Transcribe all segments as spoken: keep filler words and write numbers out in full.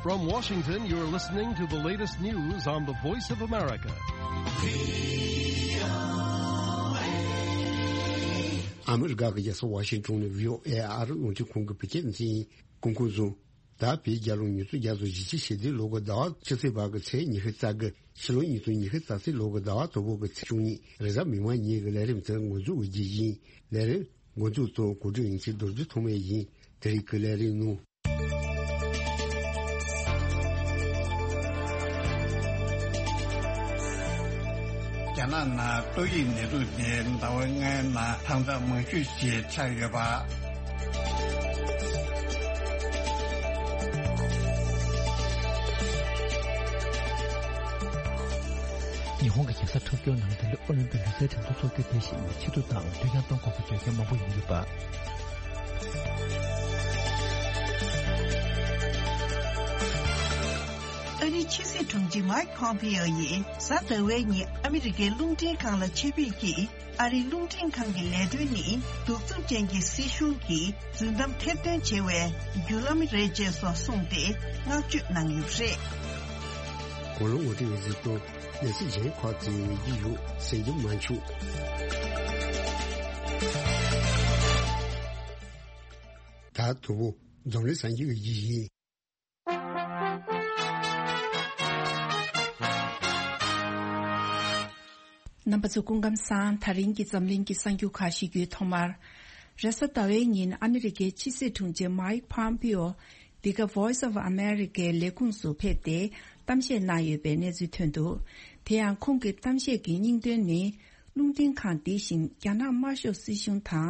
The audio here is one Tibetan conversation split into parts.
From Washington, you're listening to the latest news on the Voice of America. ཨ་མི་རི་ཀ་གི་རྒྱལ་ས་ཝ་ཤིང་ཊོན་ནས་བྷི་ཨོ་ཨེ་ཨ་རི་རླུང་འཕྲིན་ཁང་གི་བོད་སྐད་སྡེ་ཚན་ཡིན། གོང་གོང་བཟུང་། ད་བོད་རྒྱལ་ལོ་ཉིས་སྟོང་བརྒྱ་དང་བཞི་བཅུ་ཞེ་བདུན་ལོ་གི་ཟླ་བ་བཅུ་ཚེས་པ་གི་ཚེས་ཉི་ཤུ་རྩ་དགུ། ཕྱི་ལོ་ཉིས་སྟོང་ཉི་ཤུ་རྩ་གཅིག་ལོ་གི་ཟླ་བ་དང་པོ་གི་ཚེས་བཅུ་གཉིས། རེས་གཟའ་མིག་དམར་ཉིན་གྱི་ལས་རིམ་དེ་འགོ་འཛུགས་ཀྱི་ཡིན། ལས་རིམ་འགོ་འཛུགས་དང་གོ་སྒྲིག་ཡིན་ཆེད་རྡོ་རྗེ་ཐོགས་མེད་ཡིན། དེ་རིང་གི་ལས་རིམ་ནང་། རྒྱ་ནག་ནང་ཏོག་དབྱིབས་ནད་དུག་དེ་ཟླ་བ་ལྔའི་ནང་ཐང་ཚད་མང་ཤོས་ཤིག་ཆགས་ཡོད་པ། ཉི་ཧོང་གི་རྒྱལ་ས་ཊོ་ཀྱོ་ནང་འདི་ལོའི་ཨོ་ལིམ་པིག་ལུས་རྩལ་འགྲན་བསྡུར་འཚོགས་རྒྱུ་དེ་བཞིན་ཆེད་དུ་དང་ལུས་རྒྱང་གཏོང་དགོས་པའི་བརྗོད་མཁན་མང་པོ་ཡོང་གི་ཡོད་པ། ཨ་རིའི་ཕྱི་སྲིད་དྲུང་ཆེ་མཱིག་ཕོམ་པེ་ཨོ་ཡིས་གཟའ་ཟླ་བའི་ཉིན་ཨ་མི་རི་ཀའི་རླུང་འཕྲིན་ཁང་ལ་ཆེད་ཕེབས་ཀྱིས། ཨ་རིའི་རླུང་འཕྲིན་ཁང་གི་ལས་དོན་ནི་གདུག་རྩུབ་ཅན་གྱི་སྲིད་གཞུང་གིས་རྫུན་གཏམ་ཐེར་འདོན་བྱེད་པའི་བརྒྱུད་ལམ་རེད་ཅེས་སོགས་གསུངས་ཏེ་བསྔགས་བརྗོད་གནང་ཡོད་པ་རེད། གོ་ལོ་ངོ་སྤྲོད་ཡོད་ཚུལ་དང་གནས་ཚུལ་གཞན་ཁག་ཅིག་ཡོང་གི་ཡོད། གསན་རྒྱུ་མ་འཆུག་ད་དུ་བོ་འཛམ་གླིང་གསར་འགྱུར་གྱི་ཡིག་ཡིན། རྣམ་པ་ཚོ་སྐུ་ཁམས་བཟང་། ད་རིང་གི་འཛམ་གླིང་གི་གསར་འགྱུར་ཁག་ཞུ་རྒྱུའི་ཐོག་མར། རེས་གཟའ་ཟླ་བའི་ཉིན་ཨ་མི་རི་ཀའི་ཕྱི་སྲིད་དྲུང་ཆེ་མཱིག་ཕོམ་པེ་ཨོ་འདི་ག་Voice of Americaལས་ཁུངས་སུ་ཕེབས་ཏེ་གཏམ་བཤད་གནང་ཡོད་པའི་གནས་ཚུལ་ཐོན་འདུག་དེ་ཡང་ཁོང་གི་གཏམ་བཤད་ཀྱི་སྙིང་དོན་ནི། རླུང་འཕྲིན་ཁང་འདི་བཞིན་རྒྱ་ནག་དམར་ཤོག་སྲིད་གཞུང་དང་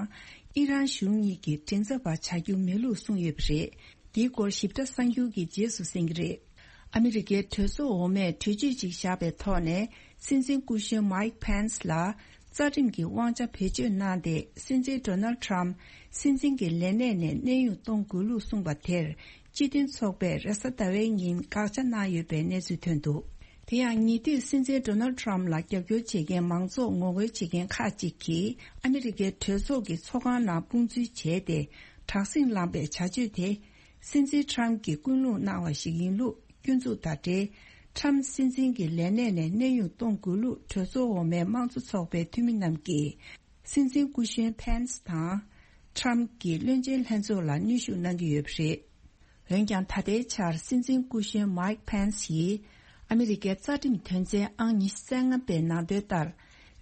ཨི་རན་གཞུང་གཉིས་ཀྱི་མགྲིན་ཚབ་པ་བྱ་རྒྱུ་མེད་ལུགས་གསུངས་ཡོད་པ་རེད། འདིའི་སྐོར་ཞིབ་ཕྲ་གསར་འགྱུར་གྱི་རྗེས་སུ་གསན་གྱི་རེད། ཨ་མི་རི་ཀའི་གྲོས་ཚོགས་འོག་མས་གྲོས་ཆོད་ཅིག་བཞག་པའི་ཐོག་ནས་སྲིད་འཛིན་སྐུ་གཞོན་མཱིག་ཕེན་སི་ལ་རྩ་ཁྲིམས་ཀྱི་དབང་ཆ་བེད་སྤྱོད་གནང་སྟེ། སྲིད་འཛིན་ཌོ་ནལ་ཊམ་སྲིད་འཛིན་གྱི་ལས་གནས་ནས་གནས་དབྱུང་གཏོང་དགོས་ལུགས་གསུངས་པ་དེར་སྤྱི་མཐུན་ཚོགས་པས་རེས་གཟའ་ཟླ་བའི་ཉིན་དགག་བྱ་གནང་ཡོད་པའི་གནས་ཚུལ་ཐོན་འདུག་དེ་ཡང་ཉེ་དུས་སྲིད་འཛིན་ཌོ་ནལ་ཊམ་ལ་རྒྱབ་སྐྱོར་བྱེད་མཁན་མང་ཚོགས་ངོ་རྒོལ་བྱེད་མཁན་ཁག་ཅིག་གིས་ཨ་མི་རི་ཀའི་གྲོས་ཚོགས་ཀྱི་ཚོགས་ཁང་ནང་དཔུང་འཛུལ་བྱས་ཏེ། དྲག་ཟིང་བསླངས་པའི་བྱ་སྤྱོད་དེ། སྲིད་འཛིན་ཊམ་གྱིས་སྐུལ་སློང་གནང་བ་ཞིག་ཡིན་ལུགས་སྐྱོན་འཛུགས་དང་འབྲེལ། ཊམ་སྲིད་འཛིན་གྱི་ལས་གནས་ནས་གནས་དབྱུང་གཏོང་དགོས་ལུགས་གྲོས་ཚོགས་འོག་མའི་དམངས་གཙོ་ཚོགས་པའི་འཐུས་མི་རྣམས་ཀྱིས། སྲིད་འཛིན་སྐུ་གཞོན་ཕེན་སི་དང་། ཊམ་གྱི་བློན་ཆེན་ལྷན་ཚོགས་ལ་གནོན་ཤུགས་གནང་གི་ཡོད་པ་རེད། འོན་ཀྱང་ད་ལྟའི་ཆར་སྲིད་འཛིན་སྐུ་གཞོན་མཱིག་ཕེན་སི་ཡིས་ཨ་མི་རི་ཀའི་རྩ་ཁྲིམས་དོན་ཚན་ཨང་ཉི་ཤུ་རྩ་ལྔ་པའི་ནང་དོན་ལྟར།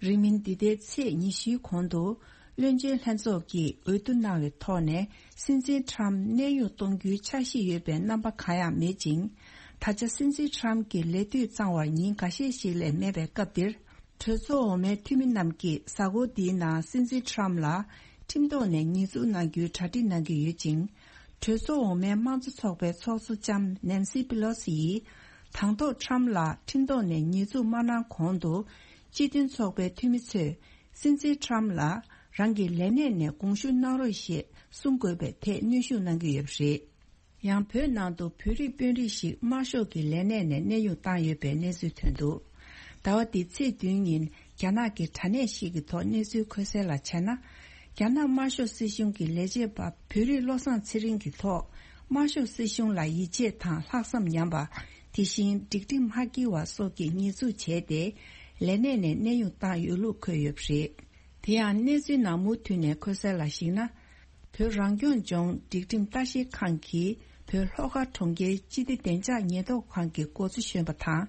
རིང་མིན་འདི་ཟླའི་ཚེས་ཉི་ཤུའི་གོང་དུ། བློན་ཆེན་ལྷན་ཚོགས་ཀྱིས་འོས་བསྡུ་གནང་བའི་ཐོག་ནས་སྲིད་འཛིན་ཊམ་གནས་དབྱུང་གཏོང་རྒྱུའི་འཆར་གཞི་ཡོད་པའི་རྣམ་པ་གང་ཡང་མེད་ཅིང་། ད་ཆ་སྲིད་འཛིན་ཊམ་གྱི་ལས་དུས་གཙང་བར་ཉིན་འགའ་ཤས་ཤིག་ལས་མེད་པའི་སྐབས་འདིར། གྲོས་ཚོགས་འོག་མའི་འཐུས་མི་རྣམས་ཀྱིས་གཟའ་འཁོར་འདིའི་ནང་སྲིད་འཛིན་ཊམ་ལ་ཁྲིམས་ཐོག་ནས་ཉེས་འཛུགས་གནང་རྒྱུའི་གྲ་སྒྲིག་གནང་གི་ཡོད་ཅིང་། གྲོས་ཚོགས་འོག་མའི་དམངས་གཙོ་ཚོགས་པའི་ཚོགས་གཙོ་ལྕམ་ནན་སི་པི་ལོ་སི་ཡིས། དང་ཐོག་ཊམ་ལ་ཁྲིམས་ཐོག་ནས་ཉེས་འཛུགས་མ་གནང་གོང་དུ། སྤྱི་མཐུན་ཚོགས་པའི་འཐུས་མི་ཚོས། སྲིད་འཛིན་ཊམ་ལ་རང་གི་ལས་གནས་ནས་དགོངས་ཞུ་གནང་རོགས་ཞེས་གསུང་དགོས་པའི་ཐད་གནོན་ཤུགས་གནང་གི་ཡོད་པ་རེད། ཡང་བོད་ནང་དུ་བོད་རིགས་དཔོན་རིགས་ཤིག་དམར་ཤོག་གི་ལས་གནས་ནས་གནས་དབྱུང་བཏང་ཡོད་པའི་གནས་ཚུལ་ཐོན་འདུག་ཟླ་བ་འདིའི་ཚེས་བདུན་ཉིན་རྒྱ་ནག་གི་དྲ་གནས་ཤིག་གི་ཐོག་གནས་ཚུལ་འཁོད་གསལ་ལ་བྱས་ན། རྒྱ་ནག་དམར་ཤོག་སྲིད་གཞུང་གི་ལས་བྱེད་པ་བོད་རིགས་བློ་བཟང་ཚེ་རིང་གི་ཐོག་དམར་ཤོག་སྲིད་གཞུང་ལ་ཡིད་ཆེས་དང་ལྷག་བསམ་ཉམས་པ། དེ་བཞིན་སྒྲིག་ཁྲིམས་མ་འགལ་བ་སོགས་ཀྱི་ཉེས་འཛུགས་བྱས་ཏེ། ལས་གནས་ནས་གནས་དབྱུང་བཏང་ཡོད་ལུགས་འཁོད་ཡོད་པ་རེད། དེ་ཡང་གནས་ཚུལ་ནང་མུ་མཐུད་ནས་འཁོད་གསལ་ལ་གཞིགས་ན། བོད་རང་སྐྱོང་ལྗོངས་སྒྲིག་ཁྲིམས་ལྟ་ཞིབ་ཁང་གིས་བོད་ལྷོ་ཁ་གྲོང་ཁྱེར་སྤྱི་བདེ་བདེ་འཇགས་ཉེན་རྟོག་ཁང་གི་འགོ་གཙོ་གཞོན་པ་དང་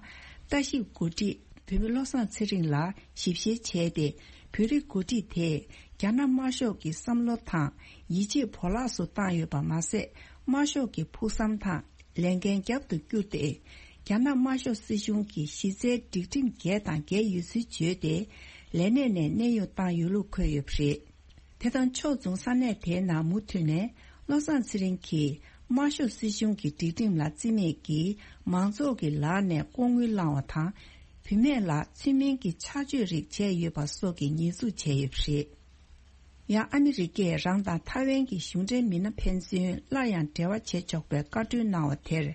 ལྟ་ཞིབ་འགོ་ཁྲིད་བོད་མི་བློ་བཟང་ཚེ་རིང་ལ་ཞིབ་བཤེར་བྱས་ཏེ། བོད་རིགས་འགོ་ཁྲིད་དེས་རྒྱ་ནག་དམར་ཤོག་གི་བསམ་བློ་དང་ཡིད་ཆེས་བོར་བརླག་སུ་བཏང་ཡོད་པ་མ་ཟད། དམར་ཤོག་གི་ཕུགས་བསམ་དང་ལས་འགན་རྒྱབ་ཏུ་བསྐྱུར་ཏེ། རྒྱ་ནག་དམར་ཤོག་སྲིད་གཞུང་གི་གཞི་རྩའི་སྒྲིག་ཁྲིམས་འགལ་དང་འགལ་ཡོད་ཚུལ་བརྗོད་དེ། ལས་གནས་ནས་གནས་དབྱུང་བཏང་ཡོད་ལུགས་འཁོད་ཡོད་པ་རེད། དེ་དང་ཕྱོགས་མཚུངས་ས་གནས་དེའི་ནང་མུ་མཐུད་ནས་བློ་བཟང་ཚེ་རིང་གིས་དམར་ཤོག་སྲིད་གཞུང་གི་སྒྲིག་ཁྲིམས་ལ་བརྩི་མེད་ཀྱིས་མང་ཚོགས་ཀྱི་ལག་ནས་ལྐོག་དངུལ་བླངས་བ་དང་། བུད་མེད་ལ་ཚུལ་མིན་གྱི་ཆགས་སྤྱོད་རིགས་བྱས་ཡོད་པ་སོགས་ཀྱི་ཉེས་འཛུགས་བྱས་ཡོད་པ་རེད། ཡང་ཨ་མི་རི་ཀས་རང་དང་ཐའེ་ཝན་གྱི་གཞུང་འབྲེལ་མི་སྣ་ཕན་ཚུན་སླར་ཡང་འབྲེལ་བ་བྱེད་ཆོག་པའི་བཀའ་འཁྲོལ་གནང་བ་དེར་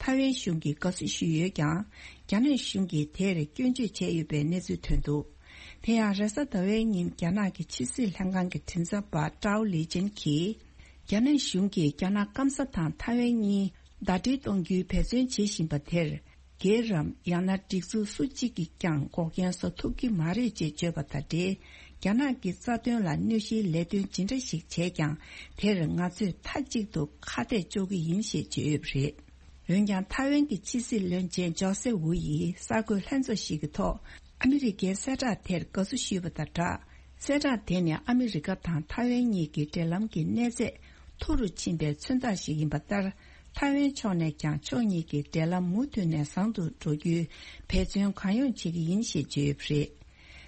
ཐའེ་ཝན་གཞུང་གིས་དགའ་བསུ་ཞུས་ཡོད་ཀྱང་། རྒྱ་ནག་གཞུང་གིས་དེར་སྐྱོན་བརྗོད་བྱས་ཡོད་པའི་གནས་ཚུལ་ཐོན་འདུག་དེ་ཡང་རེས་གཟའ་ཟླ་བའི་ཉིན་རྒྱ་ནག་གི་ཕྱི་སྲིད་ལྷན་ཁང་གི་མགྲིན་ཚབ་པ་ཀྲའོ་ལི་ཅན་གྱིས། རྒྱ་ནག་གཞུང་གིས་རྒྱ་ནག་སྐམ་ས་དང་ཐའེ་ཝན་གཉིས་ ཟླ་སྒྲིལ་གཏོང་རྒྱུའི་འབད་བརྩོན་བྱེད་བཞིན་པ་དེར། སྒེར་རམ་ཡང་ན་སྒྲིག་འཛུགས་སུ་གཅིག་གིས་ཀྱང་འགོག་རྐྱེན་བཟོ་ཐུབ་ཀྱི་མ་རེད་ཅེས་བརྗོད་པ་དང་འབྲེལ། རྒྱ་ནག་གི་རྩ་དོན་ལ་གནོད་གཞིའི་ལས་དོན་ཇི་འདྲ་ཞིག་བྱས་ཀྱང་། དེར་ང་ཚོས་མཐའ་གཅིག་ཏུ་ཁ་གཏད་གཅོག་གི་ཡིན་ཞེས་བརྗོད་ཡོད་པ་རེད། འོན་ཀྱང་། ཐའེ་ཝན་གྱི་ཕྱི་སྲིད་བློན་ཆེན་ཇོ་སེ་ཝུ་ཡིས་གསར་འགོད་ལྷན་ཚོགས་ཤིག་གི་ཐོག་ཨ་མི་རི་ཀའི་གསལ་བསྒྲགས་དེར་དགའ་བསུ་ཞུས་པ་དང་སྦྲགས། གསལ་བསྒྲགས་དེ་ནི་ཨ་མི་རི་ཀ་དང་ཐའེ་ཝན་གཉིས་ཀྱི་འབྲེལ་ལམ་གྱི་གནས་ཚད་མཐོ་རུ་ཕྱིན་པའི་མཚོན་རྟགས་ཤིག་ཡིན་པ་ལྟར། ཐའེ་ཝན་ཕྱོགས་ནས་ཀྱང་ཕྱོགས་གཉིས་ཀྱི་འབྲེལ་ལམ་མུ་མཐུད་ནས་བཟང་དུ་འགྲོ་རྒྱུའི་འབད་བརྩོན་གང་ཡོང་བྱེད་ཀྱི་ཡིན་ཞེས་བརྗོད་ཡོད་པ་རེད།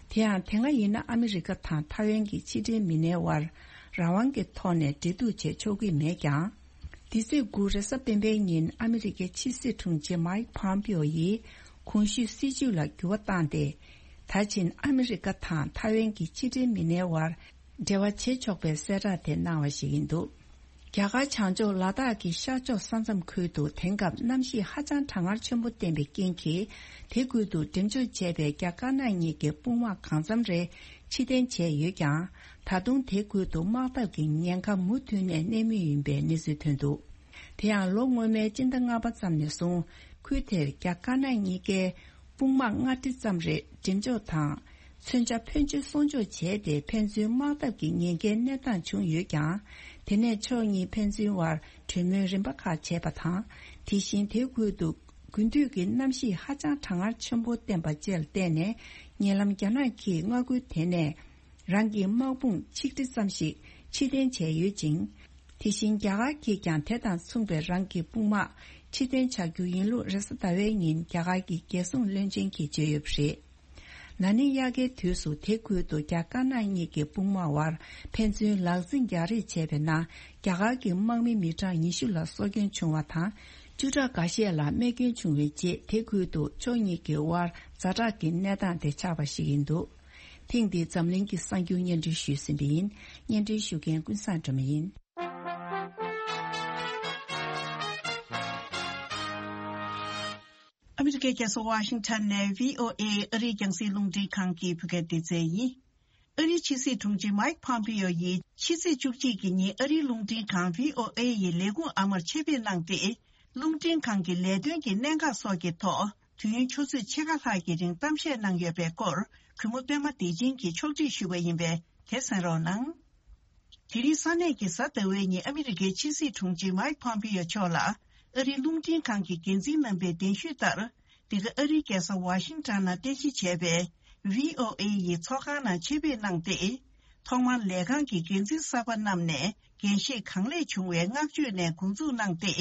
དེ་ཡང་། དེ་སྔ་ཡིན་ན་ཨ་མི་རི་ཀ་དང་ཐའེ་ཝན་གྱི་ཕྱི་འབྲེལ་མི་སྣའི་དབར་རང་དབང་གི་ཐོག་ནས་འབྲེལ་གཏུག་བྱེད་ཆོག་གི་མེད་ཀྱང་། འདི་ཚེས་དགུ་རེས་གཟའ་སྤེན་པའི་ཉིན་ཨ་མི་རི་ཀའི་ཕྱི་སྲིད་དྲུང་ཆེ་མའིག་ཕོམ་པིའོ་ཡིས་གོང་ཞུས་སྲིད་བྱུས་ལ་འགྱུར་བ་བཏང་སྟེ། ད་ཕྱིན་ཨ་མི་རི་ཀ་དང་ཐའེ་ཝན་གྱི་ཕྱི་འབྲེལ་མི་སྣའི་དབར་འབྲེལ་བ་བྱེད་ཆོག་པའི་གསལ་བསྒྲགས་དེ་གནང་བ་ཞིག་ཡིན་འདུག་རྒྱ་གར་བྱང་ཕྱོགས་ལ་དྭགས་ཀྱི་ཤར་ཕྱོགས་ས་མཚམས་ཁུལ་དུ་དེང་སྐབས་གནམ་གཤིས་ཧ་ཅང་གྲང་ངར་ཆེན་པོ་བསྟན་པའི་རྐྱེན་གྱིས། དེ་ཁུལ་དུ་འགྲེམས་འཇོག་བྱས་པའི་རྒྱ་དཀར་ནག་གཉིས་ཀྱི་དཔུང་དམག་གང་འཚམ་རེ་ཕྱིར་འཐེན་བྱས་ཡོད་ཀྱང་། ད་དུང་དེ་ཁུལ་དུ་དམག་འཐབ་ཀྱི་ཉེན་ཁ་མུ་མཐུད་ནས་གནས་མུས་ཡིན་པའི་གནས་ཚུལ་ཐོན་འདུག་དེ་ཡང་། ལོ་སྔོན་མའི་སྤྱི་ཟླ་ལྔ་པ་ཙམ་ནས་བཟུང་། ཁུལ་དེར་རྒྱ་དཀར་ནག་གཉིས་ཀའི་དཔུང་དམག་ལྔ་ཁྲི་ཙམ་རེ་འགྲེམས་འཇོག་དང་། མཚོན་ཆ་ཕོན་ཆེ་སྲུང་སྐྱོབ་བྱས་ཏེ། ཕན་ཚུན་དམག་འཐབ་ཀྱི་ཉེན་ཁའི་གནས་སྟངས་བྱུང་ཡོད་ཀྱང་། དེ་ནས་ཕྱོགས་གཉིས་ཕན་ཚུན་དབར་གྲོས་མོལ་རིམ་པ་ཁག་བྱས་པ་དང་། དེ་བཞིན་དེ་ཁུལ་དུ་དགུན་དུས་ཀྱི་གནམ་གཤིས་ཧ་ཅང་གྲང་ངར་ཆེན་པོ་བསྟན་པ་བཅས་ལ་བརྟེན་ནས། ཉེ་ལམ་རྒྱ་ནག་གིས་མངའ་ཁུལ་དེ་ནས་རང་གི་དམག་དཔུང་ཆིག་ཁྲི་ཙམ་ཞིག་ཕྱིར་འཐེན་བྱས་ཡོད་ཅིང་། དེ་བཞིན་རྒྱ་གར་གྱིས་ཀྱང་དེ་དང་མཚུངས་པའི་རང་གི་དཔུང་དམག་ཕྱིར་འཐེན་བྱ་རྒྱུ་ཡིན་ལུགས་རེས་གཟའ་ཟླ་བའི་ཉིན་རྒྱ་གར་གྱི་རྒྱལ་སྲུང་བློན་ཆེན་གྱིས་བརྗོད་ཡོད་པ་རེད། ན་ནིང་དབྱར་ཁའི་དུས་སུ་དེ་ཁུལ་དུ་རྒྱ་དཀར་ནག་གཉིས་ཀྱི་དཔུང་དམག་དབར་ཕན་ཚུན་ལག་འཛིང་རྒྱག་རེས་བྱས་པའི་ནང་། རྒྱ་གར་གྱི་དམག་མི་མི་གྲངས་ཉི་ཤུ་ལ་སྲོག་སྐྱོན་བྱུང་བ་དང་། བཅུ་ཕྲག་འགའ་ཤས་ལ་རྨས་སྐྱོན་བྱུང་བའི་རྗེས། དེ་ཁུལ་དུ་ཕྱོགས་གཉིས་ཀྱི་དབར་ཛ་དྲག་གི་གནས་སྟངས་དེ་ཆགས་པ་ཞིག་ཡིན་འདུག་ཐེངས་འདིའི་འཛམ་གླིང་གི་གསར་འགྱུར་སྙན་སྒྲོན་ཞུས་ཟིན་པ་ཡིན། སྙན་སྒྲོན་ཞུ་མཁན་ཀུན་བཟང་སྒྲོལ་མ་ཡིན། ཨ་མི་རི་ཀའི་རྒྱལ་ས་ཝ་ཤིང་ཊོན་ནས་བྷི་ཨོ་ཨེ་ཨ་རིའི་རྒྱང་སྲིང་རླུང་འཕྲིན་ཁང་གི་བོད་སྐད་སྡེ་ཚན་ཡིན། ཨ་རིའི་ཕྱི་སྲིད་དྲུང་ཆེ་མའིག་ཕོམ་པིའོ་ཡིས་ཕྱི་ཚེས་བཅུ་གཅིག་གི་ཉིན་ཨ་རིའི་རླུང་འཕྲིན་ཁང་བྷི་ཨོ་ཨེ་ཡི་ལས་ཁུངས་ཨ་མར་ཆེད་ཕེབས་གནང་སྟེ། རླུང་འཕྲིན་ཁང་གི་ལས་དོན་གྱི་གནད་འགག་སོགས་ཀྱི་ཐོག་དུས་ཡུན་ཆུ་ཚོད་ཕྱེད་ཀ་ལྷག་གི་རིང་གཏམ་བཤད་གནང་ཡོད་པའི་སྐོར། གུས་མོ་པད་མ་བདེ་ཆེན་གྱིས་ཕྱོགས་སྒྲིག་ཞུས་པ་ཡིན་པས། དེ་གསན་རོགས་གནང་། དེ་རིང་ས་གནས་ཀྱི་གཟའ་ཟླ་བའི་ཉིན་ཨ་མི་རི་ཀའི་ཕྱི་སྲིད་དྲུང་ཆེ་མའིག་ཕོམ་པིའོ་མཆོག་ལ་ཨ་རིའི་རླུང་འཕྲིན་ཁང་གི་འགན་འཛིན་རྣམ་པས་གདན་ཞུས་ལྟར། འདི་ག་ཨ་རིའི་རྒྱལ་ས་ཝ་ཤིང་ཊོན་ནང་རྟེན་གཞི་བྱས་པའི་བྷི་ཨོ་ཨེ་ཡི་ཚོགས་ཁང་ནང་ཆེད་ཕེབས་གནང་སྟེ། ཐོག་མར་ལས་ཁང་གི་འགན་འཛིན་གསར་པ་རྣམས་ནས་འགན་བཞེས་གང་ལེགས་བྱུང་བའི་བསྔགས་བརྗོད་ནས་འགོ་འཛུགས་གནང་སྟེ།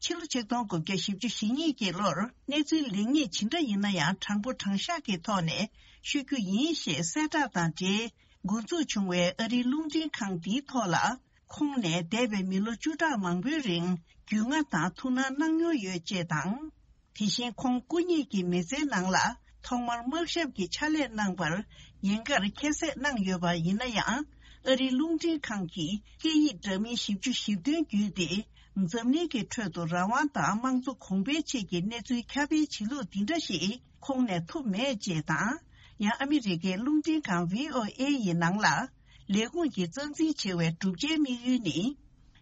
ཕྱི་ལོ་ཆིག་སྟོང་དགུ་བརྒྱ་བཞི་བཅུ་ཞེ་གཉིས་ཀྱི་ལོར་གནས་ཚུལ་ལེགས་ཉེས་ཇི་འདྲ་ཡིན་ན་ཡང་། དྲང་པོ་དྲང་བཞག་གི་ཐོག་ནས་ཤོད་རྒྱུ་ཡིན་ཞེས་གསལ་བསྒྲགས་དང་འབྲེལ། འགོ་འཛུགས་བྱུང་བའི་ཨ་རིའི་རླུང་འཕྲིན་ཁང་འདིའི་ཐོག་ལ། ཁོང་ནས་འདས་པའི་མི་ལོ་བཅུ་ཕྲག་མང་པོའི་རིང་རྒྱུས་མངའ་དང་ཐུགས་སྣང་གནང་མྱོང་ཡོད་ཅེས་དང་། དེ་བཞིན་ཁོང་སྐུ་ཉིད་ཀྱི་མི་ཚེའི་ནང་ལ་ཐོག་མར་དམག་ཞབས་ཀྱི་ཕྱག་ལས་གནང་བར་ཉེན་ཁར་ཁྱད་བསད་གནང་ཡོད་པ་ཡིན་ན་ཡང་། ཨ་རིའི་རླུང་འཕྲིན་ཁང་གིས་སྐད་ཡིག་འདྲ་མིན་བཞི་བཅུ་ཞེ་བདུན་བརྒྱུད་དེ། འཛམ་གླིང་གི་ཁྲོད་དུ་རང་དབང་དང་དམངས་གཙོ་གོང་འཕེལ་ཆེད་ཀྱི་གནས་ཚུལ་ཁྱབ་སྤེལ་བྱེད་ལུགས་འདི་འདྲ་ཞིག་ཁོང་ནས་ཐུབ་མེད་ཅེས་དང་། ཡང་ཨ་མི་རི་ཀའི་རླུང་འཕྲིན་ཁང་བྷི་ཨོ་ཨེ་ཡི་ནང་ལ་ལས་ཁུངས་ཀྱི་རྩ་འཛིན་བྱེད་པའི་བསྒྲུབ་བྱའི་དམིགས་ཡུལ་ནི།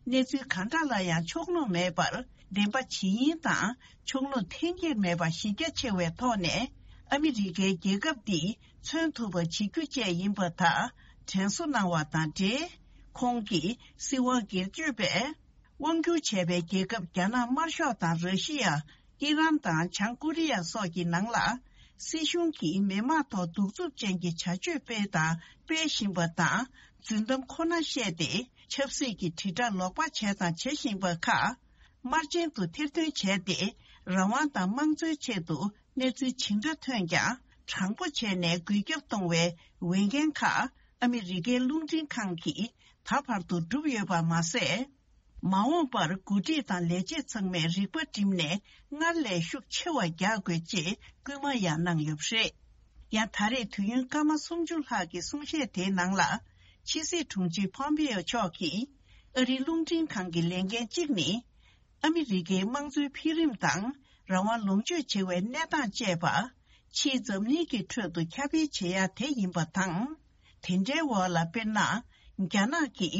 གནས་ཚུལ་གང་འདྲ་ལ་ཡང་ཕྱོགས་ལྷུང་མེད་པར་བདེན་པ་ཇི་ཡིན་དང་། ཕྱོགས་ལྷུང་འཐེན་འཁྱེར་མེད་པ་གཞི་རྒྱ་ཆེ་བའི་ཐོག་ནས། ཨ་མི་རི་ཀའི་རྒྱལ་ཁབ་འདི་མཚོན་ཐུབ་པ་བྱེད་རྒྱུ་བཅས་ཡིན་པ་དག་དྲན་གསོ་གནང་བ་དང་འབྲེལ། ཁོང་གིས་སྲིད་དབང་སྒེར་གཅོད་པས། དབང་སྒྱུར་བྱས་པའི་རྒྱལ་ཁབ་རྒྱ་ནག་དམར་ཤོག་དང་། ར་ཤི་ཡ། ཨི་རན་དང་། བྱང་ཀོ་རི་ཡ་སོགས་ཀྱི་ནང་ལ། སྲིད་གཞུང་གིས་མི་དམངས་ཐོག་གདུག་རྩུབ་ཅན་གྱི་བྱ་སྤྱོད་སྤེལ་དང་སྤེལ་བཞིན་པ་དང་། རྫུན་གཏམ་ཁོ་ན་བཤད་དེ། ཆབ་སྲིད་ཀྱི་དྲིལ་བསྒྲགས་ལོག་པ་བྱས་དང་བྱེད་བཞིན་པ་ཁག་དམར་རྗེན་དུ་ཐེར་འདོན་བྱས་ཏེ། རང་དབང་དང་དམངས་གཙོའི་ཆེད་དུ་གནས་ཚུལ་ཇི་འདྲ་ཐོན་ཀྱང་། དྲང་པོ་བྱས་ནས་འགུལ་སྐྱོད་གཏོང་བའི་འོས་འགན་ཁག་ཨ་མི་རི་ཀའི་རླུང་འཕྲིན་ཁང་གིས་ད་བར་དུ་བསྒྲུབས་ཡོད་པ་མ་ཟད། མ་འོངས་པར་འགོ་ཁྲིད་དང་ལས་བྱེད་ཚང་མས་རིག་པ་བསྒྲིམས་ནས་སྔར་ལས་ཤུགས་ཆེ་བ་རྒྱག་དགོས་ཅེས་སྐུལ་མ་ཡང་གནང་ཡོད་པ་རེད། ཡང་ད་རེས་དུས་ཡུན་སྐར་མ་སུམ་ཅུ་ལྷག་གི་གསུང་བཤད་དེའི་ནང་ལ། ཕྱི་སྲིད་དྲུང་ཆེ་ཕོམ་པེ་ཡོ་མཆོག་གིས། ཨ་རིའི་རླུང་འཕྲིན་ཁང་གི་ལས་འགན་གཅིག་ནི། ཨ་མི་རི་ཀའི་དམངས་གཙོའི་འཕེལ་རིམ་དང་། རང་དབང་ལོངས་སྤྱོད་བྱེད་པའི་གནས་སྟངས་བཅས་པ། ཕྱིའི་འཛམ་གླིང་གི་ཁྲོད་དུ་ཁྱབ་སྤེལ་བྱེད་ཡ་དེ་ཡིན་པ་དང་། དེ་འདྲའི་འོག་ལ། དཔེར་ན། རྒྱ་ནག་གིས་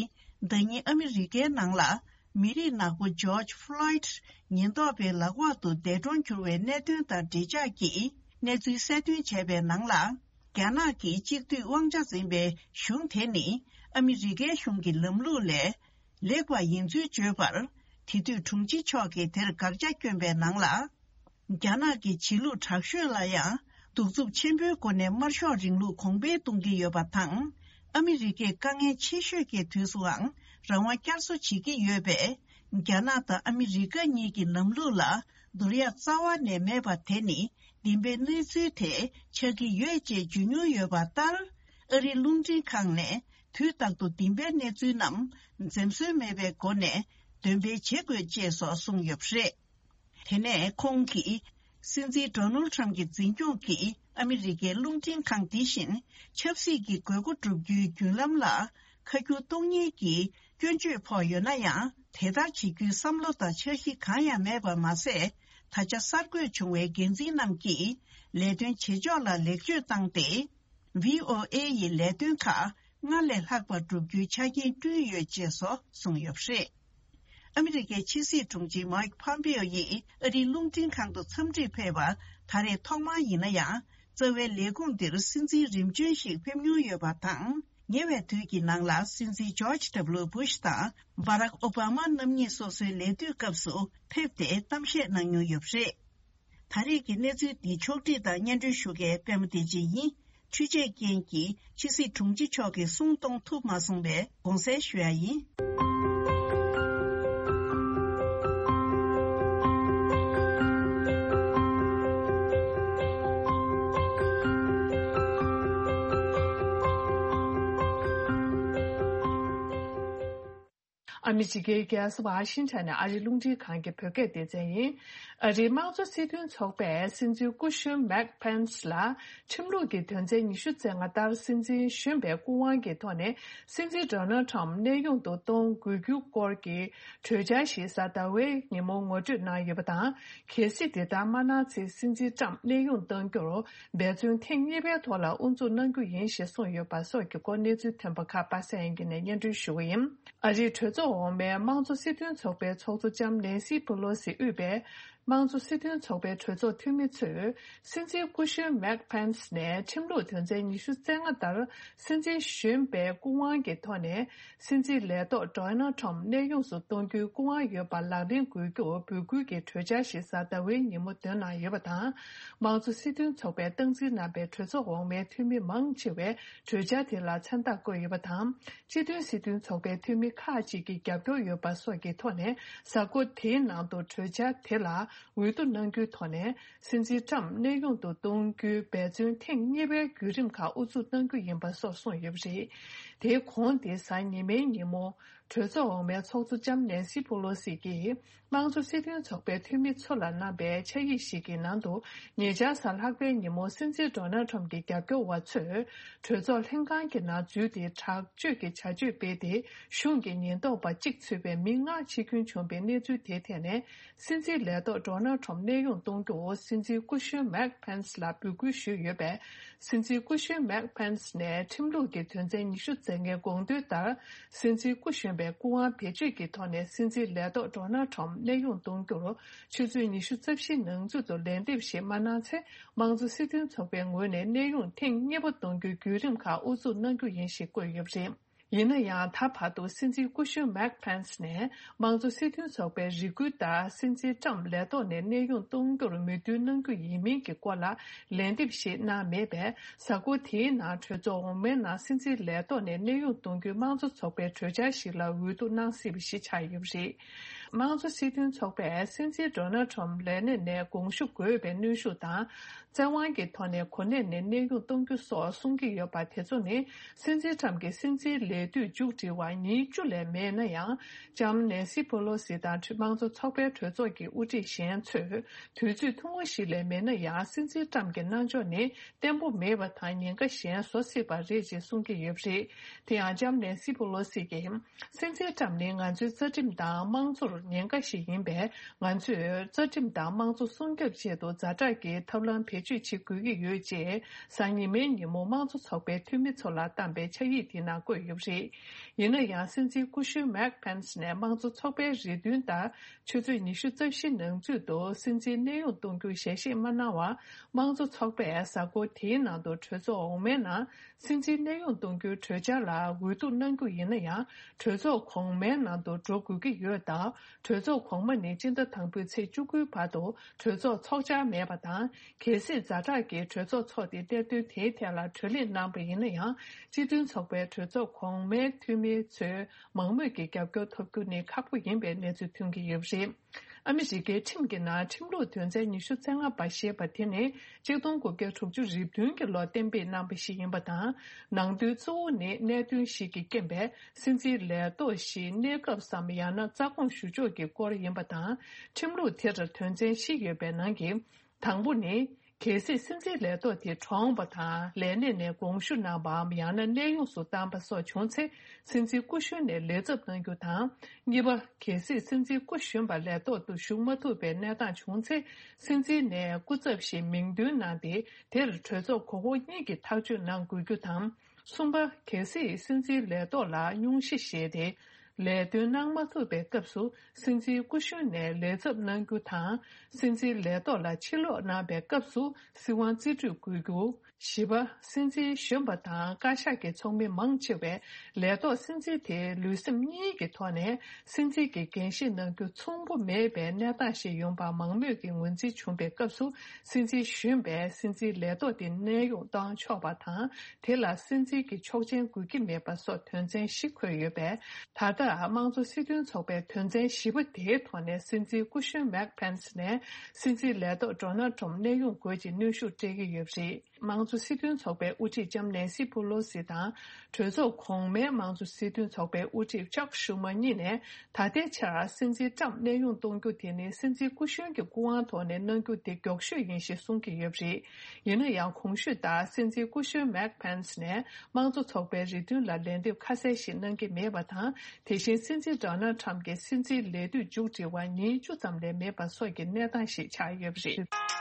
ཟླ་ཉིན་ཨ་མི་རི་ཀའི་ནང་ལ་ མི་རིགས་ནག་པོ་ཇོརྗ་ཕློའིད་ཉེན་རྟོག་པའི་ལག་འོག་ཏུ་འདས་གྲོངས་གྱུར་བའི་གནད་དོན་དང་འབྲེལ་ཆགས་ཀྱི་གནས་ཚུལ་གསལ་སྟོན་བྱས་པའི་ནང་ལ། རྒྱ་ནག་གི་གཅིག་སྡུད་དབང་ཆ་འཛིན་པའི་གཞུང་དེ་ནི་ཨ་མི་རི་ཀའི་གཞུང་གི་ལམ་ལུགས་ལས་ལེགས་པ་ཡིན་ཚུལ་བརྗོད་པར། དེ་དུས་དྲུང་ཆེ་མཆོག་གིས་དེར་དགག་བྱ་བསྐྱོན་པའི་ནང་ལ། རྒྱ་ནག་གི་བྱེད་ལུགས་དྲག་ཤོས་ལ་ཡང་གདུག་རྩུབ་ཆེན་པོའི་སྒོ་ནས་དམར་ཤོག་རིང་ལུགས་གོང་འཕེལ་གཏོང་གི་ཡོད་པ་དང་། ཨ་མི་རི་ཀས་དཀའ་ངལ་ཆེ་ཤོས་ཀྱི་དུས་སུའང་རང་དབང་བསྐྱར་གསོ་བྱེད་ཀྱི་ཡོད་པས། རྒྱ་ནག་དང་ཨ་མི་རི་ཀ་གཉིས་ཀྱི་ལམ་ལུགས་ལ་བསྡུར་ཡག་རྩ་བ་ནས་མེད་པ་དེ་ནི་བདེན་པའི་གནས་ཚུལ་དེ་ཆགས་ཀྱི་ཡོད་ཅེས་བརྗོད་མྱོང་ཡོད་པ་ལྟར། ཨ་རིའི་རླུང་འཕྲིན་ཁང་ནས་དུས་རྟག་ཏུ་བདེན་པའི་གནས་ཚུལ་རྣམས་འཛེམ་ཟོན་མེད་པའི་སྒོ་ནས་འདོན་སྤེལ་བྱེད་དགོས་ཅེས་སོགས་གསུངས་ཡོད་པ་རེད། དེ་ནས་ཁོང་གིས། སྲིད་འཛིན་ཌོ་ནལ་ཁྲམ་གྱི་འཛིན་སྐྱོང་གིས་ཨ་མི་རི་ཀའི་རླུང་འཕྲིན་ཁང་འདི་བཞིན་ཆབ་སྲིད་ཀྱི་དགོས་མཁོ་བསྒྲུབ་རྒྱུའི་བརྒྱུད་ལམ་ལ་ཁ་སྐྱུར་གཏོང་ཉེན་གྱི་སྐྱོན་བརྗོད་ཕོག་ཡོད་ན་ཡང་། དེ་ལྟར་བྱེད་རྒྱུའི་བསམ་བློ་དང་འཆར་གཞི་གང་ཡང་མེད་པ་མ་ཟད། ད་ཆ་གསར་འགོད་བྱུང་བའི་འགན་འཛིན་རྣམས་ཀྱིས་ལས་དོན་བྱེད་ཕྱོགས་ལ་ལེགས་བཅོས་བཏང་སྟེ། ཝི་ཨོ་ཨེ་ཡི་ལས་དོན་ཁག་སྔར་ལས་ལྷག་པར་བསྒྲུབ་རྒྱུའི་ཆ་རྐྱེན་བསྐྲུན་ཡོད་ཅེས་སོགས་གསུངས་ཡོད་པ་རེད། ཨ་མི་རི་ཀའི་ཕྱི་སྲིད་དྲུང་ཆེ་མའིག་ཕོམ་པེའོ་ཡིས་ཨ་རིའི་རླུང་འཕྲིན་ཁང་དུ་འཚམས་འདྲིར་ཕེབས་པ་ད་རེས་ཐོག་མ་ཡིན་ན་ཡང་། རྩ་བའི་ལས་ཁུངས་འདིར་སྲིད་འཛིན་རིམ་བྱོན་ཞིག་ཕེབས་མྱོང་ཡོད་པ་དང་། ཉེ་བའི་དུས་ཀྱི་ནང་ལ་སྲིད་འཛིན་ཇོརྗ་ཌབ་ལུ་བྷུཤ་དང་། བྷ་རག་ཨོ་བྷ་མ་རྣམ་གཉིས་སོ་སོའི་ལས་དུས་སྐབས་སུ་ཕེབས་ཏེ་གཏམ་བཤད་གནང་མྱོང་ཡོད་པ་རེད། ད་རེས་ཀྱི་གནས་ཚུལ་འདི་ཕྱོགས་བསྒྲིགས་དང་སྙན་སྒྲོན་ཞུ་མཁན་པད་མ་བདེ་ཆེན་ཡིན། འཕྲུལ་ཆས་རྐྱེན་གྱིས་ཕྱི་སྲིད་དྲུང་ཆེ་མཆོག་གི་གསུང་གཏོང་ཐུབ་མ་སོང་བས་དགོངས་སེལ་ཞུ་ཡ་ཡིན། ཨ་མི་རི་ཀའི་རྒྱལ་ས་ཝ་ཤིང་ཊོན་ནས་ཨ་རིའི་རླུང་འཕྲིན་ཁང་གི་བོད་སྐད་སྡེ་ཚན་ཡིན། ཨ་རིའི་དམངས་གཙོ་སྲིད་དོན་ཚོགས་པས་སྲིད་འཛིན་སྐུ་གཞོན་མེག་ཕེན་སི་ལ་ཁྲིམས་ལུགས་ཀྱི་དོན་ཚན་ཉི་ཤུ་རྩ་ལྔ་ལྟར་སྲིད་འཛིན་གཞོན་པའི་སྐུ་དབང་གི་ཐོག་ནས་སྲིད་འཛིན་ཌོ་ནལ་ཁྲམ་གནས་དབྱུང་དུ་གཏོང་དགོས་རྒྱུ་སྐོར་གྱི་གྲོས་འཆར་ཞིག་གཟའ་ཟླ་བའི་ཉིན་མོ་ངོ་སྤྲོད་གནང་ཡོད་པ་དང་། གལ་སྲིད་དེ་ལྟར་མ་གནང་ཚེ་སྲིད་འཛིན་ཁྲམ་གནས་དབྱུང་གཏོང་རྒྱུར་འབད་བརྩོན་ཐེངས་གཉིས་པའི་ཐོག་ལ་དབུ་འཛུགས་གནང་རྒྱུ་ཡིན་ཞེས་གསུངས་ཡོད་པ་སོགས་ཀྱི་སྐོར་གནས་ཚུལ་ཐོན་པ་ཁག་པ་སངས་དབྱངས་སྐྱིད་ནས་སྙན་སྒྲོན་ཞུ་གི་ཡིན། ཨ་རིའི་གྲོས་ཚོགས་འོག་མའི་དམངས་གཙོ་སྲིད་དོན་ཚོགས་པའི་ཚོགས་གཙོ་ལྕམ་ནེན་སི་པེ་ལོ་སི་དབུས་པའི་དམངས་གཙོ་སྲིད་དོན་ཚོགས་པའི་གྲོས་ཚོགས་འཐུས་མི་ཚོས་སྲིད་འཛིན་སྐུ་གཞོན་མེག་ཕེན་སི་ནས་ཁྲིམས་ལུགས་དོན་ཚན་ཉི་ཤུ་རྩ་ལྔ་ལྟར་སྲིད་འཛིན་གཞོན་པའི་སྐུ་དབང་གི་ཐོག་ནས་སྲིད་འཛིན་ལས་ཐོག་ཌོ་ནལ་ཁྲམ་གནས་དབྱུང་སུ་གཏོང་རྒྱུའི་སྐུ་དབང་ཡོད་པ་ལག་ལེན་དགོས་རྒྱུར་འབོད་སྐུལ་གྱི་གྲོས་འཆར་ཞིག་གཟའ་ཟླ་བའི་ཉིན་མོ་འདོན་གནང་ཡོད་པ་དང་། དམངས་གཙོ་སྲིད་དོན་ཚོགས་པས་སྟངས་འཛིན་གནང་པའི་གྲོས་ཚོགས་འོག་མའི་འཐུས་མི་མང་ཆེ་བས་གྲོས་འཆར་དེ་ལ་མཚན་རྟགས་བཀོད་ཡོད་པ་དང་། སྤྱི་མཐུན་སྲིད་དོན་ཚོགས་པའི་འཐུས་མི་ཁག་ཅིག་གིས་རྒྱབ་སྐྱོར་ཡོད་པ་སོགས་ཀྱི་ཐོག་ནས་གཟའ་འཁོར་དེའི་ནང་དུ་གྲོས་འཆར་དེ་ལ་འོས་བསྡུ་གནང་རྒྱུའི་ཐོག་ནས་སྲིད་འཛིན་ཁྲམ་གནས་དབྱུང་དུ་གཏོང་རྒྱུའི་འབད་བརྩོན་ཐེངས་གཉིས་པའི་བརྒྱུད་རིམ་ཁག་དབུ་འཛུགས་གནང་རྒྱུ་ཡིན་པ་སོགས་གསུངས་ཡོད་པ་རེད། དེའི་གོང་དེ་གཟའ་ཉི་མའི་ཉིན་མོ། གྲོས་ཚོགས་འོག་མའི་ཚོགས་གཙོ་ལྕམ་ནེན་སི་པོ་ལོ་སི་ཡིས་དམངས་གཙོ་སྲིད་དོན་ཚོགས་པའི་འཐུས་མི་ཚོ་ལ་གནང་པའི་ཕྱག་ཡིག་ཞིག་གི་ནང་དུ། ཉེ་ཆར་གཟའ་ལྷག་པའི་ཉིན་མོ་སྲིད་འཛིན་ཌོ་ནལ་ཁྲམ་གྱི་རྒྱབ་སྐྱོར་བ་ཚོས་གྲོས་ཚོགས་ལྷན་ཁང་གི་ནང་འཛུལ་ཏེ་དྲག་སྤྱོད་ཀྱི་བྱ་སྤྱོད་སྤེལ་ཏེ། གཞུང་གི་ཉེན་རྟོག་པ་གཅིག་ཚུད་པའི་མི་ལྔ་འཆི་སྐྱོན་བྱུང་པའི་གནས་ཚུལ་དེའི་ཐད་ནས། སྲིད་འཛིན་ལས་ཐོག་ཌོ་ནལ་ཁྲམ་གནས་དབྱུང་གཏོང་རྒྱུར་སྲིད་འཛིན་སྐུ་གཞོན་མེག་ཕེན་སི་ལ་འབོད་སྐུལ་ཞུས་ཡོད་པས། སྲིད་འཛིན་སྐུ་གཞོན་མེག་ཕེན་སི་ནས་ཁྲིམས་ལུགས་ཀྱི་དོན་ཚན་ཉི་ཤུ་རྩ་ལྔའི་དགོངས་དོན་ལྟར། སྲིད་འཛིན་སྐུ་གཞོན་པའི་སྐུ་དབང་བེད་སྤྱོད་ཀྱི་ཐོག་ནས་སྲིད་འཛིན་ལས་ཐོག་ཌོ་ནལ་ཁྲམ་གནས་དབྱུང་གཏོང་རྒྱུར་ཆུ་ཚོད་ཉི་ཤུ་རྩ་བཞིའི་ནང་ཚུད་དུ་ལན་འདེབས་ཤིག་མ་གནང་ཚེ། དམངས་གཙོ་སྲིད་དོན་ཚོགས་པའི་ངོས་ནས་གནས་དབྱུང་ཐེངས་གཉིས་པ་གཏོང་རྒྱུའི་བརྒྱུད་རིམ་ཁག་དབུ་འཛུགས་གནང་རྒྱུ་ཡིན་ཞེས་བཀོད་ཡོད་པ་རེད། ཡིན་ན་ཡང་། ད་བར་དུ་སྲིད་འཛིན་སྐུ་གཞོན་མེག་ཕེན་སི་ནས་དམངས་གཙོ་སྲིད་དོན་ཚོགས་པའི་རེ་སྐུལ་ལྟར་སྲིད་འཛིན་ཁྲམ་ལས་ཐོག་ནས་གནས་དབྱུང་གཏོང་རྒྱུར་མོས་མཐུན་གནང་རྒྱུ་ཡིན་མིན་གྱི་སྐོར་ལ་ལན་འདེབས་ཤིག་གནང་མེད་པས། གཟའ་འཁོར་དེའི་ནང་གྲོས་ཚོགས་འོག་མའི་ནང་སྲིད་འཛིན་ལས་ཐོག་ནས་གནས་དབྱུང་གཏོང་རྒྱུའི་དམངས་གཙོ་ཚོགས་པའི་གྲོས་འཆར་ཞིག་ལ་འོས་བསྡུ་གནང་སྲིད་པ་ཞིག་ཆགས་ཡོད་པ་རེད། དམངས་གཙོ་སྲིད་དོན་ཚོགས་པས་སྲིད་འཛིན་ཌོ་ནལ་ཁྲམ་ལས་གནས་ནས་དགོངས་ཞུ་དགོས་པའི་གནོན་ཤུགས་དང་། བཙན་དབང་གི་ཐོག་ནས་གོ་གནས་ནས་གནས་དབྱུང་གཏོང་རྒྱུ་སོགས་གསུང་གི་ཡོད་པ་དེ་ཚོ་ནི། སྲིད་འཛིན་ཁྲམ་གྱི་སྲིད་འཛིན་ལས་དུས་མཇུག་སྒྲིལ་བར་ཉིན་བཅུ་ལས་མེད་ན་ཡང་། ལྕམ་ནེན་སི་པོ་ལོ་སི་དང་དམངས་གཙོ་ཚོགས་པའི་གྲོས་ཚོགས་ཀྱི་དབུ་ཁྲིད་གཞན་ཚོས། དུས་ཚོད་ཐུང་ངུ་ཞིག་ལས་མེད་ན་ཡང་། སྲིད་འཛིན་ཁྲམ་གྱི་རྣམ་འཇོག་ནི་བརྟན་པོ་མེད་པ་དང་། ཉེན་ཁ་གཞན་བཟོ་སྲིད་པ་རེད་ཅེས་གསུང་གི་ཡོད་པ་རེད། དེ་ཡང་ལྕམ་ནེན་སི་པོ་ལོ་སི་གིས། སྲིད་འཛིན་ཁྲམ་ནི་ང་ཚོའི་རྩ་ཁྲིམས་དང་དམངས་གཙོར། ཉེན་ཁ་ཞིག་ཡིན་པས། ང་ཚོས་རྩ་ཁྲིམས་དང་དམངས་གཙོ་སྲུང་སྐྱོབ་ཆེད་དུ་ཛ་དྲག་གི་ཐབས་ལམ་བེད་སྤྱོད་བྱེད་དགོས་ཀྱི་ཡོད་ཅེས། གཟའ་ཉི་མའི་ཉིན་མོ་དམངས་གཙོ་ཚོགས་པའི་འཐུས་མི་ཚོ་ལ་བཏང་པའི་ཕྱག་ཡིག་དེའི་ནང་བཀོད་ཡོད་པ་རེད། ཡིན་ན་ཡང་། སྲིད་འཛིན་སྐུ་གཞོན་མེག་ཕེན་སི་ནས་དམངས་གཙོ་ཚོགས་པའི་རེ་འདུན་ལྟར། ཆུ་ཚོད་ཉི་ཤུ་རྩ་བཞི་ནང་ཚུད་དུ་སྲིད་འཛིན་གནས་དབྱུང་གཏོང་རྒྱུར་ཞལ་བཞེས་མ་གནང་བར། དམངས་གཙོ་ཚོགས་པས་གཟའ་འཁོར་དེའི་ནང་དུ་གྲོས་ཚོགས་འོག་མའི་ནང་། སྲིད་འཛིན་གནས་དབྱུང་གཏོང་རྒྱུའི་གྲོས་འཆར་ལ་འོས་བསྡུ་གནང་རྒྱུ་ཡིན་ན་ཡང་། གྲོས་ཚོགས་གོང་མའི་ནང་དུ་འགྲོ་དགོས་ཀྱི་ཡོད་སྟབས། གྲོས་ཚོགས་གོང་མ་ནི་སྤྱི་ཟླ་དང་པོའི་ཚེས་བཅུ་དགུའི་བར་དུ་གྲོས་ཚོགས་འཚོགས་འཆར་མེད་པ་དང་། གལ་སྲིད་ཛ་དྲག་གི་གྲོས་ཚོགས་འཚོགས་ཏེ། གནད་དོན་དེའི་ཐད་ལ་གྲོས་གླེང་གནང་པ་ཡིན་ན་ཡང་། སྤྱི་མཐུན་ཚོགས་པའི་གྲོས་ཚོགས་གོང་མའི་འཐུས་མི་ཚོའི་མང་མོས་ཀྱི་རྒྱབ་སྐྱོར་ཐོབ་རྒྱུ་ནི་ཁག་པོ་ཡིན་པའི་གནས་ཚུལ་ཐོན་གྱི་ཡོད་པ་རེད། ཨ་མི་རི་ཀའི་ཁྲིམས་ཀྱི་ནང་ཁྲིམས་ལུགས་དོན་ཚན་ཉི་ཤུ་རྩ་ལྔ་པ་ཞེས་པ་དེ་ནི། གཅིག་སྟོང་དགུ་བརྒྱ་དྲུག་ཅུ་རེ་བདུན་གྱི་ལོར་གཏན་འབེབས་གནང་པ་ཞིག་ཡིན་པ་དང་། ནང་དོན་གཙོ་བོ་ནི། གནད་དོན་ཞིག་གི་རྐྱེན་པས་སྲིད་འཛིན་ལས་ཐོག་ཞིག་གནས་སྐབས་སམ། ཡང་ན་རྩ་དགོངས་ཞུ་ཕྱོགས་ཀྱི་སྐོར་ཡིན་པ་དང་། ཁྲིམས་ལུགས་དེར་དོན་ཚན་བཞི་ཡོད་པའི་ནང་གི། དང་པོ་ནི། གལ་སྲིད་སྲིད་འཛིན་ལས་ཐོག་དེ་གྲོངས་པ་དང་། ལས་གནས་ནས་དགོངས་ཞུ་གནང་པའམ། ཡང་ན་གནས་དབྱུང་སུ་བཏང་པ་སོགས་བྱུང་ཚེ། སྲིད་འཛིན་སྐུ་གཞོན་ནས་ལས་ཚབ་གནང་རྒྱུ་དང་། གཉིས་པ། གལ་སྲིད་སྲིད་འཛིན་སྐུ་གཞོན་པ་ལས་ཐོག་ཏུ་ཞུགས་མ་ཐུབ་པའི་གནས་སྟངས་བྱུང་ཚེ། སྲིད་འཛིན་ནས་སྐུ་ཚབ་ཞིག་མིང་འདོན་གནང་སྟེ། དེར་གྲོས་ཚོགས་གོང་འོག་གཉིས་ཀྱིས་ཐག་གཅོད་གནང་དགོས་རྒྱུ་དང་། གསུམ་པ། གལ་སྲིད་སྲིད་འཛིན་ལས་ཐོག་ལ་སྙུང་གཞི་བཞེས་ཏེ། ལས་དོན་གནང་མ་ཐུབ་པའི་སྐབས་སུ། སྲིད་འཛིན་སྐུ་གཞོན་ནས་ལས་ཚབ་གནང་རྒྱུ་དང་། སྲིད་འཛིན་ལས་ཐོག་ལ་ཕྱིར་ལོག་གནང་པའི་སྐབས་སུ། སྲིད་དབང་རྩིས་སྤྲོད་དགོས་རྒྱུ། བཞི་པ། སྲིད་འཛིན་གཞོན་པ་དང་བཀའ་ཤག་གི་ཚོགས་མི་མང་ཆེ་བས། ལས་ཐོག་སྲིད་འཛིན་དེའི་ལུས་སེམས་གཉིས་ཀྱི་ཐོག་ནས། སྲིད་འཛིན་གྱི་འགན་བཞེས་གནང་རྒྱུ་མཚུངས་པོ་མེད་པའི་གནས་སྟངས་ཤིག་ཡོང་པ་མང་མོས་ཀྱིས་ངོས་འཛིན་བྱུང་པའི་སྐབས་སུ། སྲིད་འཛིན་གཞོན་པས་སྲིད་འཛིན་ལས་ཐོག་དེ་གནས་དབྱུང་གཏོང་ཆོག་པ་དང་། དེ་ལ་སྲིད་འཛིན་གྱི་ཆོག་མཆན་དགོས་ཀྱི་མེད་པ་སོགས་དོན་ཚན་བཞི་འཁོད་ཡོད་པས། ད་ལྟ་དམངས་གཙོ་སྲིད་དོན་ཚོགས་པའི་དོན་ཚན་བཞི་པ་དེའི་ཐོག་ནས། སྲིད་འཛིན་སྐུ་གཞོན་མེག་ཕེན་སི་ནས་སྲིད་འཛིན་ལས་ཐོག་ཌོ་ནལ་ཊམ་གནས་དབྱུང་དགོས་ཀྱི་གནོན་ཤུགས་སྤྲད་ཀྱི་ཡོད་པ་རེད། དམངས་གཙོ་སྲིད་དོན་ཚོགས་པའི་དབུ་ཁྲིད་ལྕམ་ནེན་སི་པུ་ལོ་སི་དང་། གྲོས་ཚོགས་གོང་མའི་དམངས་གཙོ་སྲིད་དོན་ཚོགས་པའི་དབུ་ཁྲིད་ཅག་ཤུ་མ་གཉིས་ནས། ད་ལྟའི་ཆར་སྲིད་འཛིན་ཊམ་གནས་དབྱུང་གཏོང་རྒྱུ་དེ་ནི། སྲིད་འཛིན་སྐུ་གཞོན་གྱི་སྐུ་དབང་ཐོག་ནས་གནང་རྒྱུ་དེ་མགྱོགས་ཤོས་ཡིན་ཞེས་གསུང་གི་ཡོད་པ་རེད། ཡིན་ན་ཡང་། གོང་ཞུས་ལྟར། སྲིད་འཛིན་སྐུ་གཞོན་མེག་ཕེན་སི་ནས་དམངས་གཙོ་ཚོགས་པའི་རེ་འདུན་ལ་ལན་འདེབས་ཁ་གསལ་ཞིག་གནང་གི་མེད་པ་དང་། དེ་བཞིན། སྲིད་འཛིན་ཌོ་ནལ་ཊམ་གྱི་སྲིད་འཛིན་ལས་དུས་མཇུག་སྒྲིལ་བར་ཉིན་བཅུ་ཙམ་ལས་མེད་པ་སོགས་ཀྱི་གནས་སྟངས་ཤིག་ཆགས་ཡོད་པ་རེད།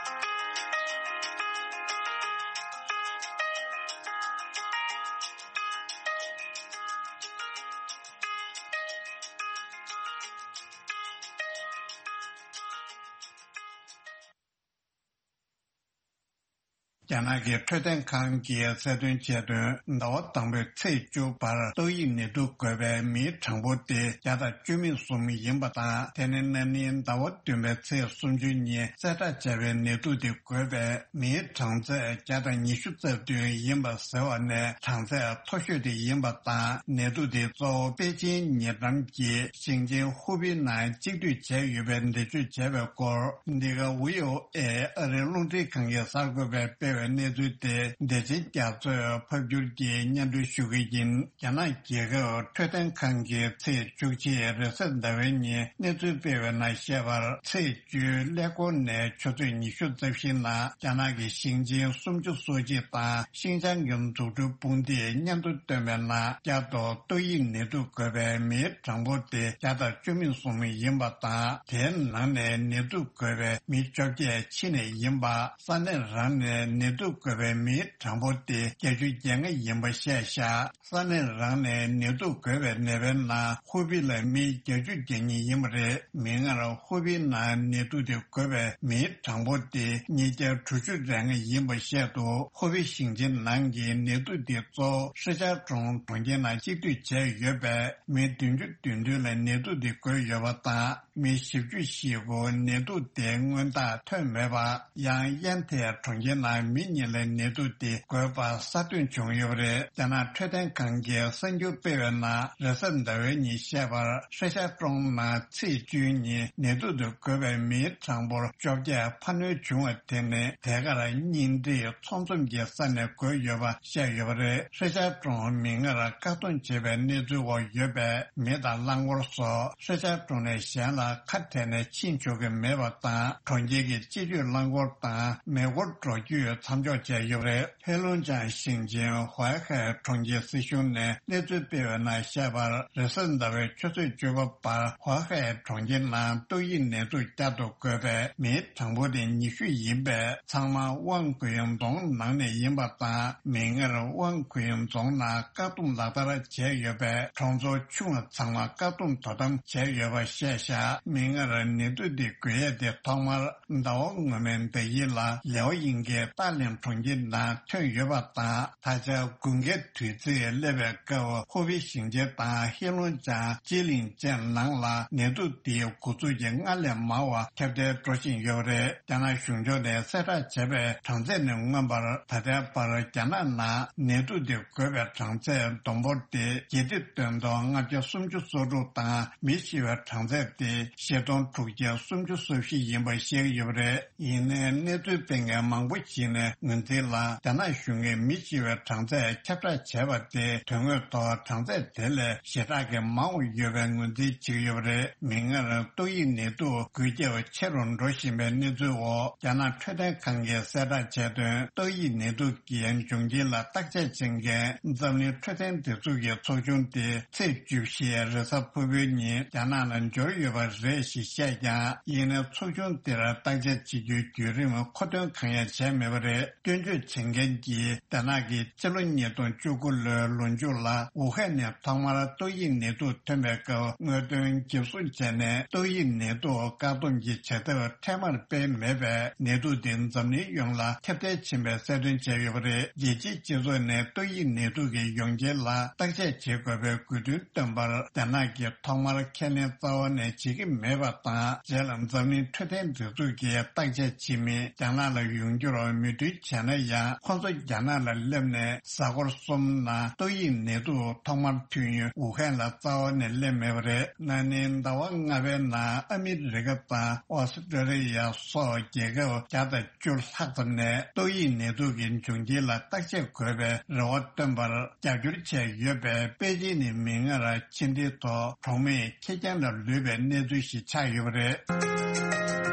རྒྱ་ནག་གི་འཕྲོད་བསྟེན་ཁང་གིས་གསལ་སྟོན་བྱས་དོན། ཟླ་བ་དང་པོའི་ཚེས་བཅུ་བར་ཏོག་དབྱིབས་ནད་དུག་འགོས་པའི་མིའི་གྲངས་འབོར་དེ་བརྒྱ་དང་བཅུ་མེད་གསུམ་ཡིན་པ་དང་། དེ་ནི་ན་ནིང་ཟླ་བ་བདུན་པའི་ཚེས་སུམ་ཅུ་ཉིན་གསལ་བསྒྲགས་བྱས་པའི་ནད་དུག་དེ་འགོས་པའི་མིའི་གྲངས་ཚད་བརྒྱ་དང་ཉི་ཤུ་རྩ་བདུན་ཡིན་པ་ཟེར་བ་ནས་གྲངས་ཚད་མཐོ་ཤོས་དེ་ཡིན་པ་དང་། ནད་དུག་དེ་གཙོ་བོ་པེ་ཅིན་ཉེ་འགྲམ་གྱི་ཞིང་ཆེན་ཧུའུ་པི་ནང་གཅིག་སྡུད་བྱས་ཡོད་པའི་འགྲེལ་བརྗོད་བྱས་པའི་སྐོར། འདི་ག་ཝི་ཨོ་ཨེ་ཨ་རིའི་རླུང་འཕྲིན་ཁང་གི་གསར་འགོད་པས་སྤེལ་བའི་གནས་ཚུལ་དེ། བདེ་ཆེན་རྒྱ་མཚོས་ཕབ་སྒྱུར་གྱིས་སྙན་སྒྲོན་ཞུ་གི་ཡིན། རྒྱ་ནག་རྒྱལ་ཁབ་འཕྲོད་བསྟེན་ཁང་གིས་ཚེས་བཅུ་གཅིག་རེས་གཟའ་ཟླ་བའི་ཉིན་གནས་ཚུལ་སྤེལ་བའི་ནང་བཤད་པར། ཚེས་བཅུའི་ཀླད་ཀོར་ནས་ཆུ་ཚོད་ཉི་ཤུ་རྩ་བཞི་ནང་རྒྱ་ནག་གི་ཞིང་ཆེན་སུམ་ཅུ་སོ་གཅིག་དང་ཤིང་ཅང་གི་འཛུགས་སྐྲུན་དཔུང་སྡེས་སྙན་ཐོ་བཏོན་པའི་ནང་། བསྐྱར་དུ་ཏོག་དབྱིབས་ནད་དུག་འགོས་པའི་མིའི་གྲངས་འབོར་དེ་བརྒྱ་དང་བཅུ་མེད་གསུམ་ཡིན་པ་དང་། དེའི་ནང་ནས་ནད་དུག་འགོས་པའི་མི་བཅོ་བརྒྱད་ཕྱི་ནས་ཡིན་པ། ས་གནས་རང་ནས་ནད་དུག་འགོས་པའི་མིའི་གྲངས་འབོར་དེ་བརྒྱད་ཅུ་གྱ་ལྔ་ཡིན་པ་བཤད་བཞག་ས་གནས་རང་ནས་ནད་དུག་འགོས་པའི་ནད་པའི་ནང་ཧུའུ་པི་ལ་མི་བརྒྱད་ཅུ་གྱ་གཉིས་ཡིན་པ་རེད། མིག་སྔར་ཧུའུ་པི་ནང་ནད་དུག་དེ་འགོས་པའི་མིའི་གྲངས་འབོར་དེ་ཉིས་བརྒྱ་དྲུག་ཅུ་རེ་ལྔ་ཡིན་པ་བཤད་འདུག་ཧུའུ་པི་ཞིང་ཆེན་ནང་གི་ནད་དུག་དེ་གཙོ་བོ་ཧྲི་ཅཱ་ཀྲུང་གྲོང་ཁྱེར་ནང་གཅིག་སྡུད་བྱས་ཡོད་པས། མི་བདུན་ཅུ་དོན་བདུན་ལ་ནད་དུག་དེ་འགོས་ཡོད་པ་དང་། མི་བཞི་བཅུ་ཞིག་གུ་ནད་དུག་དེ་སྔོན་རྟགས་ཐོན་མེད་པ། ཡང་ཡན་ཐེ་གྲོང་ཁྱེར་ནང་མི་གཉིས་ལ་ནད་དུག་དེ་འགོས་པ་གསར་ཐོན་བྱུང་ཡོད་པ་རེད། རྒྱ་ནག་འཕྲོད་བསྟེན་ཁང་གིས་གསར་འགྱུར་སྤེལ་བའི་ནང་། རེས་གཟའ་ཟླ་བའི་ཉིན་བཤད་པར། ཧྲི་ཅཱ་ཀྲུང་ནང་ཚེས་བཅུའི་ཉིན་ནད་དུག་དེ་འགོས་པའི་མིའི་གྲངས་འབོར་བཅོ་བརྒྱད་འཕར་སྣོན་བྱུང་བ་དེ་ནི། དེ་གར་གཉེན་སྒྲིག་ཚོགས་འཛོམས་ཀྱི་ས་ནས་འགོས་ཡོད་པ་བཤད་ཡོད་པ་རེད། ཧྲི་ཅཱ་ཀྲུང་མིག་སྔར་བཀག་སྡོམ་བྱེད་པའི་གནས་ཚུལ་འོག་ཡོད་པས། མི་དང་རླངས་འཁོར་སོགས་ཧྲི་ཅཱ་ཀྲུང་ནས་གཞན་ལ་ཁ་བྲལ་ནས་ཕྱིན་ཆོག་གི་མེད་པ་དང་། གྲོང་ཁྱེར་གྱི་སྤྱི་སྤྱོད་རླངས་འཁོར་དང་མེ་འཁོར་འགྲོ་སྐྱོད་ མཚམས་འཇོག་བྱས་ཡོད་པ་རེད། ཧེ་ལུང་ཅང་ཞིང་ཆེན་ཧྭ་ཧའེ་གྲོང་ཁྱེར་སྲིད་གཞུང་ནས་གནས་ཚུལ་སྤེལ་བའི་ནང་བཤད་པར། རེས་གཟའ་ཟླ་བའི་ཆུ་ཚོད་བཅུ་པ་བར་ཧྭ་ཧའེ་གྲོང་ཁྱེར་ནང་ཏོག་དབྱིབས་ནད་དུག་བསྐྱར་དུ་འགོས་པའི་མིའི་གྲངས་འབོར་དེ་ཉི་ཤུ་ཡིན་པས། ཚང་མ་ཝང་གུ་ཡུང་རྫོང་ནང་ནས་ཡིན་པ་དང་། མིག་སྔར་ཝང་གུ་ཡུང་རྫོང་ནང་བཀག་སྡོམ་ལག་བསྟར་བྱས་ཡོད་པས། གྲོང་ཚོ་ཆུང་བ་ཚང་མ་བཀག་སྡོམ་དོ་དམ་བྱས་ཡོད་པ་བཤད་བཞག་མིག་སྔར་ནད་དུག་འདི་འགོས་ཡས་དེ་ཐོག་མར་ཟླ་བ་སྔོན་མའི་ཟླ་དཀྱིལ་ལ་ལེའོ་ཡིང་གི་ཏཱ་ལིང་གྲོང་ཁྱེར་ནང་ཐོན་ཡོད་པ་དང་། ད་ཆ་དགུན་ཁའི་དུས་ཚིགས་སླེབས་པའི་སྐབས། ཧུའུ་པེ་ཞིང་ཆེན་དང་ཧེ་ལུང་ཅང་ཅི་ལིང་ཅན་ནང་ལ་ནད་དུག་འདིའི་འགོ་འཛུགས་ཀྱི་སྔར་ལས་མང་བ་ཁྱབ་གདལ་འགྲོ་བཞིན་ཡོད་པ་རེད། རྒྱ་ནག་གཞུང་ཕྱོགས་ནས་གསལ་བསྒྲགས་བྱས་པའི་གྲངས་ཚད་ནས་མངོན་པར། ད་ལྟའི་བར་རྒྱ་ནག་ནང་ནད་དུག་འདི་འགོས་པའི་གྲངས་ཚད་བསྡོམས་འབོར་དེ་བརྒྱད་ཁྲི་བདུན་སྟོང་ལྔ་བརྒྱ་སུམ་ཅུ་སོ་དྲུག་དང་། མི་ཤི་བའི་གྲངས་ཚད་དེ་བཞི་སྟོང་དྲུག་བརྒྱ་སུམ་ཅུ་སོ་བཞི་ཡིན་པ་བཤད་ཀྱི་ཡོད་པ་རེད། ཡིན་ནའི་གནས་ཚུལ་སྤེལ་མཁན་མང་པོ་ཞིག་ནས་ངོས་འཛིན་ལ། རྒྱ་ནག་གཞུང་གིས་མི་ཤི་བའི་གྲངས་ཚད་ཁྱབ་བསྒྲགས་བྱས་པ་དེ་དོན་དངོས་ཐོག་གྲངས་ཚད་དེ་ལས་ཞེ་དྲག་གི་མང་བ་ཡོད་པའི་ངོས་འཛིན་བྱེད་ཀྱི་ཡོད་པ་རེད། མིག་སྔར་ཏོག་དབྱིབས་ནད་དུག་འགོས་ཁྱབ་ཆེ་རུ་འགྲོ་བཞིན་པའི་གནས་ཚུལ་འོག་རྒྱ་ནག་འཕྲོད་བསྟེན་ཁང་གིས་གསལ་བསྒྲགས་བྱས་དོན། ཏོག་དབྱིབས་ནད་དུག་གི་འབྱུང་རྐྱེན་ལ་བརྟག་དཔྱད་བྱེད་མཁན་འཛམ་གླིང་འཕྲོད་བསྟེན་སྡེ་ཚོགས་ཀྱི་ཚོགས་ཆུང་དེ་ཚེས་བཅུ་བཞི་རེས་གཟའ་ཕུར་བུའི་ཉིན་རྒྱ་ནག་ལ་འབྱོར་ཡོད་པ་རེད་ཞེས་བཤད་ཀྱང་། ཡིན་ནའི་ཚོགས་ཆུང་དེར་བརྟག་དཔྱད་བྱེད་རྒྱུའི་བརྒྱུད་རིམ་མཁོ་འདོན་གང་ཡང་བྱས་མེད་པ་རེད། སྐྱོན་བརྗོད་བྱེད་མཁན་གྱིས། རྒྱ་ནག་གིས་ཕྱི་ལོ་ཉིས་སྟོང་བཅུ་དགུ་ལོའི་ལོ་མཇུག་ལ་ཝུ་ཧན་ནས་ཐོག་མར་ཏོག་དབྱིབས་ནད་དུག་ཐོན་པའི་སྐབས། དངོས་དོན་འཇབ་བཟུང་བྱས་ནས་ཏོག་དབྱིབས་ནད་དུག་བཀག་སྡོམ་གྱི་བྱ་ཐབས་འཕྲལ་མར་སྤེལ་མེད་པས། ནད་དུག་དེ་འཛམ་གླིང་ཡོངས་ལ་ཁྱབ་གདལ་ཕྱིན་པའི་གསལ་སྟོན་བྱས་ཡོད་པ་རེད། རྒྱལ་སྤྱིའི་སྤྱི་ཚོགས་ནས་ཏོག་དབྱིབས་ནད་དུག་གི་ཡོང་རྐྱེན་ལ་བརྟག་དཔྱད་བྱེད་དགོས་པའི་དགོས་འདུན་བཏོན་པར། རྒྱ་ནག་གིས་ཐོག་མར་ཁས་ལེན་རྩ་བ་ནས་བྱེད་ཀྱི་མེད་པ་དང་། རྗེས་ལ་འཛམ་གླིང་འཕྲོད་བསྟེན་སྒྲིག་འཛུགས་ཀྱིས་བརྟག་དཔྱད་བྱེད་མིན། རྒྱ་ནག་ལ་ཡོང་རྒྱུར་མོས་མཐུན་བྱས་ན་ཡང་། ཁོང་ཚོ་རྒྱ་ནག་ལ་སླེབས་ནས་གཟའ་འཁོར་གསུམ་ནང་ཏོག་དབྱིབས་ནད་དུག་ཐོག་མར་ཐོན་ཡུལ་ཝུ་ཧན་ལ་རྩ་བ་ནས་སླེབས་མེད་པ་རེད། ན་ནིང་ཟླ་བ་ལྔ་པའི་ནང་ཨ་མི་རི་ཀ་དང་ཨོ་སི་ཀྲོ་ལི་ཡ་སོགས་རྒྱལ་ཁབ་བརྒྱ་དང་བཅུ་ལྷག་ཙམ་ནས་ཏོག་དབྱིབས་ནད་དུག་གི་འབྱུང་རྐྱེན་ལ་བརྟག་དཔྱད་དགོས་པའི་རེ་བ་བཏོན་པར་རྒྱབ་སྐྱོར་བྱས་ཡོད་པས། པེ་ཅིན་ནས་མིག་སྔར་ཕྱི་འབྲེལ་ཐོག་གྲོང་མིས་ཁེར་རྐྱང་ལ་ལུས་པའི་གནས་ཚུལ་ཞིག་ཆགས་ཡོད་པ་རེད།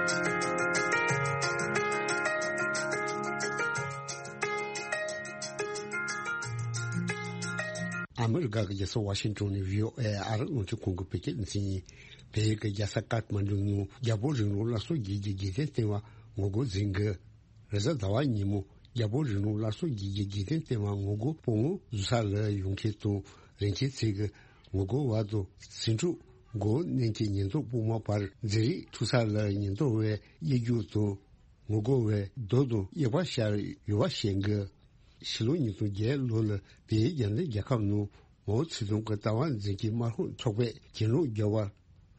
ཨ་མི་རི་ཀ་གི་རྒྱལ་ས་ཝ་ཤིང་ཏོན་ནས་བྷི་ཨོ་ཨེ་ཨ་རི་རླུང་འཕྲིན་ཁང་གི་བོད་སྐད་སྡེ་ཚན་ཡིན། བལ་ཡུལ་གྱི་རྒྱལ་ས་ཀཏ་མན་ཌུ་ནང་རྒྱལ་པོ་རིང་ལུགས་སླར་གསོ་བགྱིད་ཀྱི་རྒྱལ་བསྟན་ལྟེ་བ་ངོ་རྒོལ་འཛིན་གྱི། རེས་གཟའ་ཟླ་བ་ཉིན་མོ་རྒྱལ་པོ་རིང་ལུགས་སླར་གསོ་བགྱིད་ཀྱི་རྒྱལ་བསྟན་ལྟེ་བ་ངོ་རྒོལ་སྤོ་བོ་འཛུལ་ས་ལ་ཡོང་མཁན་དང་རིན་ཆེན་ཚེ་གི་ངོ་རྒོལ་བ་དང་ཟིང་འཁྲུག་འགོ་ནན་གྱི་ཉེན་རྟོག་དཔུང་དམག་བར་འཛིང་རེས་ཐུག་ས་ལ་ཉེན་རྟོག་པས་དབྱེ་རྒྱུག་དང་ངོ་རྒོལ་བའི་རྡོ་དང་གཡུག་པ་ཤར་ཡོད་པ་བཤད་གི། ཕྱི་ལོ་ཉིས་སྟོང་བརྒྱད་ལོ་ལ་བལ་ཡུལ་རྒྱལ་ནང་རྒྱལ་ཁབ་ནང་མའོ་ཙེ་ཏུང་གི་ལྟ་བ་འཛིན་གྱི་དམར་ཤོག་ཚོགས་པས་གྱེན་ལོག་རྒྱག་པར་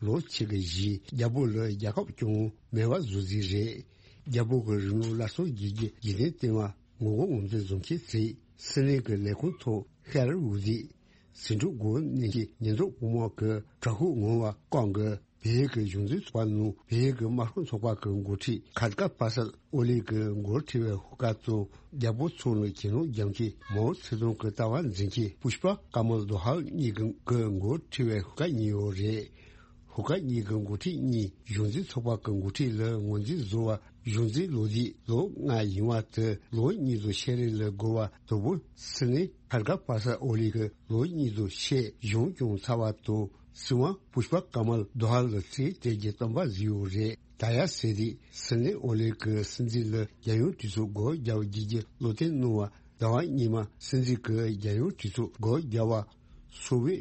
ལོ་གཅིག་གི་རྗེས་རྒྱལ་པོ་ལ་རྒྱལ་ཁབ་སྐྱོང་མེད་པ་བཟོ་རྩིས་རེད། རྒྱལ་པོ་གི་རིང་ལུགས་སླར་གསོ་བགྱིད་ཀྱི་རྒྱལ་བསྟན་ལྟེ་བ་ངོ་རྒོལ་ངོས་འཛིན་བཟོ་མཁན་ཚོས་སྲིད་བློན་གྱི་ལས་ཁུངས་ཐོག་ཤར་འུ་དེ་ཟིང་འཁྲུག་འགོ་ནན་གྱི་ཉེན་རྟོག་དཔུང་དམག་གི་དྲག་ཤུགས་ངང་བ་བསྐོང་གི། བལ་ཡུལ་གྱི་གཞུང་འཛིན་ཚོགས་པ་ནང་བལ་ཡུལ་གྱི་དམར་ཤོག་ཚོགས་པ་གི་འགོ་ཁྲིད་ཁར་ཀ་པ་སལ་ཨོ་ལི་གི་འགོ་ཁྲིད་པའི་ཤོག་ཁག་དང་རྒྱལ་པོ་ཚོ་ལ་གྱེན་ལོག་རྒྱག་མཁན་མའོ་ཙེ་ཏུང་གི་ལྟ་བ་འཛིན་མཁན་པུཤ་པ་ཀ་མལ་དོ་ཧལ་གཉིས་ཀྱི་འགོ་ཁྲིད་པའི་ཤོག་ཁག་གཉིས་ཡོད་རེད། ཤོག་ཁག་གཉིས་ཀྱི་འགོ་ཁྲིད་གཉིས་གཞུང་འཛིན་ཚོགས་པ་གི་འགོ་ཁྲིད་ལ་ངོས་འཛིན་བཟོ་བ་གཞུང་འཛིན་ལོ་དེ་ལོ་ལྔ་ཡིན་པ་དེ་ལོ་གཉིས་དང་ཕྱེད་རེ་ལ་བགོ་བ་དང་པོ་སྲིད་བློན་ཁར་ཀ་པ་སལ་ཨོ་ལི་གི་ལོ་གཉིས་དང་ཕྱེད་གཞུང་སྐྱོང་ཚར་བ་དང་། སྲིད་དབང་པུཤ་པ་ཀ་མལ་དོ་ཧལ་ལ་རྩིས་སྤྲད་རྒྱུའི་བསམ་པ་བཟོས་ཡོད་རེད། ད་ཡ་ཟེར་དུས་སྲིད་བློན་ཨོ་ལི་གི་སྲིད་འཛིན་ལ་རྒྱལ་ཡོངས་གྲོས་ཚོགས་སྒོ་རྒྱག་རྒྱུ་གྱི་བློ་གཏད་གནང་བ། ཟླ་བ་སྔོན་མ་སྲིད་འཛིན་གྱིས་རྒྱལ་ཡོངས་གྲོས་ཚོགས་སྒོ་རྒྱག་པ་སོ་བོས་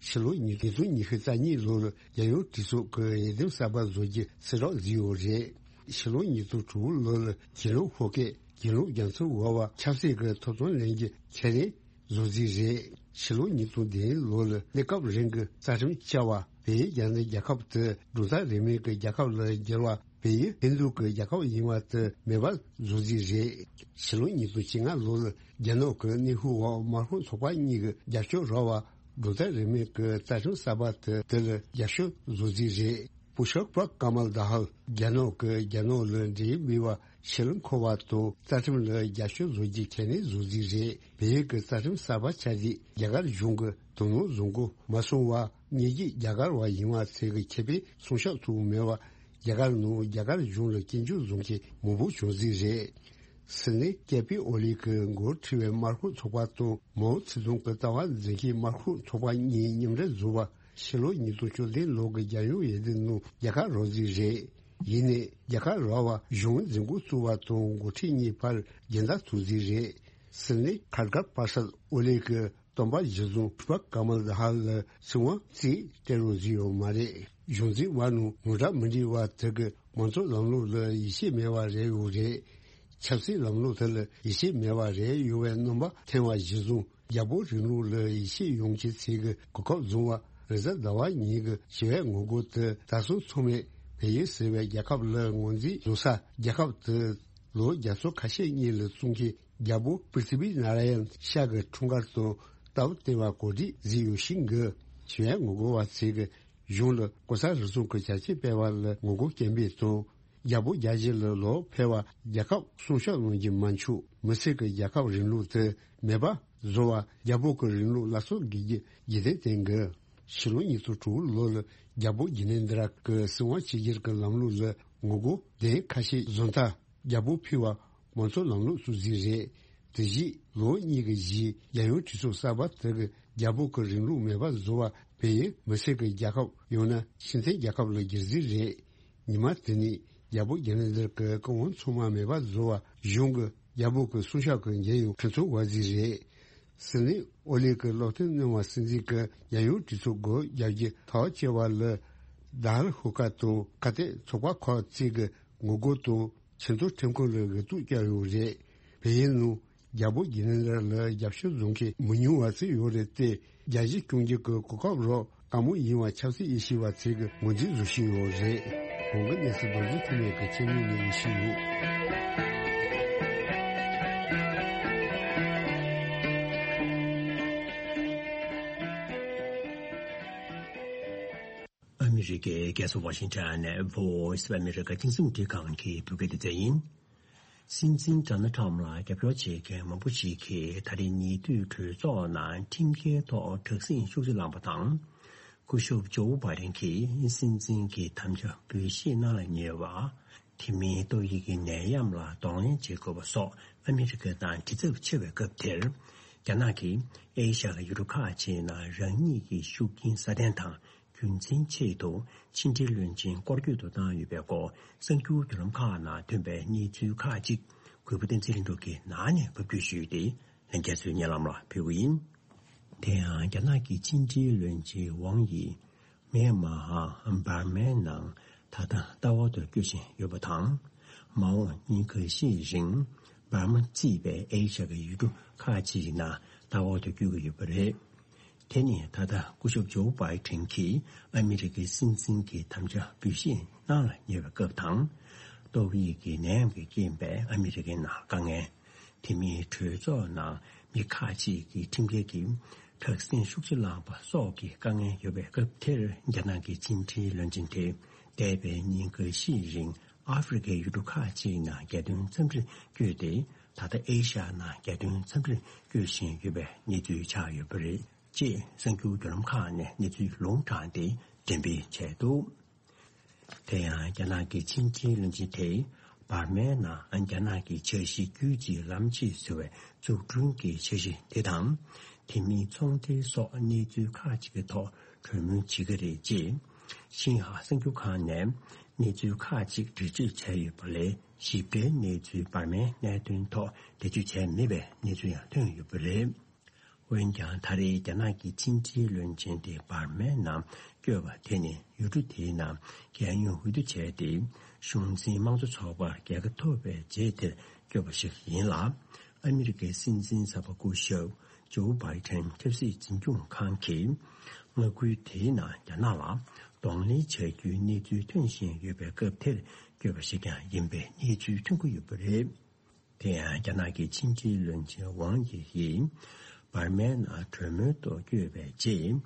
ཕྱི་ལོ་ཉིས་ཉིས་སྟོང་ཉི་ཤུ་རྩ་གཉིས་ལོར་རྒྱལ་ཡོངས་གྲོས་ཚོགས་ཀྱི་འོས་འདེམས་གསར་པ་བཟོ་རྒྱུ་གསལ་བསྒྲགས་བཟོས་ཡོད་རེད། ཕྱི་ལོ་ཉིས་སྟོང་དྲུག་ལོ་ལ་གྱེན་ལོག་ཤོག་སྐད་གྱེན་ལོག་རྒྱ་མཚོ་འོག་པ་ཆབ་སྲིད་ཀྱི་ཐོབ་ཐང་ལེན་རྒྱུ་ཁས་ལེན་བཟོ་རྩིས་རེད། ཕྱི་ལོ་ཉིས་སྟོང་བདུན་ལོ་ལ་གནས་སྐབས་རིང་གི་རྩ་ཁྲིམས་བཅའ་བ་བལ་ཡུལ་རྒྱ་ནག་རྒྱལ་ཁབ་དེ་གྲུབ་མཐའ་རིས་མེད་ཀྱི་རྒྱལ་ཁབ་ལ་བསྒྱུར་བ་བལ་ཡུལ་ཧིན་རྡུ་གི་རྒྱལ་ཁབ་ཡིན་པ་དེ་མེད་པ་བཟོ་རྩིས་རེད། ཕྱི་ལོ་ཉིས་སྟོང་བཅོ་ལྔ་ལོ་ལ་རྒྱ་ནག་གི་གནས་ཤུལ་འོག་དམར་ཤོག་ཚོགས་པ་གཉིས་ཀྱི་རྒྱབ་སྐྱོར་རག་པ་གྲུབ་མཐའ་རིས་མེད་ཀྱི་རྩ་ཁྲིམས་གསར་པ་དེ་དེ་ལ་རྒྱབ་སྐྱོར་བཟོ་རྩིས་རེད། པུ་ཤར་པ་ཀ་མལ་དྷ་ཧལ་རྒྱ་ནག་གི་རྒྱ་ནག་ལ་འབྲེལ་ཡོད་མེད་པ་ཕྱིར་འཁོར་བ་དང་རྩ་ཁྲིམས་ལ་རྒྱབ་སྐྱོར་བཟོ་རྒྱུ་ཁས་ལེན་བཟོ་རྩིས་རེད། བལ་ཡུལ་གྱི་རྩ་ཁྲིམས་གསར་པ་ཆགས་རྗེས་རྒྱ་གར་གཞུང་གི་དོ་སྣང་བཟང་པོ་མ་སོང་བར་ཉེ་བརྒྱུད་རྒྱ་གར་བ་ཡིན་པ་ཚོས་ཀྱི་ཁེ་ཕན་སྲུང་སྐྱོབ་ཐུབ་མེད་པར་རྒྱ་གར་ནང་རྒྱ་གར་གཞུང་ལ་སྐྱོན་བརྗོད་བཟོ་མཁན་མང་པོ་བྱུང་རྩིས་རེད། སིད་ནི་ཀེ་པི་ཨོ་ལི་གི་འགོ་ཁྲིད་པའི་དམར་ཤོག་ཚོགས་པ་དང་མའོ་ཙེ་ཏུང་གི་ལྟ་བ་འཛིན་མཁན་དམར་ཤོག་ཚོགས་པ་གཉིས་མཉམ་འབྲེལ་བཟོ་བ། ཕྱི་ལོ་ཉིས་སྟོང་བཅུ་བདུན་ལོ་གི་རྒྱལ་ཡོངས་འོས་བསྡུའི་ནང་རྒྱལ་ཁ་རག་རྩིས་རེད། ཡིན་ནའི་རྒྱལ་ཁ་རག་པ་གཞུང་འཛིན་སྐྱོང་བཙུགས་པ་དང་འགོ་ཁྲིད་གཉིས་བར་འགལ་ཟླ་ཐུག་རྩིས་རེད། སིད་ནི་ཁར་གྷར་པར་སད་ཨོ་ལི་གི་སྟོན་པ་གཞི་བཟུང་པུཥྤ་ཀ་མལ་དྷ་ལ་སྲིད་དབང་རྩིས་སྤྲད་རོགས་ཟིན་ཡོད་མ་རེད། གཞུང་འཛིན་པ་ནང་ངོ་འདྲ་མི་འགྲིག་པ་དེ་གི་མང་གཙོ་ལམ་ལུགས་ལ་ཡིད་ཆེས་མེད་པ་རེད་ཡོད་རེད། ཆབ་སྲིད་ལམ་ལུགས་དེ་ལ་ཡིད་ཆེས་མེད་པ་རེད་ཡོད་པའི་རྣམ་པ་འཐེན་པ་གཞི་བཟུང་རྒྱལ་པོ་རིང་ལུགས་ལ་ཡིད་ཆེས་ཡོང་ཆེད་ཚིག་གི་གོ་སྐབས་བཟུང་བ་རེས་གཟའ་ཟླ་བ་ཉིན་གྱི་ཞི་བའི་ངོ་རྒོལ་དེ་ད་སོ་ཚང་མས་བལ་ཡུལ་ཟེར་བའི་རྒྱལ་ཁབ་ལ་ངོས་འཛིན་བཟོ་ས། རྒྱལ་ཁབ་དེ་ལོ་བརྒྱ་ཚོ་ཁ་ཤས་གཉིས་ལ་བཙུགས་མཁན་རྒྱལ་པོ་པི་རི་ཐི་བི་ནཱ་ར་ཡན་ཤ་གི་འཁྲུངས་སྐར་དང་སྟབས་བསྟུན་པ་གོ་སྒྲིག་བཟོས་ཡོད་ཤིང་གི་ཞི་བའི་ངོ་རྒོལ་བ་ཚོས་གཞུང་ལ་ལྐོག་ཟ་རུལ་སུངས་ཀྱི་བྱ་སྤྱོད་སྤེལ་བ་ལ་ངོ་རྒོལ་སྐད་འབོད་དང་། རྒྱལ་པོ་རྒྱལ་སྤྱི་ལ་ལོག་ཕེབས་པ་རྒྱལ་ཁབ་སྲུང་སྐྱོབ་གནང་རྒྱུ་མ་འཆུག་མི་སེར་གྱི་རྒྱལ་ཁབ་རིང་ལུགས་དེ་མེད་པ་བཟོ་བ་རྒྱལ་པོ་གི་རིང་ལུགས་སླར་གསོ་དགོས་རྒྱུ་རྒྱུན་ལྡན་བསྟན་དགོས། ཕྱི་ལོ་ཉིས་སྟོང་དྲུག་ལོ་ལ་རྒྱལ་པོ་ཇི་ནེ་དྲ་གི་སྲིད་དབང་ཕྱི་འགྱུར་གྱི་ལམ་ལུགས་ལ་ངོ་རྒོལ་གདན་ཁ་ཤས་བཟོ་མཐའ། རྒྱལ་པོ་ཕུད་པ་མང་གཙོ་ལམ་ལུགས་སྲུང་རྩིས་རེད། དེ་བཞིན་ལོ་གཉིས་ཀྱི་རྗེས་རྒྱལ་ཡོངས་གྲོས་ཚོགས་གསར་པ་དེ་གི་རྒྱལ་པོ་གི་རིང་ལུགས་མེད་པ་བཟོ་བ་བལ་ཡུལ་མི་སེར་གྱི་རྒྱལ་ཁབ་ཡང་ན་ཕྱི་འཐེན་རྒྱལ་ཁབ་ལ་བསྒྱུར་རྩིས་རེད། ཉི་མ་དེ་ནས་རྒྱལ་པོ་ཇི་ནེ་དྲ་གི་བཀའ་དབང་ཚང་མ་མེད་པ་བཟོ་བ་གཞུང་གི་རྒྱལ་པོ་གི་སྲུང་སྐྱོབ་ཀྱི་འཇོན་ཡོང་ཁྲིམས་ཚོགས་བར་རྩིས་རེད། སིད་ནི་ཨོ་ལི་གི་སློབ་སྟོན་གནང་བ་སྲིད་འཛིན་གྱི་རྒྱལ་ཡོངས་གྲོས་ཚོགས་སྒོ་རྒྱག་རྒྱུ་ཐག་བཅད་པ་ལ་དཱལ་ཧུ་ཀ་དང་ཁ་གཏད་ཚོགས་པ་ཁག་ཅིག་གི་ངོ་རྒོལ་དང་ཆེས་མཐོའི་ཁྲིམས་ཁང་ལ་འོས་ཐོབ་བསྐྱལ་ཡོད་རེད། བལ་ཡུལ་ནང་རྒྱལ་པོ་ཇི་ནེ་དྲ་ལ་རྒྱབ་སྐྱོར་བཟོ་མཁན་མི་ཉུང་བ་ཞིག་ཡོད་རེད་དེ། རྒྱལ་སྤྱི་སྐྱོང་རྒྱུ་གི་གོ་སྐབས་རག་དཀའ་མོ་ཡིན་པ་ཆབ་སྲིད་དབྱེ་ཞིབ་པ་ཚོས་གི་ངོས་འཛིན་བཟོ་བཞིན་ཡོད་རེད། གོང་གི་གནས་ཚུལ་རྡོ་རྗེ་ཐེག་དམན་གྱི་ཆེད་དུ་ནས་ཡིན་ཞུས་ཡོད། ཨ་མི་རི་ཀའི་རྒྱལ་ས་ཝ་ཤིང་ཊོན་ནས་Voice of America་རྒྱང་སྲིང་རླུང་འཕྲིན་ཁང་གི་བོད་སྐད་སྡེ་ཚན་ཡིན། སྲིད་འཛིན་ཌོ་ནལ་ཁྲམ་ལ་རྒྱབ་སྐྱོར་བྱེད་མཁན་མང་པོ་ཞིག་གིས་ད་རེས་ཉེ་དུས་གྲོས་ཚོགས་ནང་ཁྲིམས་འགལ་ཐོག་དྲག་ཟིང་ཤུགས་ཆེ་བསླངས་པ་དང་། སྐུ་ཞབས་ཇོ་བྷའི་ཌེན་གྱིས་སྲིད་འཛིན་གྱི་དམ་བཅའ་འབུལ་བཞེས་གནང་ལ་ཉེ་བ། དེ་མིན་ཏོག་དབྱིབས་ཀྱི་ནད་ཡམས་ལ་གདོང་ལེན་བྱེད་དགོས་པ་སོགས་ཨ་མི་རི་ཀ་དང་དྲི་ཚབས་ཆེ་བའི་སྐབས་དེར། རྒྱ་ནག་གིས་ཨེ་ཤ་ཡའི་ཡུལ་གྲུ་ཁག་ཅིག་ནང་རང་ཉིད་ཀྱི་ཤུགས་རྐྱེན་སྲ་བརྟན་དང་རྒྱུན་འཛིན་ཆེད་དུ་ཕྱི་འབྲེལ་བློན་ཆེན་སྐོར་སྐྱོད་དུ་བཏང་ཡོད་པའི་སྐོར་གསར་འགྱུར་བརྒྱུད་ལམ་ཁག་ནང་ཐོན་པའི་གནས་ཚུལ་ཁག་ཅིག་གུས་པ་བསྟན་འཛིན་ལྷུན་གྲུབ་ཀྱིས་ནང་ནས་ཕབ་སྒྱུར་ཞུས་ཏེ་ལྷན་རྒྱས་ཚོའི་སྙན་ལམ་ལ་ཕུལ་གྱི་ཡིན། དེ་ཡང་རྒྱ་ནག་གི་ཕྱི་འབྲེལ་བློན་ཆེན་ཝང་ཡིས་མེན་མ་ཧ་འབར་མའི་ནང་ད་ལྟ་ལྟ་བར་དུ་བསྐྱོད་བཞིན་ཡོད་པ་དང་། མ་འོངས་ཉིན་འགའ་ཤས་རིང་འབར་མ་གཙོས་པའི་ཨེ་ཤ་ཡའི་ཡུལ་གྲུ་ཁག་ཅིག་ནང་ལྟ་བར་དུ་བསྐྱོད་ཀྱི་ཡོད་པ་རེད། དེ་ནི་ད་ལྟ་སྐུ་ཞབས་ཇོ་བྷའི་ཌེན་གྱིས་ཨ་མི་རི་ཀའི་སྲིད་འཛིན་གྱི་དམ་བཅའ་འབུལ་བཞེས་གནང་ལ་ཉེ་བའི་སྐབས་དང་། ཏོག་དབྱིབས་ཀྱི་ནད་ཡམས་ཀྱི་རྐྱེན་པས་ཨ་མི་རི་ཀའི་ནང་དཀའ་ངལ། དེ་མིན་གྲོས་ཚོགས་ནང་མི་ཁག་ཅིག་གིས་ཁྲིམས་འགལ་གྱིས་དྲག་ཟིང་ཤུགས་ཆེ་བསླངས་པ་སོགས་ཀྱི་དཀའ་ངལ་ཡོད་པའི་སྐབས་དེར། རྒྱ་ནག་གི་ཕྱི་འབྲེལ་བློན་ཆེན་དེས་འདས་པའི་ཉིན་འགའ་ཤས་རིང་ཨ་ཧྥེ་རི་ཁའི་ཡུལ་གྲུ་ཁག་ཅིག་ནང་རྒྱལ་དོན་འཚམས་འདྲིར་བསྐྱོད་དེ། ད་ལྟ་ཨེ་ཤ་ཡ་ནང་རྒྱལ་དོན་འཚམས་འདྲིར་བསྐྱོད་བཞིན་ཡོད་པའི་གནས་ཚུལ་ཆགས་ཡོད་པ་རེད་ཅེས་གསར་འགྱུར་བརྒྱུད་ལམ་ཁག་ནས་གནས་ཚུལ་ལུང་དྲངས་ཏེ་འགྲེམས་སྤེལ་བྱས་འདུག་དེ་ཡང་རྒྱ་ནག་གི་ཕྱི་འབྲེལ་བློན་ཆེན་དེས་འབར་མའི་ནང་རྒྱ་ནག་གི་འཆར་གཞི་རྒྱུད་གཅིག་ལམ་གཅིག་ཟེར་བའི་འཛུགས་སྐྲུན་གྱི་འཆར་གཞི་དེ་དང་། དེ་མིན་ཚོང་འབྲེལ་སོགས་གནས་ཚུལ་ཁག་ཅིག་གི་ཐོག་གྲོས་མོལ་བྱེད་ཀྱི་རེད་ཅེས། ཤིན་ཧྭ་གསར་འགྱུར་ཁང་ནས་གནས་ཚུལ་ཁག་ཅིག་འགྲེལ་བརྗོད་བྱས་ཡོད་པ་ལས་ཞིབ་ཕྲའི་གནས་ཚུལ་འབར་མའི་གནད་དོན་ཐོག་འགྲེལ་བརྗོད་བྱས་མེད་པའི་གནས་ཚུལ་ཡང་ཐོན་ཡོད་པ་རེད། འོན་ཀྱང་ད་རེས་རྒྱ་ནག་གི་ཕྱི་འབྲེལ་བློན་ཆེན་དེ་འབར་མའི་ནང་བསྐྱོད་པ་དེ་ནི་ཡུལ་གྲུ་དེའི་ནང་རྒྱལ་ཡོངས་འོས་བསྡུ་བྱས་ཏེ་གཞུང་འཛིན་དམངས་གཙོ་ཚོགས་པར་རྒྱལ་ཁ་ཐོབ་པའི་རྗེས་དེར་བསྐྱོད་པ་ཞིག་ཡིན་ལ། ཨ་མི་རི་ཀའི་སྲིད་འཛིན་གསར་པ་སྐུ་ཞབས་ཇོ་བྷའི་ཌེན་ཆབ་སྲིད་འཛིན་སྐྱོང་ཁང་གིས་མངའ་ཁུལ་དེའི་ནང་རྒྱ་ནག་ལ་གདོང་ལེན་བྱ་རྒྱུའི་གནས་ཚུལ་ཐོན་བཞིན་ཡོད་པའི་སྐབས་དེར་བསྐྱོད་པ་ཞིག་ཀྱང་ཡིན་པའི་གནས་ཚུལ་ཐོན་གྱི་ཡོད་པ་རེད། དེ་ཡང་རྒྱ་ནག་གི་ཕྱི་འབྲེལ་བློན་ཆེན་ཝང་ཡི་ཡིས་འབར་མའི་ནང་གྲོས་མོལ་དུ་བསྐྱོད་པའི་རྗེས།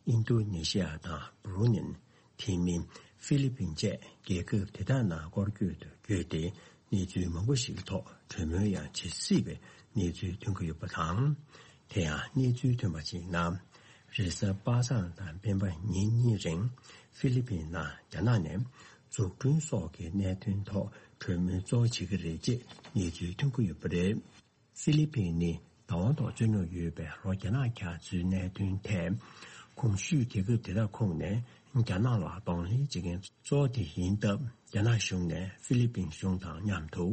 ཨིན་རྡུ་ནེ་ཤི་ཡ་དང་བྷུ་རུ་ནེ། དེ་མིན་ཧྥི་ལི་པིན་བཅས་རྒྱལ་ཁབ་དེ་དག་ནང་སྐོར་སྐྱོད་དུ་བསྐྱོད་དེ་གནས་ཚུལ་མང་པོ་ཞིག་ཐོག་གྲོས་མོལ་ཡང་བྱེད་སྲིད་པའི་གནས་ཚུལ་ཐོན་གྱི་ཡོད་པ་དང་། དེ་ཡང་གནས་ཚུལ་ཐོན་པ་ཞིག་ནང་རེས་གཟའ་པ་སངས་དང་སྤེན་པ་ཉིན་གཉིས་རིང་ཧྥི་ལི་པིན་ནང་རྒྱ་ནག་ནས། འཛུགས་སྐྲུན་སོགས་ཀྱི་གནད་དོན་ཐོག་གྲོས་མོལ་གཙོ་བོ་བྱེད་ཀྱི་རེད་ཅེས་གནས་ཚུལ་ཐོན་གྱི་ཡོད་པ་རེད། ཧྥི་ལི་པིན་ནི་བདག་དབང་ཐོག་རྩོད་རྙོག་ཡོད་པའི་ལྷོ་རྒྱ་ནག་རྒྱ་མཚོའི་གནད་དོན་ཐད། གོང་ཞུས་རྒྱལ་ཁབ་དེ་དག་ཁོངས་ནས་རྒྱ་ནག་ལ་གདོང་ལེན་བྱེད་མཁན་གཙོ་བོ་དེ་ཡིན་སྟབས། རྒྱ་ནག་གཞུང་ནས་ཧྥི་ལི་པིན་གཞུང་དང་མཉམ་དུ་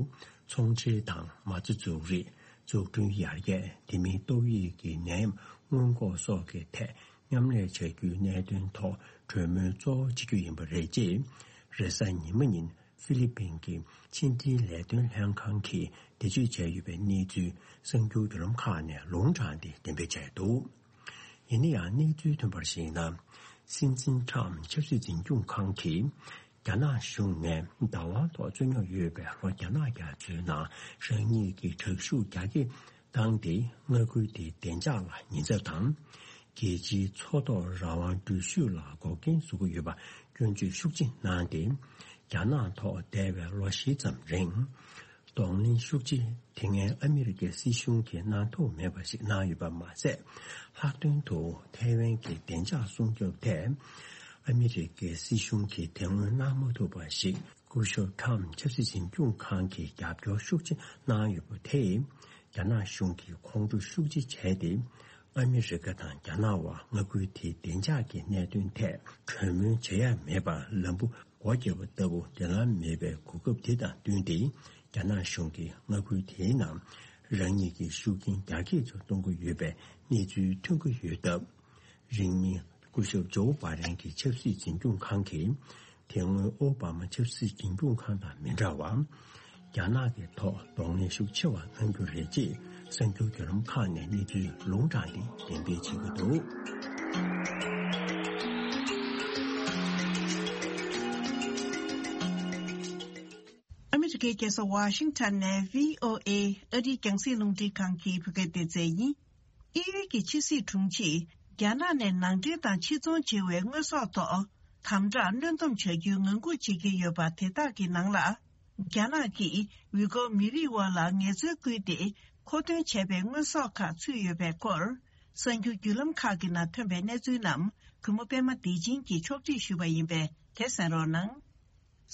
ཚོང་འབྲེལ་དང་མ་རྩ་འཛུགས་རིས། འཛུགས་སྐྲུན་ཡར་རྒྱས། དེ་མིན་ཏོག་དབྱིབས་ཀྱི་ནད་ཡམས་སྔོན་འགོག་སོགས་ཀྱི་ཐད་མཉམ་ལས་བྱ་རྒྱུའི་གནད་དོན་ཐོག་གྲོས་མོལ་གཙོ་བོ་བྱེད་རྒྱུ་ཡིན་པ་རེད་ཅེས། རེས་གཟའ་ཉི་མ་ཉིན་ཧྥི་ལི་པིན་གྱི་ཕྱི་འབྲེལ་ལས་དོན་ལྷན་ཁང་གིས་འགྲེལ་བརྗོད་བྱས་ཡོད་པའི་གནས་ཚུལ་གསར་འགྱུར་བརྒྱུད་ལམ་ཁག་ནས་ལུང་དྲངས་ཏེ་གཏན་འབེབས་བྱས་འདུག། ཡིན་ན་ཡང་གནས་ཚུལ་ཐོན་པར་གཞིགས་ན། སྲིད་འཛིན་ཁྲམ་ཆབ་སྲིད་འཛིན་སྐྱོང་ཁང་གིས་རྒྱ་ནག་གཞུང་ནས་བདག་དབང་ཐོག་རྩོད་རྙོག་ཡོད་པའི་ལྷོ་རྒྱ་ནག་རྒྱ་མཚོའི་ནང་རང་ཉིད་ཀྱི་དྲག་ཤུགས་རྒྱ་སྐྱེད་བཏང་སྟེ། མངའ་ཁུལ་དེའི་བདེ་འཇགས་ལ་ཉེན་ཚབས་དང་། རྒྱལ་སྤྱིའི་མཚོ་ཐོག་རང་དབང་འགྲུལ་བཞུད་ལ་འགོག་རྐྱེན་བཟོ་གི་ཡོད་པ་སྐྱོན་བརྗོད་ཤུགས་ཆེ་གནང་སྟེ། རྒྱ་ནག་ཐོག་འདས་པའི་ལོ་བཞི་ཙམ་རིང་གདོང་ལེན་ཤུགས་ཆེ་དེ་སྔའི་ཨ་མི་རི་ཀའི་སྲིད་གཞུང་གིས་གནང་ཐུབ་མེད་པ་ཞིག་གནང་ཡོད་པ་མ་ཟད། ལྷག་དོན་དུ་ཐའེ་ཝན་གྱི་བདེ་འཇགས་སྲུང་སྐྱོབ་ཐད་ཨ་མི་རི་ཀའི་སྲིད་གཞུང་གིས་དེ་སྔོན་གནང་མ་ཐུབ་པ་ཞིག་སྐུ་ཞབས་ཁྲམ་ཆབ་སྲིད་འཛིན་སྐྱོང་ཁང་གིས་རྒྱབ་སྐྱོར་ཤུགས་ཆེ་གནང་ཡོད་པ་དེས། རྒྱ་ནག་གཞུང་གིས་ཁོང་ཁྲོ་ཤུགས་ཆེ་བྱས་ཏེ། ཨ་མི་རི་ཀ་དང་རྒྱ་ནག་དབར་མངའ་ཁུལ་དེའི་བདེ་འཇགས་ཀྱི་གནད་དོན་ཐད་གྲོས་མོལ་བྱེད་ཡ་མེད་པར་ལམ་བུ་སྒོ་བརྒྱབ་པ་ལྟ་བུ་འབྲེལ་ལམ་མེད་པའི་གོ་སྐབས་དེ་དང་བསྟུན་ཏེ། རྒྱ་ནག་གཞུང་གིས་མངའ་ཁུལ་དེའི་ནང་རང་ཉིད་ཀྱི་ཤུགས་རྐྱེན་རྒྱ་སྐྱེད་ཚོ་གཏོང་གི་ཡོད་པའི་གནས་ཚུལ་ཐོན་གྱི་ཡོད་སྟབས། རིང་མིན་སྐུ་ཞབས་ཇོ་བྷ་རེན་གྱི་ཆབ་སྲིད་འཛིན་སྐྱོང་ཁང་གིས། དེ་སྔོན་ཨོ་བྷ་མ་ཆབ་སྲིད་འཛིན་སྐྱོང་ཁང་དང་མི་འདྲ་བར། རྒྱ་ནག་གི་ཐོག་གདོང་ལེན་ཤུགས་ཆེ་བ་གནང་རྒྱུ་རེད་ཅེས་གསར་འགྱུར་བརྒྱུད་ལམ་ཁག་ནས་གནས་ཚུལ་ལུང་དྲངས་ཏེ་གཏན་འབེབས་བྱེད་ཀྱི་འདུག། ཨ་མི་རི་ཀའི་རྒྱལ་ས་ཝ་ཤིང་ཊོན་ནས་ཝི་ཨོ་ཨེ་ཨ་རིའི་རྒྱང་སྲིང་རླུང་འཕྲིན་ཁང་གི་བོད་སྐད་སྡེ་ཚན་ཡིན། དབྱིན་ཡུལ་གྱི་ཕྱི་སྲིད་དྲུང་ཆེས་རྒྱ་ནག་ནས་ནང་འདྲེན་དང་ཕྱིར་ཚོང་བྱེད་པའི་དངོས་ཟོག་ཐོག་དམ་དྲག་གནོན་སྡོམ་བྱ་རྒྱུའི་ངང་སྒུག་བྱེད་ཀྱི་ཡོད་པ་དེ་དག་གི་ནང་ལ། རྒྱ་ནག་གིས་ཝི་གོ་མི་རིགས་དབར་ལ་ངལ་རྩོལ་བསྐུལ་ཏེ་མཁོ་འདོན་བྱས་པའི་དངོས་ཟོག་ཁག་ཚུད་ཡོད་པའི་སྐོར། གསར་འགྱུར་བརྒྱུད་ལམ་ཁག་གི་ནང་ཐོན་པའི་གནས་ཚུལ་རྣམས་གུས་མོ་པད་མ་བདེ་ཆེན་གྱིས་ཕྱོགས་སྒྲིག་ཞུས་པ་ཡིན་པས་དེ་གསན་རོགས་གནང་།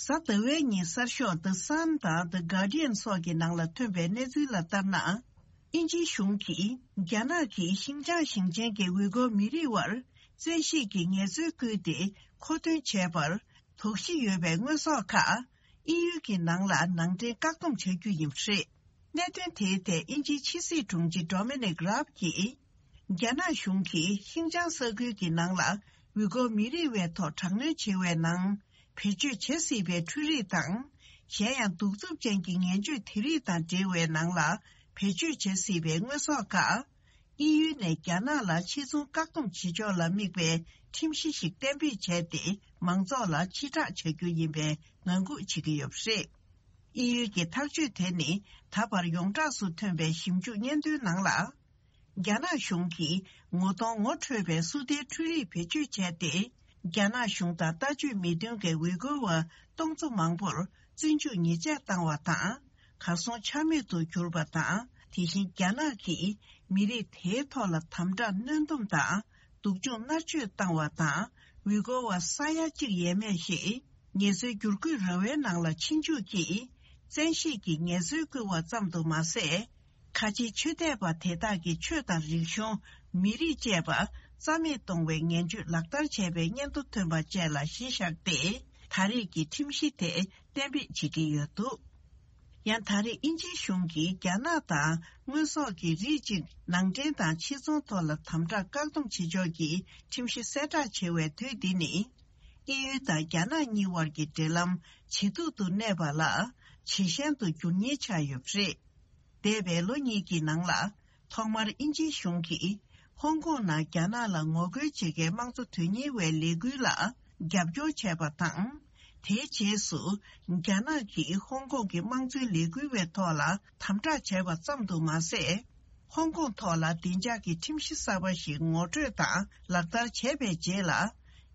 གཟའ་ཟླ་བའི་ཉིན་གསར་ཤོག་The Sun དང་The Guardian སོགས་ཀྱི་ནང་ལ་ཐོན་པའི་གནས་ཚུལ་ལ་ལྟར་ན། དབྱིན་ཇིའི་གཞུང་གིས་རྒྱ་ནག་གིས་ཤིན་ཅང་ཞིང་ཆེན་གྱི་ཝི་གོ་མི་རིགས་བར་བཙན་ཤེད་ཀྱིས་ངལ་རྩོལ་བསྐུལ་ཏེ་མཁོ་འདོན་བྱས་པར་དོགས་གཞི་ཡོད་པའི་དངོས་ཟོག་ཁག་དབྱིན་ཡུལ་གྱི་ནང་ལ་ནང་འདྲེན་བཀག་སྡོམ་བྱ་རྒྱུ་ཡིན་པ་རེད། གནད་དོན་དེའི་ཐད་དབྱིན་ཇིའི་ཕྱི་སྲིད་དྲུང་ཆེ་Dominic Raab གྱིས། རྒྱ་ནག་གཞུང་གིས་ཤིན་ཅང་ས་ཁུལ་གྱི་ནང་ལ་ཝི་གོ་མི་རིགས་བའི་ཐོག་དྲག་གནོན་བྱེད་པའི་ནང་། བེད་སྤྱོད་བྱེད་སྲིད་པའི་འཕྲུལ་རིག་དང་། གཞན་ཡང་གདུག་རྩུབ་ཅན་གྱི་ངན་སྤྱོད་དེ་རིགས་དང་འབྲེལ་བའི་ནང་ལ་བེད་སྤྱོད་བྱེད་སྲིད་པའི་དངོས་ཟོག་ཁག་དབྱིན་ཡུལ་ནས་རྒྱ་ནག་ལ་ཕྱིར་ཚོང་བཀག་སྡོམ་བྱེད་ཕྱོགས་ལ་དམིགས་པའི་ཁྲིམས་གཞི་ཞིག་གཏན་འབེབས་བྱས་ཏེ། མང་ཚོགས་ལ་ཕྱིར་བསྒྲགས་བྱ་རྒྱུ་ཡིན་པའི་ངང་སྒུག་བྱེད་ཀྱི་ཡོད་པ་རེད། དབྱིན་ཡུལ་གྱི་ཐག་གཅོད་དེ་ནི་ད་བར་ཡོངས་གྲགས་སུ་ཐོན་པའི་ཞིབ་འཇུག་སྙན་ཐོའི་ནང་ལ། རྒྱ་ནག་གཞུང་གིས་ངོ་གདོང་ངོ་འཕྲོད་པའི་སུ་ཏའི་འཕྲུལ་རིག་བེད་སྤྱོད་བྱས་ཏེ། རྒྱ་ནག་གཞུང་དང་ལྟ་སྤྱོད་མི་མཐུན་གྱི་ཝི་གོ་བ་སྟོང་ཚོ་མང་པོར་བཙོན་འཇུག་ཉེས་ཆད་བཏང་བ་དང་། གར་སོང་ཆ་མེད་དུ་གྱུར་པ་དང་། དེ་བཞིན་རྒྱ་ནག་གིས་མི་རིགས་དེའི་ཐོག་ལ་དམ་དྲག་གནོན་སྡོམ་དང་སྡུག་སྦྱོང་མནར་གཅོད་བཏང་བ་དང་། ཝི་གོ་བ་ས་ཡ་གཅིག་ཡས་མས་ཤིག་ངལ་རྩོལ་བསྒྱུར་བཀོད་ར་བའི་ནང་ལ་ཕྱིན་འཇུག་གིས་བཙན་ཤེད་ཀྱིས་ངལ་རྩོལ་བསྐུལ་བ་ཙམ་དུ་མ་ཟད། ཁ་ཆེའི་ཆོས་དད་པ་དེ་དག་གི་ཆོས་དང་རིག་གཞུང་། མི་རིགས་བཅས་པ་རྩ་མེད་གཏོང་བའི་ངན་ཇུས་ལག་བསྟར་བྱས་པའི་སྙན་ཐོ་ཐོན་པ་བཅས་ལ་གཞི་བཞག་སྟེ། ད་རེས་ཀྱི་ཁྲིམས་གཞི་དེ་གཏན་འབེབས་བྱེད་ཀྱི་ཡོད་འདུག། ཡང་ད་རེས་དབྱིན་ཇིའི་གཞུང་གིས་རྒྱ་ནག་དང་དངོས་ཟོག་གི་རིགས་གཅིག་ནང་འདྲེན་དང་ཕྱིར་ཚོང་ཐོག་ལ་དམ་དྲག་བཀག་སྡོམ་བྱེད་ཕྱོགས་ཀྱི་ཁྲིམས་གཞི་གསལ་བསྒྲགས་བྱེད་པའི་དུས་འདི་ནི། དབྱིན་ཡུལ་དང་རྒྱ་ནག་གཉིས་དབར་གྱི་འབྲེལ་ལམ་ཇེ་སྡུག་ཏུ་གནས་པ་ལ་ཇེ་ཞན་དུ་འགྱུར་ཉེན་ཆགས་ཡོད་པ་རེད། འདས་པའི་ལོ་གཉིས་ཀྱི་ནང་ལ། ཐོག་མར་དབྱིན་ཇིའི་གཞུང་གིས་ཧོང་ཀོང་ནང་རྒྱ་ནག་ལ་ངོ་རྒོལ་བྱེད་མཁན་དམངས་གཙོ་དོན་གཉེར་བའི་ལས་འགུལ་ལ་རྒྱབ་སྐྱོར་བྱས་པ་དང་། དེའི་རྗེས་སུ། རྒྱ་ནག་གིས་ཧོང་ཀོང་གི་དམངས་གཙོའི་ལས་འགུལ་བའི་ཐོག་ལ་དམ་དྲག་བྱས་པ་ཙམ་དུ་མ་ཟད། ཧོང་ཀོང་ཐོག་ལ་བདེ་འཇགས་ཀྱི་ཁྲིམས་གཞི་གསར་པ་ཞིག་ངོ་སྤྲོད་དང་ལག་བསྟར་བྱས་པའི་རྗེས་ལ།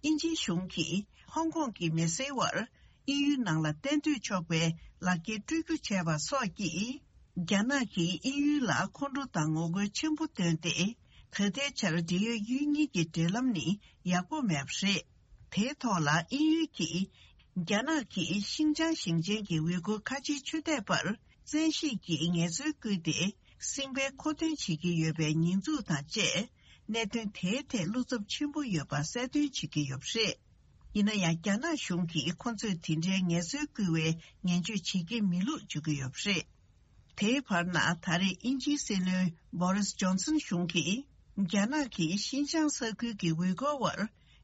དབྱིན་ཇིའི་གཞུང་གིས་ཧོང་ཀོང་གི་མི་སེར་བར། དབྱིན་ཡུལ་ནང་ལ་གཏན་སྡོད་ཆོག་པའི་ལག་འཁྱེར་སྤྲོད་རྒྱུ་བྱས་པ་སོགས་ཀྱིས། རྒྱ་ནག་གིས་དབྱིན་ཡུལ་ལ་ཁོང་ཁྲོ་དང་ངོ་རྒོལ་ཆེན་པོ་བཏོན་ཏེ། ད་ལྟའི་ཆར་འབྲེལ་ཡོད་ཡུལ་གཉིས་ཀྱི་འབྲེལ་ལམ་ནི་ཡག་པོ་མེད་པ་རེད། དེའི་ཐོག་ལ་དབྱིན་ཡུལ་གྱིས། རྒྱ་ནག་གིས་ཤིན་ཅང་ཞིང་ཆེན་གྱི་ཝེ་གུར་ཁ་ཆེའི་ཆོས་དད་པར་བཙན་ཤེད་ཀྱིས་ངལ་རྩོལ་བསྐུལ་ཏེ་སྲིད་དབང་མཁོ་འདོན་བྱེད་ཀྱི་ཡོད་པའི་ཉེས་འཛུགས་དང་བཅས། གནད་དོན་དེའི་ཐད་བློ་འཚབ་ཆེན་པོ་ཡོད་པ་གསལ་སྟོན་བྱེད་ཀྱི་ཡོད་པ་རེད། ཡིན་ན་ཡང་རྒྱ་ནག་གཞུང་གིས་ཁོ་ཚོས་དེ་འདྲའི་ངལ་རྩོལ་བསྐུལ་བའི་ངན་བྱུས་བྱེད་ཀྱི་མེད་ལུགས་བརྗོད་ཀྱི་ཡོད་པ་རེད། དེའི་བར་ན་ད་རེས་དབྱིན་ཇིའི་སྲིད་བློན་བོ་རིས་ཇོན་སན་གཞུང་གིས་རྒྱ་ནག་གིས་ཤིན་ཅང་ས་ཁུལ་གྱི་ཝེ་གོར་བར་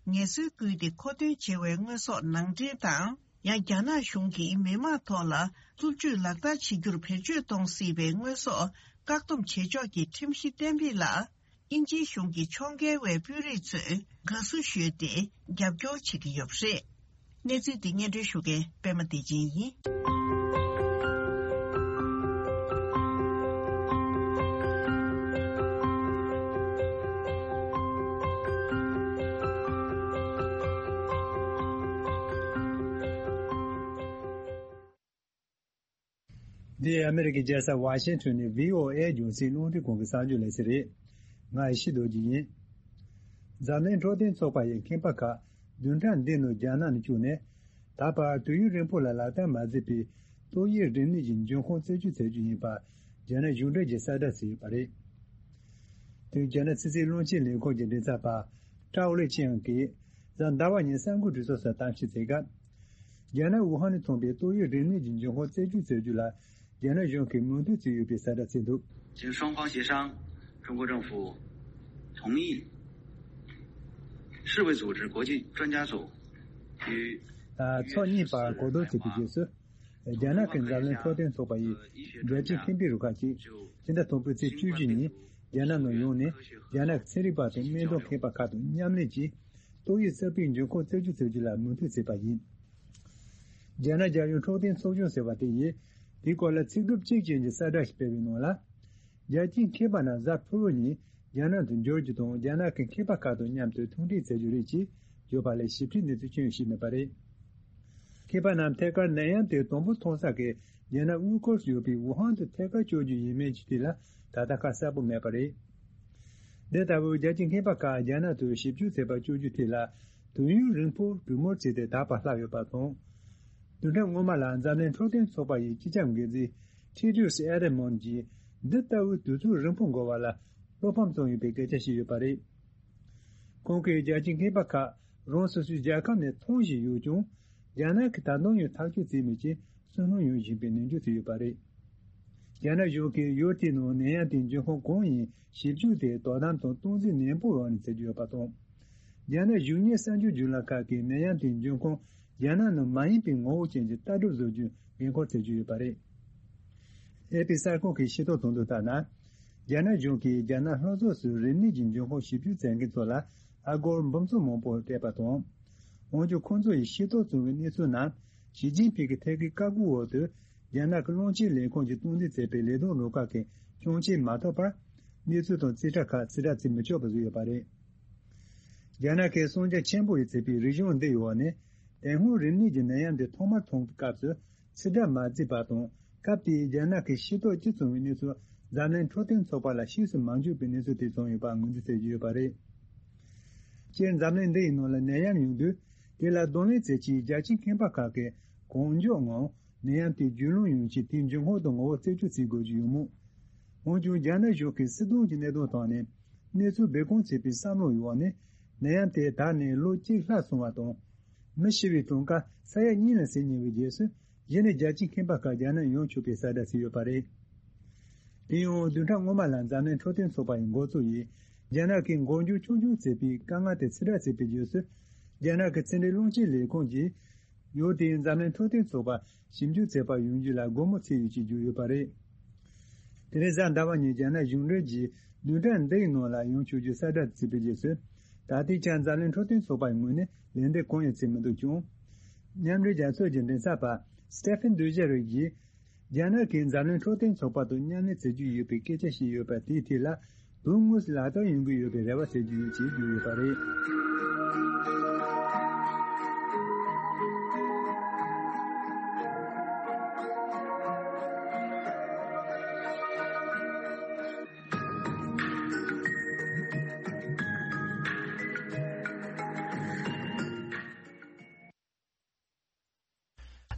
ངལ་རྩོལ་བསྐུལ་ཏེ་མཁོ་འདོན་བྱས་པའི་དངོས་ཟོག་ནང་འདྲེན་དང་། ཡང་རྒྱ་ནག་གཞུང་གིས་མི་མང་ཐོག་ལ་རྩུབ་སྤྱོད་ལག་བསྟར་བྱེད་རྒྱུར་བེད་སྤྱོད་གཏོང་སྲིད་པའི་དངོས་ཟོག་བཀག་སྡོམ་བྱེད་ཕྱོགས་ཀྱི་ཁྲིམས་གཞི་གཏན་འབེབས་ལ། དབྱིན་ཇིའི་གཞུང་གིས་ཕྱོགས་འགལ་བའི་དཔོན་རིགས་ཚོས་དགའ་བསུ་ཞུས་ཏེ་རྒྱབ་སྐྱོར་བྱེད་ཀྱི་ཡོད་པ་རེད། གནས་ཚུལ་འདི་སྙན་སྒྲོན་ཞུ་མཁན་པད་མ་བདེ་ཆེན་ཡིན། འདི་ཨ་མེ་རི་ཀའི་རྒྱལ་ས་ཝ་ཤིང་ཊོན་ནས་བྷི་ཨོ་ཨེ་རྒྱང་སྲིང་རླུང་འཕྲིན་ཁང་གི་གསར་འགྱུར་ལས་ཚན་རེད། ང་ཡེ་ཤེས་རྡོ་རྗེ་ཡིན། འཛམ་གླིང་འཕྲོད་བསྟེན་ཚོགས་པ་ཡི་ཁང་པ་ཁག་བདུན་ཕྲག་འདིའི་ནང་རྒྱ་ནག་ནས་བསྐྱོད་ནས། ད་བར་དུས་ཡུན་རིང་པོ་ལ་ལག་བསྟར་མ་མཛད་པའི་ཏོག་དབྱིབས་རིམས་ནད་ཀྱི་འབྱུང་ཁུངས་རྩད་གཅོད་བྱ་རྒྱུ་ཡིན་པ་རྒྱ་ནག་གཞུང་འབྲེལ་གྱིས་གསལ་བསྒྲགས་བྱས་ཡོད་པ་རེད། དེ་རྒྱ་ནག་ཕྱི་སྲིད་བློན་ཆེན་ལས་ཁུངས་ཀྱི་མགྲིན་ཚབ་པ་ཀྲའོ་ལེ་ཆིང་གིས་གཟའ་ཟླ་བ་ཉིན་གསར་འགོད་གྲོས་ཚོགས་སུ་གཏམ་བཤད་བྱས་སྐབས། རྒྱ་ནག་ཝུ་ཧན་ནས་ཐོན་པའི་ཏོག་དབྱིབས་རིམས་ནད་ཀྱི་འབྱུང་ཁུངས་རྩད་གཅོད་བྱ་རྒྱུ་ལ་རྒྱ་ནག་གཞུང་གིས་མོས་མཐུན་བྱས་ཡོད་པའི་གསལ་བསྒྲགས་བྱས་འདུག 经双方协商，中国政府同意世卫组织国际专家组与 ཕྱོགས་གཉིས་བར་གོ་བསྡུར་བྱས་པའི་རྗེས་སུ། རྒྱ་ནག་གི་འཛམ་གླིང་འཕྲོད་བསྟེན་ཚོགས་པ་ཡིས་རྒྱལ་སྤྱིའི་ཁེ་ཕན་རུ་ཁག་ཅིག་ཕྱི་ཟླ་དང་པོའི་ཚེས་བཅུ་བཞི་ཉིན་རྒྱ་ནག་ནང་ཡོང་ནས། རྒྱ་ནག་གི་ཚན་རིག་པ་དང་སྨན་དོན་མཁས་པ་ཁག་དང་མཉམ་ལས་ཀྱིས་ཏོག་དབྱིབས་གསར་པའི་འབྱུང་ཁུངས་རྩད་གཅོད་བྱ་རྒྱུ་ལ་མོས་མཐུན་བྱས་པ་ཡིན། རྒྱ་ནག་རྒྱལ་ཡོངས་འཕྲོད་བསྟེན་ཚོགས་ཆུང་ཟེར་བ་དེ་ཡིས་དེའི་སྐོར་ལ་ཚིག་གྲུབ་གཅིག་ཅན་གྱི་གསལ་བསྒྲགས་ཤིག་སྤེལ་བའི་ནང་ལ། རྒྱལ་སྤྱིའི་མཁས་པ་རྣམས་གཟའ་ཕུར་བུ་ཉིན་རྒྱ་ནག་ཏུ་འབྱོར་རྒྱུ་དང་། རྒྱ་ནག་གི་མཁས་པ་ཁག་དང་མཉམ་དུ་ཐུག་འཕྲད་མཛད་རྒྱུ་རེད་ཅེས་བརྗོད་པ་ལས་ཞིབ་ཕྲའི་གནས་ཚུལ་ཅི་ཡང་ཞིག་མེད་པ་རེད། མཁས་པ་རྣམས་ཐད་ཀར་ནད་ཡམས་དེ་དང་པོ་མཐོང་ས་ཀྱི་རྒྱ་ནག་དབུས་ཁུལ་དུ་ཡོད་པའི་ཝུ་ཧན་དུ་ཐད་ཀར་བསྐྱོད་རྒྱུ་ཡིན་མིན་གྱི་ཐད་ལ་ད་ལྟ་ཁ་གསལ་པོ་མེད་པ་རེད། འདི་ལྟ་བུའི་རྒྱལ་སྤྱིའི་མཁས་པ་ཁག་རྒྱ་ནག་ཏུ་ཞིབ་འཇུག་བྱེད་པར་བསྐྱོད་རྒྱུའི་ཐད་ལ་དུས་ཡུན་རིང་པོ་གྲོས་མོལ་བྱས་ཏེ་ད་བར་ལྷག་ཡོད་པ་དང་། བདུན་ཕྲག་སྔོན་མ་ལ་འཛམ་གླིང་འཕྲོད་བསྟེན་ཚོགས་པ་ཡི་སྤྱི་ཁྱབ་འགན་འཛིན་ཊེ་ཌྲོས་ཨེ་ཌེ་མོན་གྱིས་འདི་ལྟ་བུའི་དུས་ཚོད་རིང་པོ་འགོར་བ་ལ་བློ་ཕམ་བྱུང་ཡོད་པའི་སྐད་ཆ་བཤད་ཡོད་པ་རེད། ཁོང་གིས་རྒྱལ་སྤྱིའི་མཁས་པ་ཁག་རང་སོ་སོའི་རྒྱལ་ཁབ་ནས་ཐོན་བཞིན་ཡོད་ཀྱང་། རྒྱ་ནག་གིས་ད་དུང་ཡང་ཐག་གཅོད་བྱས་མེད་ཅེས་སུན་སྣང་ཡོང་བཞིན་པའི་ནན་བརྗོད་བྱས་ཡོད་པ་རེད། རྒྱ་ནག་གཞུང་གིས་ཡུལ་དེའི་ནང་ནད་ཡམས་དེའི་འབྱུང་ཁུངས་གང་ཡིན་ཞིབ་འཇུག་དེ་དོ་དམ་དང་སྟངས་འཛིན་ནན་པོའི་འོག་ནས་བྱེད་ཀྱི་ཡོད་པ་དང་། རྒྱ་ནག་གཞུང་གཉེར་གསར་འགྱུར་བརྒྱུད་ལམ་ཁག་གིས་ནད་ཡམས་དེའི་འབྱུང་ཁུངས་རྒྱ་ནག་ནང་མ་ཡིན་པའི་ངོ་བོ་ཅན་གྱི་ལྟ་གྲུབ་བཟོ་རྒྱུའི་འགན་འཁུར་བྱེད་ཀྱི་ཡོད་པ་རེད། ཨེ་པི་གསར་ཁང་གིས་ཤེས་རྟོགས་བྱུང་དོན་ལྟར་ན། རྒྱ་ནག་གཞུང་གིས་རྒྱ་ནག་ལྷོ་ཕྱོགས་སུ་རིམས་ནད་ཀྱི་འབྱུང་ཁུངས་ཞིབ་འཇུག་བྱེད་མཁན་ཚོ་ལ་ཨ་སྒོར་འབུམ་ཚོ་མང་པོ་སྤྲད་པ་དང་། འོན་ཀྱང་ཁོང་ཚོ་ཡིས་ཤེས་རྟོགས་བྱུང་བའི་གནས་ཚུལ་རྣམས་ཞི་ཅིན་ཕིང་གི་ཐད་ཀའི་བཀའ་བཀོད་འོག་ཏུ་རྒྱ་ནག་གི་རླུང་འཕྲིན་ལས་ཁུངས་ཀྱིས་སྟངས་འཛིན་བྱས་པའི་ལས་དོན་རུ་ཁག་གི་སྐྱོན་ཆ་མ་ཐོབ་པར། གནས་ཚུལ་དང་རྩིས་ཁྲ་ཁག་ཕྱིར་བསྒྲགས་བྱེད་མི་ཆོག་པ་བཟོས་ཡོད་པ་རེད། རྒྱ་ནག་གི་གསང་རྒྱ་ཆེན་པོ་ཡིས་བརྩིས་པའི་རིག་གཞུང་འདི་ཡི་འོག་ནས། དེ་སྔོན་རིམས་ནད་ཀྱི་ནད་ཡམས་འདི་ཐོག་མར་ཐོན་པའི་སྐབས་སུ་ཕྱིར་བསྒྲགས་མ་བྱས་པ་དང་། སྐབས་དེའི་རྒྱ་ནག་གིས་ཤེས་རྟོགས་ཅི་བྱུང་བའི་གནས་ཚུལ་འཛམ་གླིང་འཕྲོད་བསྟེན་ཚོགས་པ་ལ་ཕྱིས་སུ་མ་འཇོག་པའི་གནས་ཚུལ་དེ་བྱུང་ཡོད་པ་ངོས་འཛིན་བྱེད་ཀྱི་ཡོད་པ་རེད། སྤྱིར་འཛམ་གླིང་འདི་ཡི་ནང་ལ་ནད་ཡམས་ཡོང་དུས། དེ་ལ་གདོང་ལེན་བྱེད་ཆེད་རྒྱལ་སྤྱིའི་མཁས་པ་ཁག་གིས་གང་མགྱོགས་ངང་ནད་ཡམས་དེ་རྒྱུས་ལོན་ཡོང་ཆེད་དེའི་འབྱུང་ཁུངས་དང་ངོ་བོ་རྩད་གཅོད་བྱེད་དགོས་ཀྱི་ཡོད་མོད། འོན་ཀྱང་རྒྱ་ནག་གཞུང་གིས་སྲིད་དོན་གྱི་གནད་དོན་ཐོག་ནས་གནས་ཚུལ་སྦས་སྐུང་བྱས་པའི་བསམ་བློ་ཡི་འོག་ནས་ནད་ཡམས་དེ་དར་ནས་ལོ་གཅིག་ལྷག་སོང་བ་དང་། མི་ཤི་བའི་གྲངས་ཀ་ས་ཡ་གཉིས་ལ་ཟིན་ཉེ་བའི་རྗེས་སུ། གཞི་ནས་རྒྱལ་སྤྱིའི་ཁང་པ་ཁག་རྒྱ་ནག་ཡོང་ཆོག་པའི་གསལ་བསྒྲགས་བྱས་ཡོད་པ་རེད། དེ་ཡང་བདུན་ཕྲག་སྔོན་མ་ལ་འཛམ་གླིང་འཕྲོད་བསྟེན་ཚོགས་པ་ཡི་འགོ་གཙོ་ཡིས་རྒྱ་ནག་གིས་འགོག་འཇུག་ཆོག་འཆར་བྱས་པའི་དཀའ་ངལ་དེ་ཕྱིར་བསྒྲགས་བྱས་པའི་རྗེས་སུ། རྒྱ་ནག་གི་ཕྱི་འབྲེལ་རླུང་འཕྲིན་ལས་ཁང་གིས་ཡུལ་དེའི་འཛམ་གླིང་འཕྲོད་བསྟེན་ཚོགས་པ་ཞིབ་འཇུག་བྱེད་པར་ཡོང་རྒྱུ་ལ་སྒོ་མོ་ཕྱེ་ཡོད་ཅེས་བརྗོད་ཡོད་པ་རེད། དེ་རིང་གཟའ་ཟླ་བ་ཉིན་རྒྱ་ནག་གཞུང་འབྲེལ་གྱིས་བདུན་ཕྲག་འདིའི་ནང་ལ་ཡོང་ཆོག་རྒྱུ་གསལ་བསྒྲགས་བྱས་པའི་རྗེས་སུ། ད་ལྟའི་ཆར་འཛམ་གླིང་འཕྲོད་བསྟེན་ཚོགས་པའི་ངོས་ནས་ལན་འདེབས་གང་ཡང་བྱས་མི་འདུག་ཀྱང་། མཉམ་འབྲེལ་རྒྱལ་ཚོགས་ཀྱི་མགྲིན་ཚབ་པ་སི་ཏེ་ཕན་དུ་ཇེ་རིག་གིས། རྒྱ་ནག་གིས་འཛམ་གླིང་འཕྲོད་བསྟེན་ཚོགས་པ་དང་མཉམ་ལས་བྱེད་རྒྱུ་ཡོད་པའི་སྐད་ཆ་བཤད་ཡོད་པ་དེའི་ཐད་ལ། དོན་དངོས་སུ་ལག་བསྟར་ཡོང་གི་ཡོད་པའི་རེ་བ་བྱེད་ཀྱི་ཡོད་ཅེས་བརྗོད་ཡོད་པ་རེད།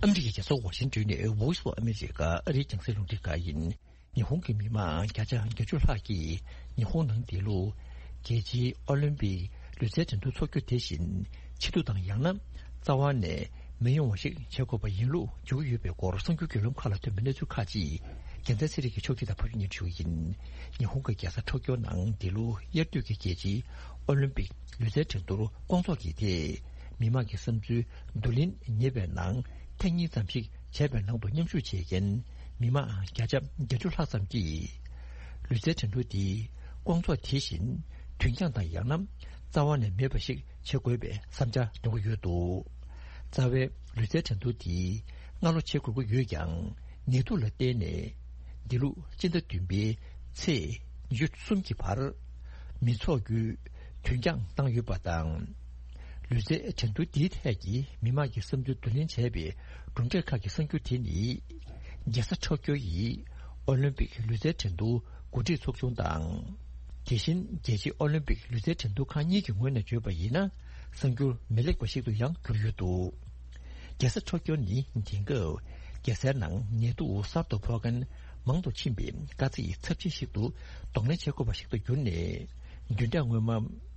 ཨ་མི་རི་ཀའི་རྒྱལ་ས་ཝ་ཤིང་ཏོན་ནས་Voice of America ཨ་རིའི་རྒྱང་སྲིང་རླུང་འཕྲིན་ཁང་ཡིན། ཉི་ཧོང་གི་མི་མང་བརྒྱ་ཆ་བརྒྱད་ཅུ་ལྷག་གིས་ཉི་ཧོང་ནང་འདི་ལོ་རྒྱལ་སྤྱིའི་ཨོ་ལིམ་པིག་ལུས་རྩལ་འགྲན་བསྡུར་འཚོགས་རྒྱུ་དེ་བཞིན་ཕྱི་དྲོ་དང་ཡང་ན་རྩ་བ་ནས་མི་ཡོང་བ་ཞིག་བྱེད་དགོས་པ་ཡིན་ལུགས་འཇོག་གི་ཡོད་པའི་སྐོར་གསར་འགྱུར་བརྒྱུད་ལམ་ཁག་ལ་ཐོན་པའི་གནས་ཚུལ་ཁག་ཅིག་རྒྱལ་མཚན་ཚེ་རིང་གིས་ཕྱོགས་སྒྲིག་དང་ཕབ་སྒྱུར་གནང་ཞུ་རྒྱུ་ཡིན། ཉི་ཧོང་གི་རྒྱལ་ས་ཊོ་ཀྱོ་ནང་འདི་ལོ་དབྱར་དུས་ཀྱི་རྒྱལ་སྤྱིའི་ཨོ་ལིམ་པིག་ལུས་རྩལ་འགྲན་བསྡུར་སྐོང་ཚོགས་ཀྱི་ཐད། མི་མང་གི་བསམ་ཚུལ་བསྡུ་ལེན་ཉེས་པའི་ནང་ཐེངས་གཉིས་ཙམ་ཞིག་བྱས་པའི་ནང་དུ་མཉམ་ཞུགས་བྱེད་མཁན་མི་མང་བརྒྱ་ཆ་བརྒྱད་ཅུ་ལྷག་ཙམ་གྱིས། ལུས་རྩལ་འགྲན་བསྡུར་འདི་སྐོང་ཚོགས་དེ་བཞིན་དུས་འགྱངས་དང་ཡང་ན་རྩ་བ་ནས་མེད་པ་ཞིག་བྱེད་དགོས་པའི་བསམ་འཆར་འདོན་གྱི་ཡོད་འདུག་རྩ་བའི་ལུས་རྩལ་འགྲན་བསྡུར་འདི་སྔ་ལོ་བྱེད་དགོས་ཀྱི་ཡོད་ཀྱང་ནད་དུག་ལ་བརྟེན་ནས་འདི་ལོ་སྤྱི་ཟླ་བདུན་པའི་ཚེས་ཉི་ཤུ་གསུམ་གྱི་བར་མི་འཚོགས་རྒྱུའི་དུས་འགྱངས་བཏང་ཡོད་པ་དང་། ལུས་རྩལ་འགྲན་བསྡུར་འདིའི་ཐད་ཀྱི་མི་མང་གི་བསམ་ཚུལ་བསྡུ་ལེན་བྱས་པའི་གྲུབ་འབྲས་ཁག་གི་གསར་འགྱུར་དེ་ནི། རྒྱལ་ས་ཊོ་ཀྱོ་ཡི་ཨོ་ལིམ་པིག་ལུས་རྩལ་འགྲན་བསྡུར་འགོ་ཁྲིད་ཚོགས་ཆུང་དང་། དེ་བཞིན་རྒྱལ་སྤྱིའི་ཨོ་ལིམ་པིག་ལུས་རྩལ་འགྲན་བསྡུར་ཁང་གཉིས་ཀྱི་ངོས་ནས་བརྗོད་པ་ཡིན་ན། གསར་འགྱུར་མི་ལེགས་པ་ཞིག་ཏུ་ཡང་གྱུར་ཡོད་འདུག་རྒྱལ་ས་ཊོ་ཀྱོ་ནི་དེང་སྐབས་རྒྱལ་སའི་ནང་ནད་དུག་གསར་དུ་ཕོག་མཁན་མང་དུ་ཕྱིན་པའི་དཀའ་ཚེགས་ཚབས་ཆེན་ཞིག་ཏུ་གདོང་ལེན་བྱེད་དགོས་པ་ཞིག་ཏུ་གྱུར་ནས། བདུན་ཕྲག་སྔོན་མ།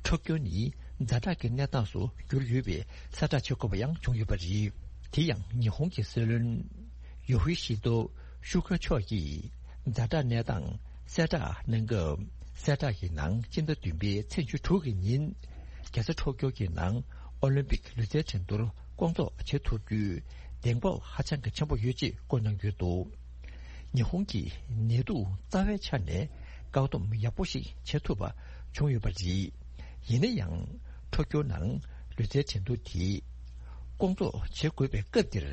ཊོ་ཀྱོ་ནི་ཛ་དྲག་གི་གནས་སྟངས་སུ་གྱུར་ཡོད་པའི་གསལ་བསྒྲགས་བྱེད་དགོས་པ་ཡང་བྱུང་ཡོད་པ་རེད། དེ་ཡང་ཉི་ཧོང་གི་སྲིད་བློན་ཡོ་ཧི་ཤི་ཏོ་ཤུ་ཁ་མཆོག་གིས་ཛ་དྲག་གནས་སྟངས་གསལ་བསྒྲགས་གནང་སྐབས། གསལ་བསྒྲགས་ཀྱི་ནང་སྤྱི་ཟླ་བདུན་པའི་ཚེས་བཅུ་དྲུག་གི་ཉིན་རྒྱལ་ས་ཊོ་ཀྱོ་གི་ནང་ཨོ་ལིམ་པིག་ལུས་རྩལ་འགྲན་བསྡུར་སྐོང་ཚོགས་བྱེད་ཐུབ་རྒྱུའི་གདེང་སྤོབས་ཧ་ཅང་གི་ཆེན་པོ་ཡོད་ཅེས་བཀོད་གནང་ཡོད་འདུག་ཉི་ཧོང་གི་ནད་དུག་རྩ་བའི་ཆ་ནས་བཀག་སྡོམ་ཡག་པོ་ཞིག་བྱེད་ཐུབ་པ་བྱུང་ཡོད་པ་རེད། ཡིན་ན་ཡང་ཊོ་ཀྱོ་ནང་ལུས་རྩལ་འགྲན་བསྡུར་དེ་སྐོང་ཚོགས་བྱེད་དགོས་པའི་སྐབས་འདིར་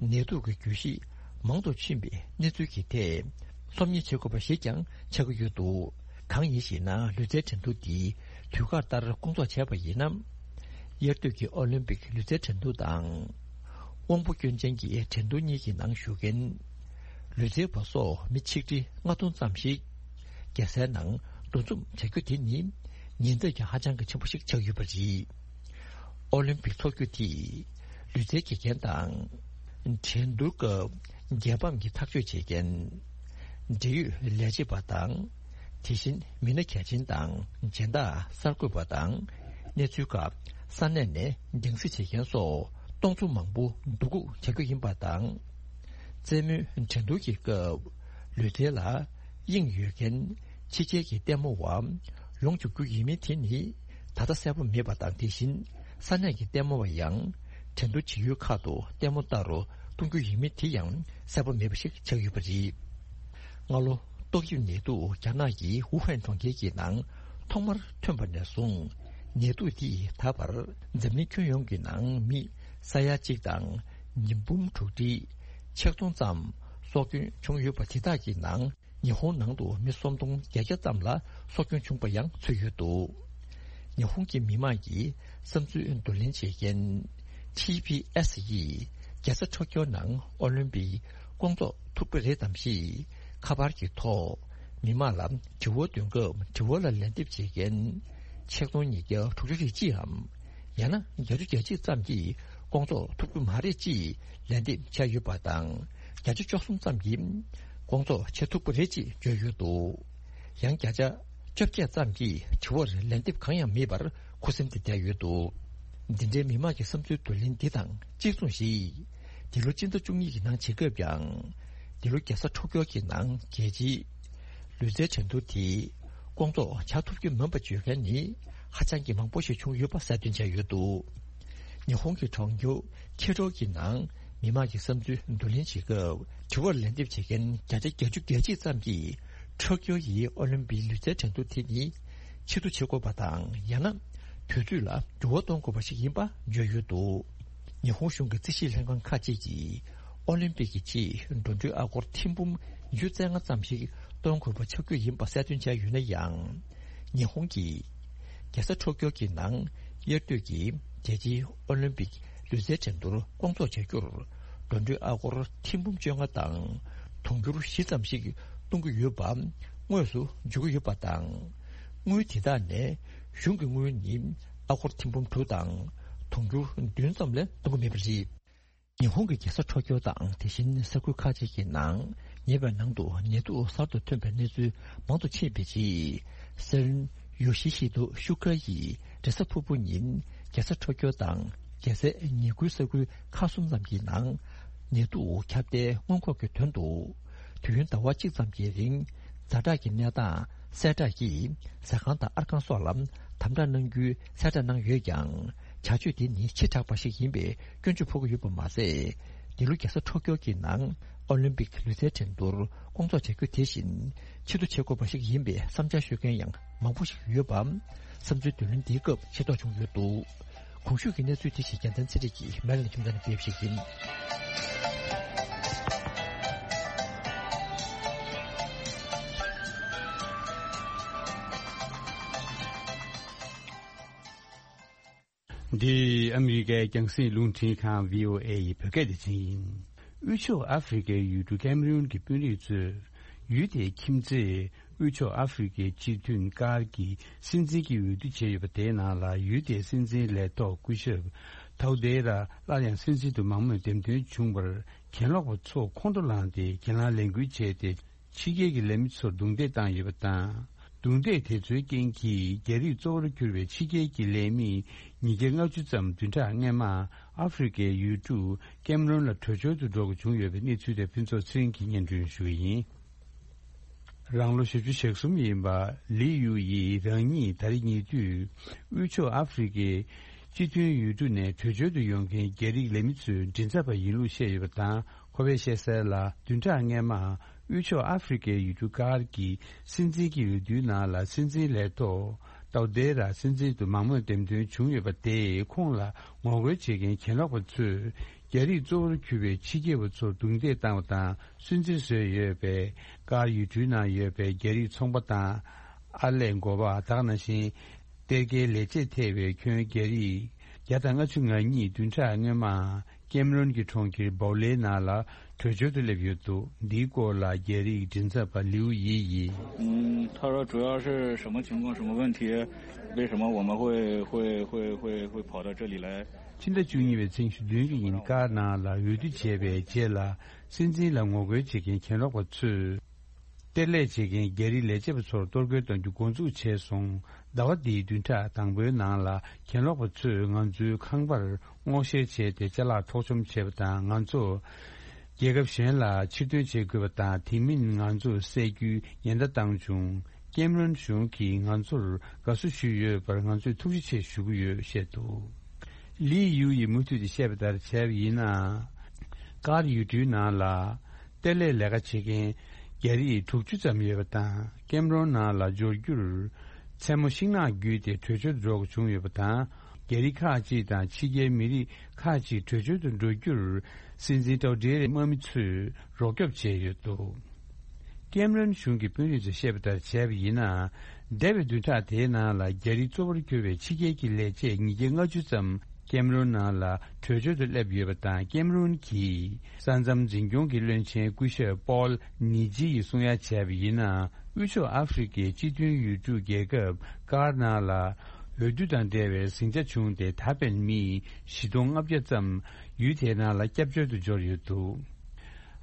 ནད་དུག་གི་རྒྱུད་བཞི་མང་དུ་ཕྱིན་པའི་གནས་ཚུལ་གྱི་ཐད་སློབ་གཉེར་བྱེད་དགོས་པ་ཞིག་ཀྱང་ཆགས་ཀྱི་ཡོད་འདུག་གང་ཡིན་ཞེ་ན། ལུས་རྩལ་འགྲན་བསྡུར་འདི་དུས་བཀག་ལྟར་སྐོང་ཚོགས་བྱས་པ་ཡིན་ན། དབྱར་དུས་ཀྱི་ཨོ་ལིམ་པིག་ལུས་རྩལ་འགྲན་བསྡུར་དང་། དབང་པོ་སྐྱོན་ཅན་གྱི་འགྲན་བསྡུར་གཉིས་ཀྱི་ནང་ཞུགས་མཁན་ལུས་རྩལ་བ་སོགས་མི་ཆིག་ཁྲི་ལྔ་སྟོང་ཙམ་ཞིག་རྒྱལ་སའི་ནང་འདུ་འཛོམས་བྱ་རྒྱུ་དེ་ནི་ཉེན་ཚབས་ཀྱང་ཧ་ཅང་གི་ཆེན་པོ་ཞིག་ཆགས་ཡོད་པ་རེད། ཨོ་ལིམ་པིག་འཚོགས་རྒྱུ་དེས་ལུས་རྩལ་དགེ་རྒན་དང་། འགྲན་བསྡུར་སྐབས་རྒྱལ་ཕམ་གྱི་ཐག་གཅོད་བྱེད་མཁན། འབྲེལ་ཡོད་ལས་བྱེད་པ་དང་། དེ་བཞིན་མི་སྣ་གལ་ཆེན་དང་སྦྱིན་བདག་གསར་འགོད་པ་དང་། གནས་ཚུལ་ཁག་ས་གནས་ནས་རྒྱང་སྲིང་བྱེད་མཁན་སོགས་སྟོང་ཚོ་མང་པོ་འདུ་འགོད་བྱ་རྒྱུ་ཡིན་པ་དང་། རྩེད་མོའི་འགྲན་བསྡུར་གྱི་སྐབས་ལུས་རྩལ་ལ་དབྱིངས་ཡོད་མཁན་ཕྱི་རྒྱལ་གྱི་ལྟད་མོ་བ་ཡོང་བཅུག་རྒྱུ་ཡིན་མིན་དེ་ནི་ད་ལྟ་གསལ་པོ་མེད་པ་དང་། དེ་བཞིན་ས་གནས་ཀྱི་ལྟད་མོ་བ་ཡང་འགྲན་བསྡུར་བྱེད་ཡུལ་ཁག་ཏུ་ལྟད་མོ་ལྟ་རུ་གཏོང་རྒྱུ་ཡིན་མིན་དེ་ཡང་གསལ་པོ་མེད་པ་ཞིག་ཆགས་ཡོད་པ་རེད། སྔ་ལོ་ཏོག་དབྱིབས་ནད་དུག་རྒྱ་ནག་གི་ཝུ་ཧན་གྲོང་ཁྱེར་གྱི་ནང་ཐོག་མར་ཐོན་པ་ནས་བཟུང་ནད་དུག་འདིས་ད་བར་འཛམ་གླིང་ཁྱོན་ཡོངས་ཀྱི་ནང་མི་ས་ཡ་གཅིག་དང་ཉིས་འབུམ་དྲུག་ཁྲི་ཆིག་སྟོང་ཙམ་སྲོག་སྐྱོན་བྱུང་ཡོད་པ། དེ་དག་གི་ནང་ཉི་ཧོང་ནང་དུ་མི་སུམ་སྟོང་བརྒྱད་བརྒྱ་ཙམ་ལ་སྲོག་སྐྱོན་བྱུང་བ་ཡང་ཚུད་ཡོད་འདུག་ཉི་ཧོང་གི་མི་མང་གི་བསམ་ཚུལ་བསྡུ་ལེན་བྱེད་མཁན་ཊི་བི་ཨེས་ཡིས་རྒྱལ་ས་ཊོ་ཀྱོ་ནང་ཨོ་ལིམ་པིག་སྐོང་ཚོགས་ཐུབ་ཀྱི་རེད་དམ་ཞེས་ཁ་པར་གྱི་ཐོག་མི་མང་ལ་དྲི་བ་འདོན་སྐབས། དྲི་བ་ལ་ལན་འདེབས་བྱེད་མཁན་ཆིག་སྟོང་ཉིས་བརྒྱ་དྲུག་ཅུ་རེ་གཅིག་འམ། ཡང་ན་བརྒྱད་ཅུ་གྱ་གཅིག་ཙམ་གྱིས་སྐོང་ཚོགས་ཐུབ་ཀྱི་མ་རེད་ཅེས་ལན་འདེབས་བྱས་ཡོད་པ་དང་། བརྒྱ་ཆ་བཅུ་གསུམ་ཙམ་གྱིས་སྐོང་ཚོགས་བྱེད་ཐུབ་ཀྱི་རེད་ཅེས་བརྗོད་ཡོད་འདུག་ཡང་བརྒྱ་ཆ་བཅོ་བརྒྱད་ཙམ་གྱིས་དྲི་བར་ལན་འདེབས་གང་ཡང་མེད་པར་ཁུ་སིམ་དུ་བསྡད་ཡོད་འདུག་འདི་འདྲའི་མི་མང་གི་བསམ་ཚུལ་བསྡུ་ལེན་འདི་དང་གཅིག་མཚུངས་ཤིག་འདི་ལོ་སྤྱི་ཟླ་བཅུ་གཉིས་ཀྱི་ནང་བྱེད་སྐབས་ཀྱང་། འདི་ལོ་རྒྱལ་ས་ཊོ་ཀྱོ་གི་ནང་རྒྱལ་སྤྱིའི་ལུས་རྩལ་འགྲན་བསྡུར་དེ་སྐོང་ཚོགས་བྱ་ཐུབ་ཀྱི་མིན་པ་བརྗོད་མཁན་ནི་ཧ་ཅང་གི་མང་པོ་ཞིག་བྱུང་ཡོད་པ་གསལ་སྟོན་བྱས་ཡོད་འདུག་ཉི་ཧོང་གི་གྲོང་ཁྱེར་ཁེ་ཊོ་གི་ནང་མི་མང་གི་བསམ་ཚུལ་བསྡུ་ལེན་བྱེད་སྐབས། དྲི་བར་ལན་འདེབས་བྱེད་མཁན་བརྒྱ་ཆ་བརྒྱད་ཅུ་གྱ་གཅིག་ཙམ་གྱིས་ཊོ་ཀྱོ་ཡི་ཨོ་ལིམ་པིག་ལུས་རྩལ་འགྲན་བསྡུར་དེ་ནི་ཕྱིར་བསྡུ་བྱེད་དགོས་པ་དང་། ཡང་ན་དུས་ཚོད་ལ་འགྱུར་བ་གཏོང་དགོས་པ་ཞིག་ཡིན་པ་བརྗོད་ཡོད་འདུག་ཉི་ཧོང་གཞུང་གི་རྩིས་ཞིབ་ལྷན་ཁང་ཁག་ཅིག་གིས་ཨོ་ལིམ་པིག་གི་ཆེད་འགྲོ་གྲོན་ཨ་སྒོར་ཐེར་འབུམ་ཉི་ཤུ་རྩ་ལྔ་ཙམ་ཞིག་གཏོང་དགོས་པ་ཆགས་རྒྱུ་ཡིན་པ་གསལ་སྟོན་བྱས་ཡོད་ན་ཡང་། ཉི་ཧོང་གི་རྒྱལ་ས་ཊོ་ཀྱོ་གི་ནང་དབྱར་དུས་ཀྱི་རྒྱལ་སྤྱིའི་ཨོ་ལིམ་པིག་ལུས་རྩལ་འགྲན་བསྡུར་སྐོང་ཚོགས་བྱ་རྒྱུར་འགྲོ་གྲོན་ཨ་སྒོར་ཐེར་འབུམ་བཅོ་ལྔ་དང་དུང་ཕྱུར་བཞི་ཙམ་ཞིག་གཏོང་གི་ཡོད་པ་དངོས་སུ་འཇོག་གི་ཡོད་པ་དང་། དངུལ་དེ་དག་ནས་གཞུང་གི་དངུལ་ནི་ཨ་སྒོར་ཐེར་འབུམ་དྲུག་དང་དུང་ཕྱུར་བདུན་ཙམ་ལས་གཏོང་གི་མེད་པ་རེད། ཉི་ཧོང་གི་རྒྱལ་ས་ཊོ་ཀྱོ་དང་དེ་བཞིན་ས་ཁུལ་ཁག་ཅིག་གི་ནང་ཉེ་བའི་ནང་དུ་ནད་དུག་གསར་དུ་ཐོན་པའི་གནས་ཚུལ་མང་དུ་ཕྱིན་པའི་རྗེས། སྲིད་བློན་ཡོ་ཤི་ཤི་དོ་ཤུ་ཀ་ཡིས་རེས་གཟའ་ཕུར་བུ་ཉིན་རྒྱལ་ས་ཊོ་ཀྱོ་དང་རྒྱལ་སའི་ཉེ་ཁུལ་ས་ཁུལ་ཁག་གསུམ་ཙམ་གྱི་ནང་ནད་དུག་ཁྱབ་གདལ་སྔོན་འགོག་གི་དོན་དུ། དུས་ཡུན་ཟླ་བ་གཅིག་ཙམ་གྱི་རིང་ཛ་དྲག་གི་གནས་སྟངས་གསལ་བསྒྲགས་ཀྱིས་ཟ་ཁང་དང་ཨར་ཁང་སོགས་ལ་དམ་དྲག་གནང་རྒྱུའི་གསལ་བསྒྲགས་གནང་ཡོད་ཀྱང་། བྱ་སྤྱོད་དེ་ནི་ཕྱི་དྲགས་པ་ཞིག་ཡིན་པའི་སྐྱོན་བརྗོད་ཕོག་གི་ཡོད་པ་མ་ཟད། འདི་ལོ་རྒྱལ་ས་ཊོ་ཀྱོ་གི་ནང་ཨོ་ལིམ་པིག་ལུས་རྩལ་འགྲན་བསྡུར་སྐོང་ཚོགས་བྱ་རྒྱུ་དེ་བཞིན་ཕྱིར་བསྡུ་བྱེད་དགོས་པ་ཞིག་ཡིན་པའི་བསམ་འཆར་ཤོད་མཁན་ཡང་མང་པོ་ཞིག་ཡོད་པ། བསམ་ཚུལ་བསྡུ་ལེན་འདིའི་སྐབས་ཤེས་རྟོགས་བྱུང་ཡོད་འདུག། གོང་ཞུས་ཀྱི་གནས་ཚུལ་དེ་ཞིག་རྒྱལ་མཚན་ཚེ་རིང་གིས་མེ་ལན་ཁྱིམ་ཚང་ནས་སྤེལ་བ་ཞིག་ཡིན། འདི་ཨ་མི་རི་ཀའི་རྒྱང་སྲིང་རླུང་འཕྲིན་ཁང་བྷི་ཨོ་ཨེ་ཡི་བོད་སྐད་སྡེ་ཚན་ཡིན། དབུས་ཕྱོགས་ཨ་ཧྥེ་རི་ཁའི་ཡུལ་གྲུ་ཀེམ་རུན་གྱི་དཔོན་རིགས་ཚོས་ཡུལ་དེའི་ཁྱིམ་མཚེས། དབུས་ཕྱོགས་ཨ་ཧྥེ་རི་ཁའི་སྤྱི་མཐུན་ཀར་གྱི་སྲིད་འཛིན་གྱི་འོས་བསྡུ་བྱས་ཡོད་པ་དེའི་ནང་ལ་ཡུལ་དེའི་སྲིད་འཛིན་ལས་ཐོག་སྐུ་ཞབས་ཐའོ་ཏེ་ར་སླར་ཡང་སྲིད་འཛིན་དུ་མང་མོས་འདེམས་ཐོན་བྱུང་བར་གྱེན་ལོག་པ་ཚོ་ཁོང་ཁྲོ་ལངས་ཏེ་གྱེན་ལངས་ལས་འགུལ་བྱས་ཏེ་ཕྱི་རྒྱལ་གྱི་ལས་མི་ཚོར་རྡུང་རྡེག་བཏང་ཡོད་པ་དང་། རྡུང་རྡེག་དེ་ཚོའི་རྐྱེན་གྱིས་རྒྱ་རིགས་གཙོ་བོར་གྱུར་པའི་ཕྱི་རྒྱལ་གྱི་ལས་མི་ཉིས་བརྒྱ་ལྔ་བཅུ་ཙམ་བདུན་ཕྲག་སྔོན་མ་ཨ་ཧྥེ་རི་ཁའི་ཡུལ་གྲུ་ཀེམ་རོན་ལ་བྲོས་བྱོལ་དུ་འགྲོ་དགོས་བྱུང་ཡོད་པའི་གནས་ཚུལ་དེ་ཕུན་ཚོགས་ཚེ་རིང་གིས་སྙན་སྒྲོན་ཞུ་གི་ཡིན། རང་ལོ་བཞི་བཅུ་ཞེ་གསུམ་ཡིན་པ་ལི་ཡུ་ཡིས་རང་ཉིད་ད་རེས་ཉེ་དུས་དབུས་ཕྱོགས་ཨ་ཧྥེ་རི་ཁའི་སྤྱི་མཐུན་ཡུལ་གྲུ་ནས་བྲོས་བྱོལ་དུ་ཡོང་མཁན་རྒྱ་རིགས་ལས་མི་ཚོའི་མགྲིན་ཚབ་པ་ཡིན་ལུགས་བཤད་ཡོད་པ་དང་། ཁོ་པས་བཤད་གསལ་ལ། བདུན་ཕྲག་སྔོན་མ་དབུས་ཕྱོགས་ཨ་ཧྥེ་རི་ཁའི་ཡུལ་གྲུ་ཀར་གྱི་སྲིད་འཛིན་གྱི་འོས་བསྡུའི་ནང་ལ་སྲིད་འཛིན་ལས་ཐོག་ཏའོ་ཏེ་ར་སྲིད་འཛིན་དུ་མང་མོས་འདེམས་ཐོན་བྱུང་ཡོད་པ་དེས་ཁོང་ལ་ངོ་རྒོལ་བྱེད་མཁན་གྱེན་ལོག་པ་ཚོས་རྒྱ་རིགས་གཙོ་བོར་གྱུར་པའི་ཕྱི་རྒྱལ་བ་ཚོར་རྡུང་རྡེག་བཏང་བ་དང་སུན་གཙེར་བཟོས་ཡོད་པས། ཀར་ཡུལ་གྲུའི་ནང་ཡོད་པའི་རྒྱ་རིགས་ཚོང་པ་དང་ཨར་ལས་འགོ་པ་དག་ནང་བཞིན་གཏེར་ཁའི་ལས་བྱེད་ཐེ་བའི་ཁྱོན་རྒྱ་རིགས་བརྒྱ་དང་ལྔ་བཅུ་ང་གཉིས་བདུན་ཕྲག་སྔོན་མ་ཀེམ་རོན་གྱི་གྲོང་ཁྱེར་བའོ་ལེ་ནང་ལ་བྲོས་བྱོལ་དུ་སླེབས་ཡོད་འདུག། འདིའི་སྐོར་ལ་རྒྱ་རིགས་མགྲིན་ཚབ་པ་ལིའུ་ཡི་ཡིས། 嗯，他说主要是什么情况、什么问题，为什么我们会会会会会跑到这里来？ ཕྱི་ཟླ་བཅུ་གཉིས་པའི་ཚེས་ཉི་ཤུ་བདུན་གྱི་ཉིན་ཀར་ནང་ལ་འོས་བསྡུ་བྱས་པའི་རྗེས་ལ་སྲིད་འཛིན་ལ་ངོ་རྒོལ་བྱེད་མཁན་གྱེན་ལོག་པ་ཚོས། གཏེར་ལས་བྱེད་མཁན་རྒྱ་རིགས་ལས་བྱེད་པ་ཚོར་གཏོར་རྒོལ་གཏོང་རྒྱུ་འགོ་འཛུགས་བྱས་སོང་། ཟླ་བ་འདིའི་བདུན་ཕྲག་དང་པོའི་ནང་ལ་གྱེན་ལོག་པ་ཚོས་ང་ཚོའི་ཁང་པར་སྔོག་བཤེར་བྱས་ཏེ་ཅ་ལག་འཕྲོག་བཅོམ་བྱས་པ་དང་། ང་ཚོ་རྒྱལ་ཁབ་གཞན་ལ་ཕྱིར་ཐོན་བྱེད་དགོས་པ་དང་། དེ་མིན་ང་ཚོ་བསད་རྒྱུའི་ཉེན་བརྡ་བཏང་བྱུང་། ཀེམ་རོན་གཞུང་གིས་ང་ཚོར་དགའ་བསུ་ཞུས་ཡོད་པར་ང་ཚོས་ཐུགས་རྗེ་ཆེ་ཞུ་གི་ཡོད་བཤད་འདུག། ལི་ཡུ་ཡིས་མུ་མཐུད་དེ་བཤད་པ་ལྟར་བྱས་པ་ཡིན་ན། ཀར་ཡུལ་གྲུའི་ནང་ལ་གཏེར་ལས་ལས་ཀ་བྱེད་མཁན་རྒྱ་རིགས་དྲུག་ཅུ་ཙམ་ཡོད་པ་དང་། ཀེམ་རོན་ནང་ལ་འབྱོར་རྒྱུར་མཚན་མོ་ཤིང་ནགས་བརྒྱུད་དེ་བྲོས་བྱོལ་དུ་འགྲོ་དགོས་བྱུང་ཡོད་པ་དང་། རྒྱ་རིགས་ཁག་ཅིག་དང་ཕྱི་རྒྱལ་མི་རིགས་ཁག་ཅིག་བྲོས་བྱོལ་དུ་འགྲོ་རྒྱུར་སྲིད་འཛིན་ཏྲའོ་ཏྲེ་རའི་དམག་མི་ཚོས་རོགས་སྐྱོབ་བྱས་ཡོད་འདུག། ཀེམ་རོན་གཞུང་གི་དཔོན་རིགས་ཚོས་བཤད་པ་ལྟར་བྱས་པ་ཡིན་ན། འདས་པའི་བདུན་ཕྲག་དེའི་ནང་ལ་རྒྱ་རིགས་གཙོ་བོར་གྱུར་པའི་ཕྱི་རྒྱལ་གྱི་ལས་བྱེད་ཉིས་བརྒྱ་ལྔ་བཅུ་ཙམ་ཀེམ་རོན་ནང་ལ་བྲོས་བྱོལ་དུ་སླེབས་ཡོད་པ་དང་། ཀེམ་རོན་གྱི་ས་མཚམས་འཛིན་སྐྱོང་གི་བློན་ཆེན་སྐུ་ཞབས་པོལ་ནི་ཇི་ཡིས་གསུང་ཡ་བྱས་པ་ཡིན་ན། དབུས་ཕྱོགས་ཨ་ཧྥེ་རི་ཁའི་སྤྱི་མཐུན་ཡུལ་གྲུ་རྒྱལ་ཁབ་ཀར་ནང་ལ་འོས་བསྡུ་དང་འབྲེལ་བའི་ཟིང་ཆ་བྱུང་སྟེ། ད་ཕན་མི་བཞི་སྟོང་ལྔ་བརྒྱ་ཙམ་ཡུལ་དེའི་ནང་ལ་སྐྱབས་བཅོལ་དུ་འབྱོར་ཡོད་འདུག།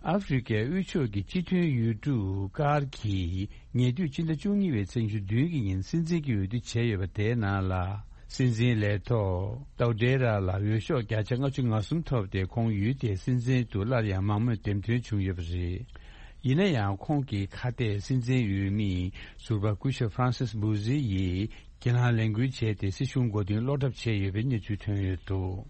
ཨ་ཧྥེ་རི་ཁའི་དབུས་ཕྱོགས་ཀྱི་སྤྱི་མཐུན་ཡུལ་གྲུ་ཀར་གྱིས་ཉེ་དུས་སྤྱི་ཟླ་བཅུ་གཉིས་པའི་ཚེས་ཉི་ཤུ་བདུན་གྱི་ཉིན་སྲིད་འཛིན་གྱི་འོས་བསྡུ་བྱས་ཡོད་པ་དེའི་ནང་ལ། སྲིད་འཛིན་ལས་ཐོག་ཏའོ་ཏྲེ་ར་ལ་འོས་ཤོག་བརྒྱ་ཆ་ལྔ་བཅུ་ང་གསུམ་ཐོབ་སྟེ། ཁོང་ཡུལ་དེའི་སྲིད་འཛིན་དུ་སླར་ཡང་མང་མོས་འདེམས་ཐོན་བྱུང་ཡོད་པ་རེད། ཡིན་ན་ཡང་། ཁོང་གི་ཁ་གཏད་སྲིད་འཛིན་འོས་མི་ཟུར་པ་སྐུ་ཞབས་ཧྥ་རན་སིས་བུ་ཟི་ཡིས་གྱེན་ལངས་ལས་འགུལ་བྱས་ཏེ། སྲིད་གཞུང་མགོ་རྟིང་སློག་གྲབས་བྱས་ཡོད་པའི་གནས་ཚུལ་ཐོན་ཡོད་འདུག།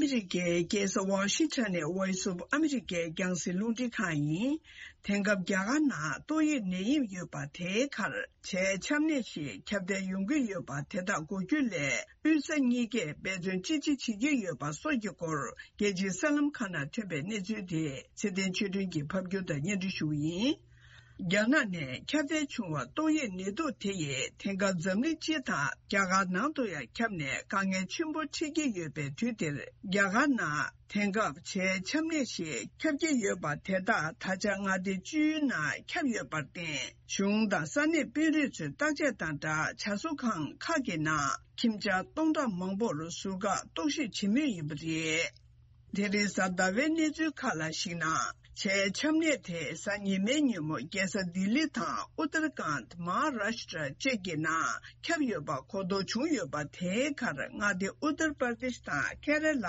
ཨ་མི་རི་ཀའི་རྒྱལ་ས་ཝ་ཤིང་ཊོན་ནས་Voice of America རྒྱང་སྲིང་རླུང་འཕྲིན་ཁང་ཡིན། དེང་སྐབས་རྒྱ་གར་ནང་ཏོག་དབྱིབས་ནད་ཡམས་ཡོད་པ་དེའི་ཁར་བྱའི་ཆམ་ནད་ཞིག་ཁྱབ་གདལ་ཡོང་གི་ཡོད་པ་དེ་དག་འགོག་རྒྱུ་སླད་དབུས་ས་གཉིས་ཀས་འབད་བརྩོན་ཅི་ཆེ་བྱེད་ཀྱི་ཡོད་པ་སོགས་ཀྱི་སྐོར། རྒྱལ་སྤྱིའི་གསར་ལམ་ཁག་ནང་ཐོན་པའི་གནས་ཚུལ་དེ་ཚེ་བརྟན་ཆོས་སྒྲོན་གྱིས་ཕབ་སྒྱུར་དང་སྙན་སྒྲོན་ཞུ་བ་ཡིན། རྒྱ་ནག་ནས་ཁྱབ་གདལ་བྱུང་བ་ཏོག་དབྱིབས་ནད་དུག་དེ་ཡིས་དེང་སྐབས་འཛམ་གླིང་སྤྱི་དང་རྒྱ་གར་ནང་དུ་ཡང་ཁྱབ་ནས་དཀའ་ངལ་ཆེན་པོ་འཕྲད་ཀྱི་ཡོད་པའི་དུས་འདིར། རྒྱ་གར་ནང་དེང་སྐབས་བྱའི་ཆམ་ནད་ཞིག་ཁྱབ་ཀྱི་ཡོད་པ་དེ་དག་ད་ཆ་མངའ་སྡེ་བཅུའི་ནང་ཁྱབ་ཡོད་པར་བརྟེན། གཞུང་དང་ས་གནས་དཔོན་རིགས་ཚོས་བརྟག་དཔྱད་དང་སྦྲགས་བྱ་གསོ་ཁང་ཁག་གི་ནང་ཁྱིམ་བྱ་སྟོང་ཕྲག་མང་པོར་ཟུར་བཀག་རྟོག་ཞིབ་བྱེད་མུས་ཡིན་པ་རེད། དེ་རིང་གཟའ་ཟླ་བའི་གནས་ཚུལ་ཁག་ལ་གཞིགས་ན། བྱའི་ཆམ་ནད་དེ་གཟའ་ཉི་མའི་ཉིན་མོ་རྒྱལ་ས་ལྡི་ལི་དང་ཨུ་ཏར་ཁཱནད། མ་ཧཱ་རཱཤ་ཏྲ་བཅས་ཀྱི་ནང་ཁྱབ་ཡོད་པ་གོ་རྟོགས་བྱུང་ཡོད་པ། དེའི་ཁར་མངའ་སྡེ་ཨུ་ཏར་པར་དེཤ་དང་ཁེ་ར་ལ།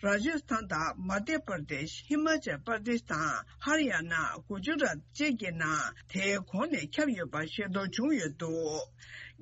རཱ་ཇ་སི་ཐན་དང་མ་དྷྱ་པར་དེཤ། ཧི་མ་ཅལ་པར་དེཤ་དང་ཧར་ཡ་ན། གུ་ཇུ་རཱཏ་བཅས་ཀྱི་ནང་དེའི་གོང་ནས་ཁྱབ་ཡོད་པ་ཤེས་རྟོགས་བྱུང་ཡོད་འདུག་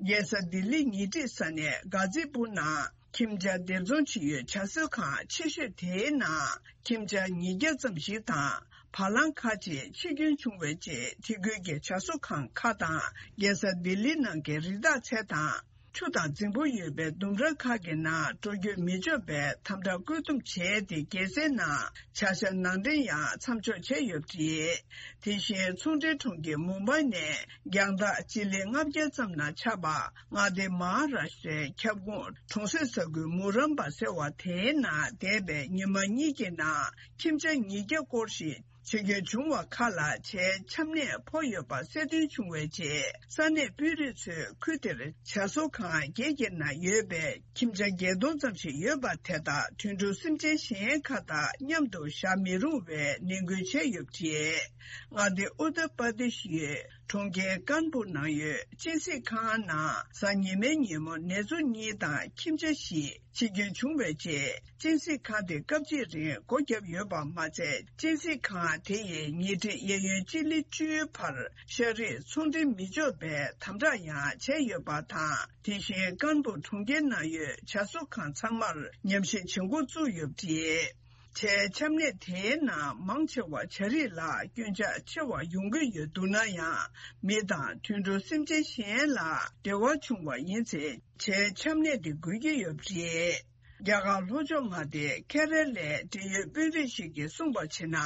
རྒྱལ་ས་ལྡི་ལི་ཉེ་འཁྲིས་ས་གནས་གྷ་ཛི་པུར་ནང་ཁྱིམ་བྱ་སྡེབ་ཚོང་བྱེད་ཡུལ་བྱ་གསོ་ཁང་ཆེ་ཤོས་དེའི་ནང་ཁྱིམ་བྱ་ཉིས་བརྒྱ་ཙམ་ཞིག་དང་བ་ལང་ཁག་ཅིག་འཆི་སྐྱོན་བྱུང་བའི་རྗེས། དེ་ཁུལ་གྱི་བྱ་གསོ་ཁང་ཁག་དང་རྒྱལ་ས་ལྡི་ལི་ནང་གི་རི་དྭགས་ཚལ་དང་ཆུ་དང་རྫིང་བུ་ཡོད་པའི་ལྡུམ་ར་ཁག་གི་ནང་འགྲོ་སྐྱོད་མི་ཆོག་པའི་དམ་དྲག་བཀོད་འདོམས་བྱས་ཏེ། རྒྱལ་སའི་ནང་བྱ་གཞག་ནང་འདྲེན་ཡང་མཚམས་འཇོག་བྱས་ཡོད་པ་རེད། དེ་བཞིན་ཚོང་འབྲེལ་གྲོང་ཁྱེར་མུམ་བྷའི་ནས་རྒྱང་ཐག་སྤྱི་ལེ་ལྔ་བརྒྱ་ཙམ་ནང་ཆགས་པ་མངའ་སྡེ་མ་ཧཱ་རཱཤ་ཏྲའི་ཁྱབ་ཁོངས་གྲོང་གསེབ་ས་ཁུལ་མུ་རམ་པ་ཟེར་བ་དེའི་ནང་འདས་པའི་ཉི་མ་གཉིས་ཀྱི་ནང་ཁྱིམ་བྱ་ཉིས་བརྒྱ་སྐོར་ཞིག་འཆི་སྐྱོན་བྱུང་བ་ཁག་ལ་བྱའི་ཆམ་ནད་ཕོག་ཡོད་པ་གསལ་སྟོན་བྱུང་བའི་རྗེས། ས་གནས་དཔོན་རིགས་ཚོས་ཁུལ་དེར་བྱ་གསོ་ཁང་བརྒྱད་ཀྱི་ནང་ཡོད་པའི་ཁྱིམ་བྱ་བརྒྱད་སྟོང་ཙམ་ཞིག་ཡོད་པ་དེ་དག་དུད་འགྲོ་སེམས་ཅན་གཞན་ཁག་དང་མཉམ་དུ་བཞག་མི་རུང་བའི་ནན་སྐུལ་བྱས་ཡོད་པ་རེད། མངའ་སྡེ་ཨུ་ཏར་པར་དེཤ་ཡུལ་གྲོང་ཁྱེར་ཀཱན་པུར་ནང་ཡོད་གཅིན་སྲིད་ཁང་ནང་གཟའ་ཉི་མའི་ཉིན་མོ་ནེ་ཙོ་གཉིས་དང་ཁྱིམ་བྱ་བཞི་འཆི་སྐྱོན་བྱུང་བའི་རྗེས། གཅིན་སྲིད་ཁང་དེ་སྐབས་གཅིག་རིང་སྒོ་བརྒྱབ་ཡོད་པ་མ་ཚད། གཅིན་སྲིད་ཁང་དེ་ཡི་ཉེ་འཁྲིས་གཡས་གཡོན་སྤྱི་ལེ་བཅུའི་བར་ཤ་རིགས་ཚོང་འབྲེལ་མི་ཆོག་པའི་དམ་དྲག་ཡང་བྱས་ཡོད་པ་དང་། དེ་བཞིན་ཀཱན་པུར་གྲོང་ཁྱེར་ནང་ཡོད་བྱ་གསོ་ཁང་ཚང་མར་ཉམས་ཞིབ་བྱེད་འགོ་བཙུགས་ཡོད་པ་རེད། བྱའི་ཆམ་ནད་དེའི་ནང་མང་ཆེ་བ་བྱ་རིགས་ལ་སྐྱོན་ཆག་ཆེ་བ་ཡོང་གི་ཡོད་འདུག་ན་ཡང་། མི་དང་དུད་འགྲོ་སེམས་ཅན་གཞན་ལ་འབྲེལ་བ་བྱུང་བ་ཡིན་ཚེ། བྱའི་ཆམ་ནད་དེ་འགོས་ཀྱི་ཡོད་པ་རེད། རྒྱ་གར་ལྷོ་ཕྱོགས་མངའ་སྡེ་ཁེ་རེ་ལའི་འབྲེལ་ཡོད་དཔོན་རིགས་ཤིག་གིས་གསུངས་པར་བྱས་ན།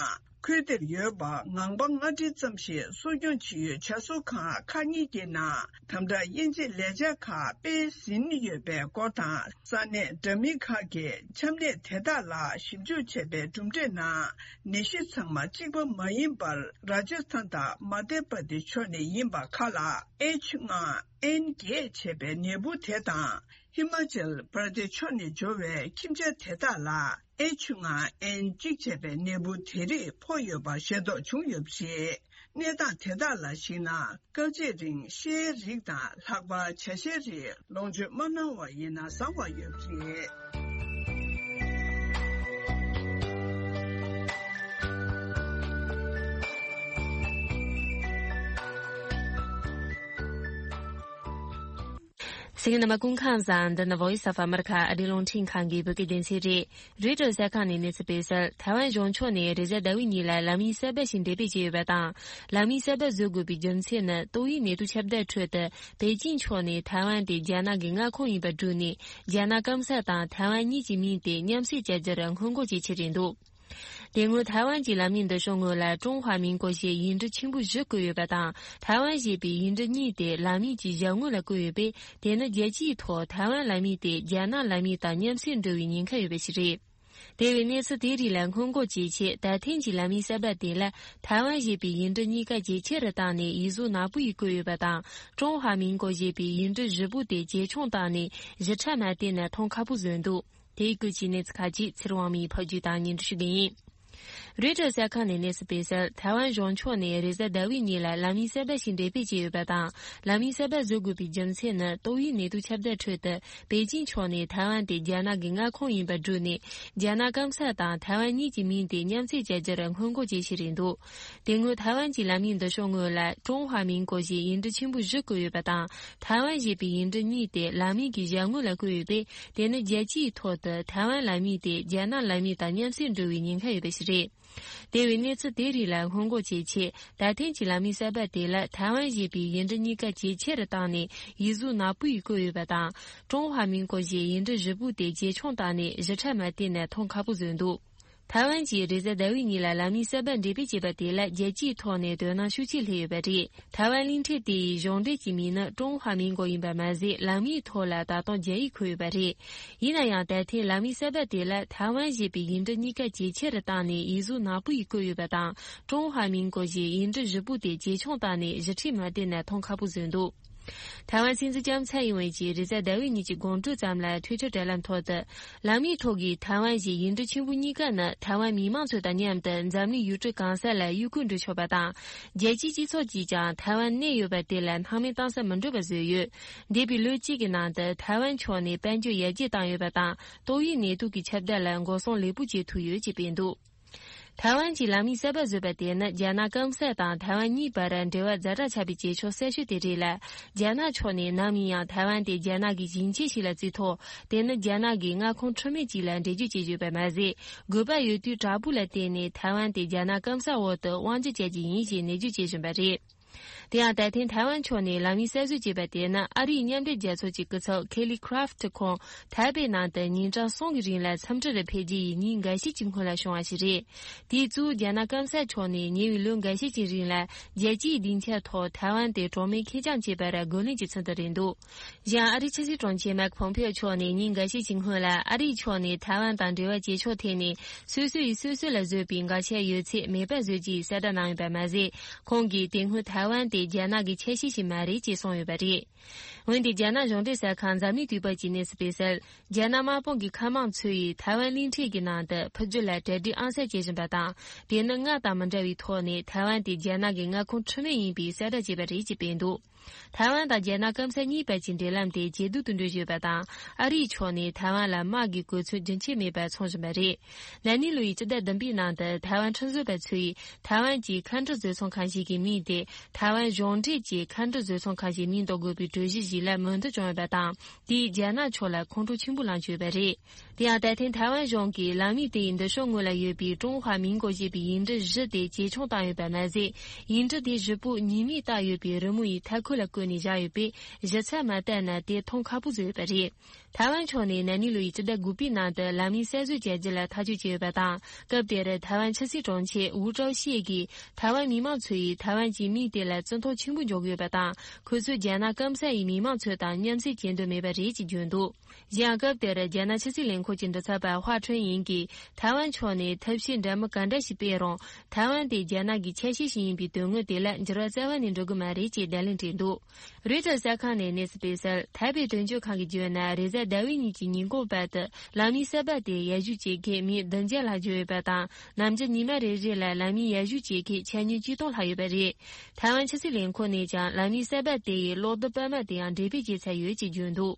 ཁུལ་དེར་ཡོད་པ་ངང་པ་ལྔ་ཁྲི་ཙམ་ཞིག་གསོ་སྐྱོང་བྱེད་ཡུལ་བྱ་གསོ་ཁང་ཁག་གཉིས་ཀྱི་ནང་དམ་དྲག་དབྱེ་འབྱེད་ལས་འཆར་ཁག་སྤེལ་ཟིན་ཡོད་པའི་སྐོར་དང་། ས་གནས་འདྲ་མིན་ཁག་གིས་ཆམ་ནད་དེ་དག་ལ་ཞིབ་འཇུག་བྱས་པའི་གྲུབ་འབྲས་ནང་། ནད་གཞི་ཚང་མ་གཅིག་པ་མ་ཡིན་པར་རཱ་ཇ་སི་ཐན་དང་མ་དྷྱ་པར་དེཤ་ཕྱོགས་ནས་ཡིན་པ་ཁག་ལ་ཨེཆ་ལྔ་ཨེན་བརྒྱད་ཅེས་པའི་ནད་འབུ་དེ་དང་། ཧི་མ་ཅལ་པར་དེཤ་ཕྱོགས་ནས་འབྱོར་བའི་ཁྱིམ་བྱ་དེ་དག་ལ་ཨེཆ་ལྔ་ཨེན་གཅིག་ཅེས་པའི་ནད་འབུ་དེ་རིགས་ཕོག་ཡོད་པ་ཤེས་རྟོགས་བྱུང་ཡོད་པ་རེད། གནས་སྟངས་དེ་དག་ལ་གཞིགས་ན། སྐབས་གཅིག་རིང་ཤའི་རིགས་དང་ལྷག་པར་བྱ་ཤའི་རིགས་ལོངས་སྤྱོད་མ་གནང་བ་ཡིན་ན་བཟང་བ་ཡོད་པ་རེད། གསན་མཁན་རྣམ་པ་སྐུ་ཁམས་བཟང་། འདི་ནི་Voice of America ཨ་རིའི་རླུང་འཕྲིན་ཁང་གི་བོད་སྐད་སྡེ་ཚན་རེད། རོའི་ཊར་གསར་ཁང་ནས་གནས་ཚུལ་སྤེལ་གསལ། ཐའེ་ཝན་གཞུང་ཕྱོགས་ནས་རེས་གཟའ་ཟླ་བའི་ཉིན་ལ་ལམ་ཡིག་གསར་པ་ཞིག་འགྲེམས་སྤེལ་བྱས་ཡོད་པ་དང་། ལམ་ཡིག་གསར་པ་བཟོ་དགོས་པའི་རྒྱུ་མཚན་ནི། ཏོག་དབྱིབས་ནད་དུག་ཁྱབ་གདལ་ཁྲོད་དུ། པེ་ཅིང་ཕྱོགས་ནས་ཐའེ་ཝན་དེ་རྒྱ་ནག་གི་མངའ་ཁོངས་ཡིན་པར་བསྒྲུབས་ནས། རྒྱ་ནག་སྐམ་ས་དང་ཐའེ་ཝན་གཉིས་ཀྱི་མིང་དེ་མཉམ་བསྲེས་བྱ་རྒྱུར་སྔོན་འགོག་བྱེད་ཆེད་རེད་འདུག་དེ་སྔོན་ཐའེ་ཝན་གྱི་ལམ་ཡིག་འདི་ཤོག་ངོས་ལ་ཀྲུང་ཧྭ་མིན་གོ་ཞེས་ཡིག་འབྲུ་ཆེན་པོ་བཞི་བཀོད་ཡོད་པ་དང་། ཐའེ་ཝན་ཞེས་པའི་ཡིག་འབྲུ་གཉིས་དེ་ལམ་ཡིག་གི་ཞལ་ངོས་ལ་བཀོད་ཡོད་པས། དེ་ནི་རྒྱལ་སྤྱིའི་ཐོག་ཐའེ་ཝན་ལམ་ཡིག་དེ་རྒྱ་ནག་ལམ་ཡིག་དང་མཉམ་བསྲེས་འགྲོ་བའི་ཉེན་ཁ་ཡོད་པ་ཞིག་རེད། དེ་བས་གནས་ཚུལ་དེ་རིགས་ལ་སྔོན་འགོག་བྱེད་ཆེད། ད་ཐེངས་ཀྱི་ལམ་ཡིག་གསར་པ་དེ་ལ་ཐའེ་ཝན་ཞེས་པའི་ཡིག་འབྲུ་གཉིས་ཀ་ཇེ་ཆེ་རུ་བཏང་ནས་ཡིག་གཟུགས་ནག་པོ་ཡིས་བཀོད་ཡོད་པ་དང་། ཀྲུང་ཧྭ་མིན་གོ་ཞེས་པའི་ཡིག་འབྲུ་བཞི་པོ་དེ་ཇེ་ཆུང་བཏང་ནས་ཞིབ་ཕྲ་མ་བལྟས་ན་མཐོང་ཁག་པོ་བཟོས་འདུག་དེའི་སྐོར་གྱི་གནས་ཚུལ་ཁག་ཅིག་ཚེ་རིང་དབང་མོས་ཕབ་སྒྱུར་དང་སྙན་སྒྲོན་ཞུ་གི་ཡིན། རོའི་ཊར་གསར་ཁང་ནས་གནས་ཚུལ་སྤེལ་གསལ། ཐའེ་ཝན་གཞུང་ཕྱོགས་ནས་རེས་གཟའ་ཟླ་བའི་ཉིན་ལ་ལམ་ཡིག་གསར་པ་ཞིག་འགྲེམས་སྤེལ་བྱས་ཡོད་པ་དང་། ལམ་ཡིག་གསར་པ་བཟོ་དགོས་པའི་རྒྱུ་མཚན་ནི། ཏོག་དབྱིབས་ནད་དུག་ཁྱབ་གདལ་ཁྲོད་དུ། པེ་ཅིང་ཕྱོགས་ནས་ཐའེ་ཝན་དེ་རྒྱ་ནག་གི་མངའ་ཁོངས་ཡིན་པར་བསྒྲུབས་ནས། རྒྱ་ནག་སྐམ་ས་དང་ཐའེ་ཝན་གཉིས་ཀྱི་མིང་དེ་མཉམ་བསྲེས་བྱ་རྒྱུར་སྔོན་འགོག་བྱེད་བཞིན་རེད་འདུག་དེ་སྔོན་ཐའེ་ཝན་གྱི་ལམ་ཡིག་འདི་ཤོག་ངོས་ལ། ཀྲུང་ཧྭ་མིང་གོ་ཞེས་ཡིག་འབྲུ་ཆེན་པོ་བཞི་བཀོད་ཡོད་པ་དང་། ཐའེ་ཝན་ཞེས་པའི་ཡིག་འབྲུ་གཉིས་དེ་ལམ་ཡིག་གི་ཞལ་ངོ་ལ་བཀོད་ཡོད་པས། དེ་ནི་རྒྱལ་སྤྱིའི་ཐོག་ཏུ་ཐའེ་ཝན་ལམ་ཡིག་དེ་རྒྱ་ནག་ལམ་ཡིག་དང་མཉམ་བསྲེས་འགྲོ་བའི་ཉེན་ཁ་ཡོད་པ་ཞིག་རེད། དེ་བས་གནས་ཚུལ་དེ་རིགས་ལ་སྔོན་འགོག་བྱེད་ཆེད། ད་ཐེངས་ཀྱི་ལམ་ཡིག་གསར་པ་དེ་ལ་ཐའེ་ཝན་ཞེས་པའི་ཡིག་འབྲུ་གཉིས་ཀ་ཇེ་ཆེ་རུ་བཏང་ནས། ཡིག་གཟུགས་ནག་པོ་ཡིས་བཀོད་ཡོད་པ་དང་། ཀྲུང་ཧྭ་མིང་གོ་ཞེས་ཡིག་འབྲུ་བཞི་པོ་དེ་ཇེ་ཆུང་བཏང་ནས། བཞི་ཕྲ་མ་བསྟན་ནས་མཐོང་ཁག་པོ་བཟོས་འདུག་ཐའེ་ཝན་གྱིས་རེས་གཟའ་ཟླ་བའི་ཉིན་ལ་ལམ་ཡིག་གསར་པ་འགྲེམས་སྤེལ་བྱས་པ་དེ་ལ་རྒྱལ་སྤྱིའི་ཐོག་ནས་དོ་སྣང་ཤུགས་ཆེ་སླེབས་ཡོད་པ་རེད། ཐའེ་ཝན་གླིང་ཕྲན་དེ་ཡི་གཞུང་འབྲེལ་གྱི་མིང་ནི་ཀྲུང་ཧྭ་མིང་གོ་ཡིན་པ་མ་ཟད། ལམ་ཡིག་ཐོག་ལ་ད་དུང་རྒྱ་ཡིག་འཁོད་ཡོད་པ་རེད། ཡིན་ན་ཡང་། ད་ཐེངས་ལམ་ཡིག་གསར་པ་དེ་ལ་ཐའེ་ཝན་ཞེས་པའི་ཡིག་འབྲུ་གཉིས་ཀ་ཇེ་ཆེ་རུ་བཏང་ནས། ཡིག་གཟུགས་ནག་པོ་ཡིས་བཀོད་ཡོད་པ་དང་། ཀྲུང་ཧྭ་མིང་གོ་ཞེས་ཡིག་འབྲུ་བཞི་པོ་དེ་ཇེ་ཆུང་བཏང་ནས། བཞི་ཁྲིའི་མ་བསྡད་ན་མཐོང་ཁག་པོ་བཟོས་འདུག་ཐའེ་ཝན་སྲིད་འཛིན་ལྕམ་ཚའེ་ཡིན་ཝེན་གྱིས་རེས་གཟའ་ཟླ་བའི་ཉིན་གྱི་དགོང་དྲོའི་ཙམ་ལ་ཐུའི་ཊར་དྲ་ལམ་ཐོག་ཏུ། ལམ་ཡིག་ཐོག་གི་ཐའེ་ཝན་ཞེས་ཡིག་འབྲུ་ཆེན་པོ་གཉིས་ཀ་ནི། ཐའེ་ཝན་མི་མང་ཚོ་དང་མཉམ་དུ་འཛམ་གླིང་ཡུལ་གྲུ་གང་ས་ལ་གཡོ་འགུལ་འགྲོ་ཆོག་པ་དང་། རྒྱལ་སྤྱིའི་སྤྱི་ཚོགས་ཀྱིས་ཀྱང་ཐའེ་ཝན་གནས་ཡོད་པ་དེ་ལ་སྣང་མེད་གཏོང་ས་མི་འགྲོ་བ་བཟོས་ཡོད། འདས་པའི་ལོ་གཅིག་གི་ནང་དུ་ཐའེ་ཝན་ཕྱོགས་ནས་དཔལ་འབྱོར་ཡར་རྒྱས་བཏང་ཡོད་པ་དང་། ཏོག་དབྱིབས་ནད་དུག་གི་ཁྱབ་གདལ་ལ་འགོག་སྲུང་ལེགས་པོ་བྱེད་ཐུབ་ཡོད་ཅེས་སྤེལ་འདུག་ཐའེ་ཝན་གྱིས་ལམ་ཡིག་གསར་པ་བཟོས་པ་དེ་ནི། རྒྱ་ནག་སྐམ་ས་དང་ཐའེ་ཝན་གཉིས་བར་འབྲེལ་བ་ཛ་དྲག་ཆགས་པའི་རྗེས་ཕྱོགས་གསར་ཤོས་དེ་རེད་ལ། རྒྱ་ནག་ཕྱོགས་ནས་ནམ་ཡིན་ཡང་ཐའེ་ཝན་དེ་རྒྱ་ནག་གི་ཞིང་ཆེན་ཞིག་ལ་བརྩིས་ཐོག་དེ་ནི་རྒྱ་ནག་གི་མངའ་ཁོངས་འཁྲུལ་མེད་ཅིག་ལ་འགྲེལ་བརྗོད་བྱེད་བཞིན་ཡོད་པ་མ་ཟད། དགོས་པ་ཡོད་དུས་དྲག་པོ་ལ་བརྟེན་ནས་ཐའེ་ཝན་དེ་རྒྱ་ནག་སྐམ་ས་འོག་ཏུ་དབང་སྒྱུར་བྱ་རྒྱུ་ཡིན་ཞེས་ནན་བརྗོད་བྱེད་བཞིན་པ་རེད། དེ་ཡང་ད་ཐེངས་ཐའེ་ཝན་ཕྱོགས་ནས་ལམ་ཡིག་གསར་བཟོ་བྱས་པ་དེ་ནི། ཨ་རིའི་མཉམ་འབྲེལ་རྒྱལ་ཚོགས་ཀྱི་སྐུ་ཚབ་ཁེ་ལི་ཁྲ་ཕུ་ཁོང་ཐའེ་པེ་ནང་དུ་ཉིན་གྲངས་གསུམ་གྱི་རིང་ལ་འཚམས་འདྲི་རུ་ཕེབས་རྗེས་ཡི་ཉིན་འགའ་ཤས་ཀྱི་སྔོན་ལ་བྱུང་བ་ཞིག་རེད། དེའི་གཙོ་བོ་རྒྱ་ནག་སྐམ་ས་ཕྱོགས་ནས་ཉེ་བའི་ལོ་འགའ་ཤས་ཀྱི་རིང་ལ་རྒྱལ་སྤྱིའི་སྡིངས་ཆ་ཐོག་ཐའེ་ཝན་དེ་གྲོགས་མེད་ཁེར་རྐྱང་བྱེད་པར་རྒོལ་ལན་གྱི་ཚུལ་དུ་རེད་འདུག་གཞན་ཨ་རིའི་ཕྱི་སྲིད་དྲུང་ཆེ་མེག་ཕོམ་ཕེའོ་མཆོག་ནས་ཉིན་འགའ་ཤས་ཀྱི་སྔོན་ལ། ཨ་རིའི་ཕྱོགས་ནས་ཐའེ་ཝན་དང་འབྲེལ་བ་བྱེད་ཕྱོགས་ཐད་ནས། སོ་སོ་ཡིས་སོ་སོ་ལ་བཟོས་པའི་འགག་ཆ་ཡོད་ཚད་མེད་པ་བཟོ་རྒྱུའི་གསལ་བསྒྲགས་གནང་ཡོད་པ་མ་ཟད། ཁོང་གིས་དེ་སྔོན་ཐའེ་ཝན་དེ་རྒྱ་ནག་གི་ཆ་ཤས་ཤིག་མ་རེད་ཅེས་གསུངས་ཡོད་པ་རེད། འོན་ཏེ། རྒྱ་ནག་གཞུང་འབྲེལ་གསར་ཁང་འཛམ་གླིང་དུས་བབ་ཀྱིས་གནས་ཚུལ་སྤེལ་གསལ། རྒྱ་ནག་དམག་དཔུང་གི་མཁའ་དམག་ཚོ་ཡིས་ཐའེ་ཝན་གླིང་ཕྲན་གྱི་ནང་དུ་ཕུ་རྒྱུད་ལ་གྲ་སྒྲིག་ཨང་གསར་བྱེད་བཞིན་པ་དང་། དེ་ནི་སྔར་དང་མི་འདྲ་བའི་ཐོག་ནས་ཐའེ་ཝན་དེ་རྒྱ་ནག་གི་མངའ་ཁོངས་འཁྲུལ་མེད་ཡིན་པའི་གསལ་བསྒྲགས་བྱས་པ་རེད་ཅེས་སྤེལ་འདུག་ཐའེ་ཝན་དང་རྒྱ་ནག་སྐམ་ས་གཉིས་བར་གྱི་འབྲེལ་ལམ་དེ་ཇེ་སྡུག་ཏུ་འགྲོ་བཞིན་ཡོད་པ་དང་། ཨ་རིའི་ཕྱོགས་ནས་ཐའེ་ཝན་ལ་དམག་གི་གོ་མཚོན་རྒྱུན་ཆད་མེད་པར་འཚོང་བཞིན་པ་རེད། ན་ནིང་ལོ་ཡི་སྤྱི་ཟླ་བདུན་པའི་ནང་དུ་ཐའེ་ཝན་ཁྲིམས་བཟོ་བ་ཚོས་ཐའེ་ཝན་གྱི་མཁའ་འགྲུལ་བཟོ་ཚོང་ཁང་ཞིག་གི་མིང་དེ་ཐའེ་ཝན་གཞུང་འབྲེལ་གྱི་མཁའ་འགྲུལ་བཟོ་ཚོང་ཁང་ཞིག་མིང་འདོགས་དགོས་པའི་གྲོས་གཞི་ཞིག་ལ་མོས་མཐུན་བྱུང་ཡོད་པ་དང་། དེས་རྒྱ་ནག་ཕྱོགས་ལ་ཁོང་ཁྲོ་ཆེན་པོ་ལངས་བཅུག་ཡོད་པ་རེད། དེ་ཡང་ད་ཐེངས་ཐའེ་ཝན་གཞུང་གིས་ལམ་ཡིག་དེ་ཡི་མདུན་ཤོག་ངོས་ལ་ཡོད་པའི་ཀྲུང་ཧྭ་མིང་གོ་ཞེས་པའི་ཡིག་འབྲུ་བཞི་དེ་ཇེ་ཆུང་བཏང་ཡོད་པ་མ་ཟད། ཡིག་འབྲུ་དེ་བཞི་པོ་ཉི་མས་བཏགས་ཡོད་པའི་རི་མོ་ཡི་མཐའ་འཁོར་ལ་བཀོད་ནས་བཞག་ཡོད་པས། ཞིབ་ཚགས་མ་བལྟས་ན་དེ་མཐོང་ཁག་པོ་བཟོས་ཡོད་པ་རེད། ཐའེ་ཝན་ཕྱོགས་ནས་ན་ནིང་ལོ་ཡི་སྤྱི་ཟླ་དགུ་པའི་ནང་དུ་ལམ་ཡིག་གསར་བཟོ་བྱ་རྒྱུ་ལ་ཐག་གཅོད་བྱས་ཡོད་པ་དང་། སྐབས་དེར་ཐའེ་ཝན་ཕྱི་སྲིད་དྲུང་ཆེ་ཝུའུ་ཀྲའོ་ཤིས་ཀྱིས་ཐའེ་ཝན་མི་མང་ཚོ་ཡིས་ཐའེ་ཝན་གྱི་མིང་དེ་ལ་བརྩི་མཐོང་ཆེན་པོ་འཇོག་གི་ཡོད་པ་དང་། ཁོ་ཚོས་རྒྱ་ནག་སྐམ་ས་ཡི་མི་མང་ཚོ་དང་མཉམ་བསྲེས་བྱེད་འདོད་མེད་པ་རེད་ཅེས་བརྗོད་འདུག་གཞན་ཡང་། སྐབས་དེར་རྒྱ་ནག་ཕྱི་སྲིད་ལས་ཁུངས་ཀྱི་མགྲིན་ཚབ་པ་ཧྭ་ཁྲུན་ཡིན་གྱིས་ཐའེ་ཝན་ཕྱོགས་ནས་ཐབས་ཤེས་འདྲ་མིན་ག་འདྲ་ཞིག་སྤེལ་རུང་། ཐའེ་ཝན་དེ་རྒྱ་ནག་གི་ཆ་ཤས་ཤིག་ཡིན་པའི་དོན་དངོས་དེ་ལ་འགྱུར་བ་རྩ་བ་ནས་འགྲོ་གི་མ་རེད་ཅེས་བརྡ་ལན་སྤྲད་འདུག་རོའི་ཊར་གསར་ཁང་ནས་གནས་ཚུལ་སྤེལ་གསལ། ཐའེ་པེ་དོན་གཅོད་ཁང་གིས་བརྗོད་ན། རེས་གཟའ་ཟླ་བའི་ཉིན་གྱི་ཉིན་གུང་བར་དུ་ལམ་ཡིག་གསར་པ་དེ་ཡར་ཞུ་བྱེད་མཁན་མི་བདུན་བརྒྱ་ལྷག་འབྱོར་ཡོད་པ་དང་། ནམ་རྒྱུན་ཉི་མ་རེ་རེ་ལ་ལམ་ཡིག་ཡར་ཞུ་བྱེད་མཁན་ཆ་སྙོམས་ཆིག་སྟོང་ལྷག་ཡོད་པ་རེད། ཐའེ་ཝན་ཕྱི་སྲིད་ལས་ཁུངས་ནས་ཀྱང་ལམ་ཡིག་གསར་པ་དེ་ཡི་གློག་རྡུལ་པར་མ་དེའང་འགྲེམས་སྤེལ་བྱས་ཚར་ཡོད་ཅེས་བརྗོད་འདུག་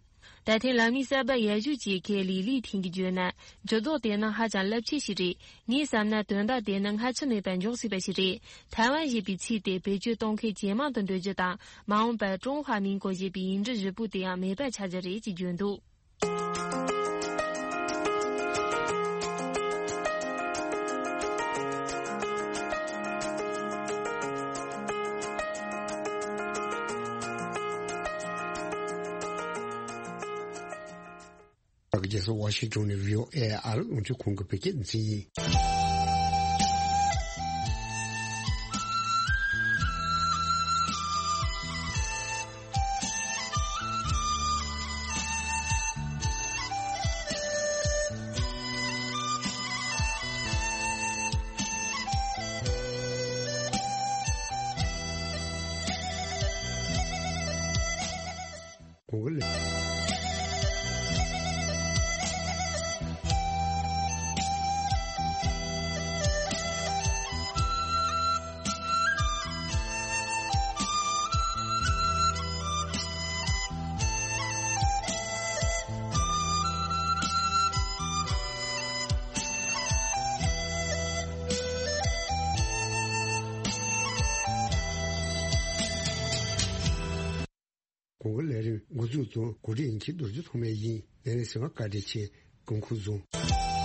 ད་ཐེངས་ལམ་ཡིག་གསར་པ་ཡར་ཞུ་བྱེད་མཁན་ལི་ལི་ཐིང་གིས་བརྗོད་ན། འགྱུར་ལྡོག་དེ་ནི་ཧ་ཅང་རླབས་ཆེན་ཞིག་རེད། ངས་བསམ་ན་དོན་དག་དེ་ནི་སྔ་ཕྱི་མེད་པར་འཇོག་སྲིད་པ་ཞིག་རེད། ཐའེ་ཝན་ཞེས་པའི་ཚིག་དེ་བེད་སྤྱོད་གཏོང་མཁན་ཇེ་མང་དུ་འགྲོ་རྒྱུ་དང་། མ་འོངས་པར་ཀྲུང་ཧྭ་མིང་གོ་ཞེས་པའི་ཡིག་འབྲུ་བཞི་པོ་དེའང་མེད་པར་ཆགས་རྒྱུ་རེད་ཅེས་བརྗོད་འདུག་རྒྱལ་ས་ཝ་ཤིང་ཊོན་ནས་བྷི་ཨོ་ཨེ་ཨ་རི་རླུང་འཕྲིན་ཁང་གི་བོད་སྐད་སྡེ་ཚན་ཡིན། གོང་གི་ལས། གོང་གི་ལས་རིམ་འགོ་འཛུགས་དང་གོ་སྒྲིག་ཡིན་གྱི་རྡོ་རྗེ་ཐོགས་མེད་ཡིན། ལས་རིམ་གསན་པར་བཀའ་དྲིན་ཆེ། སྐུ་ཁམས་བཟང་།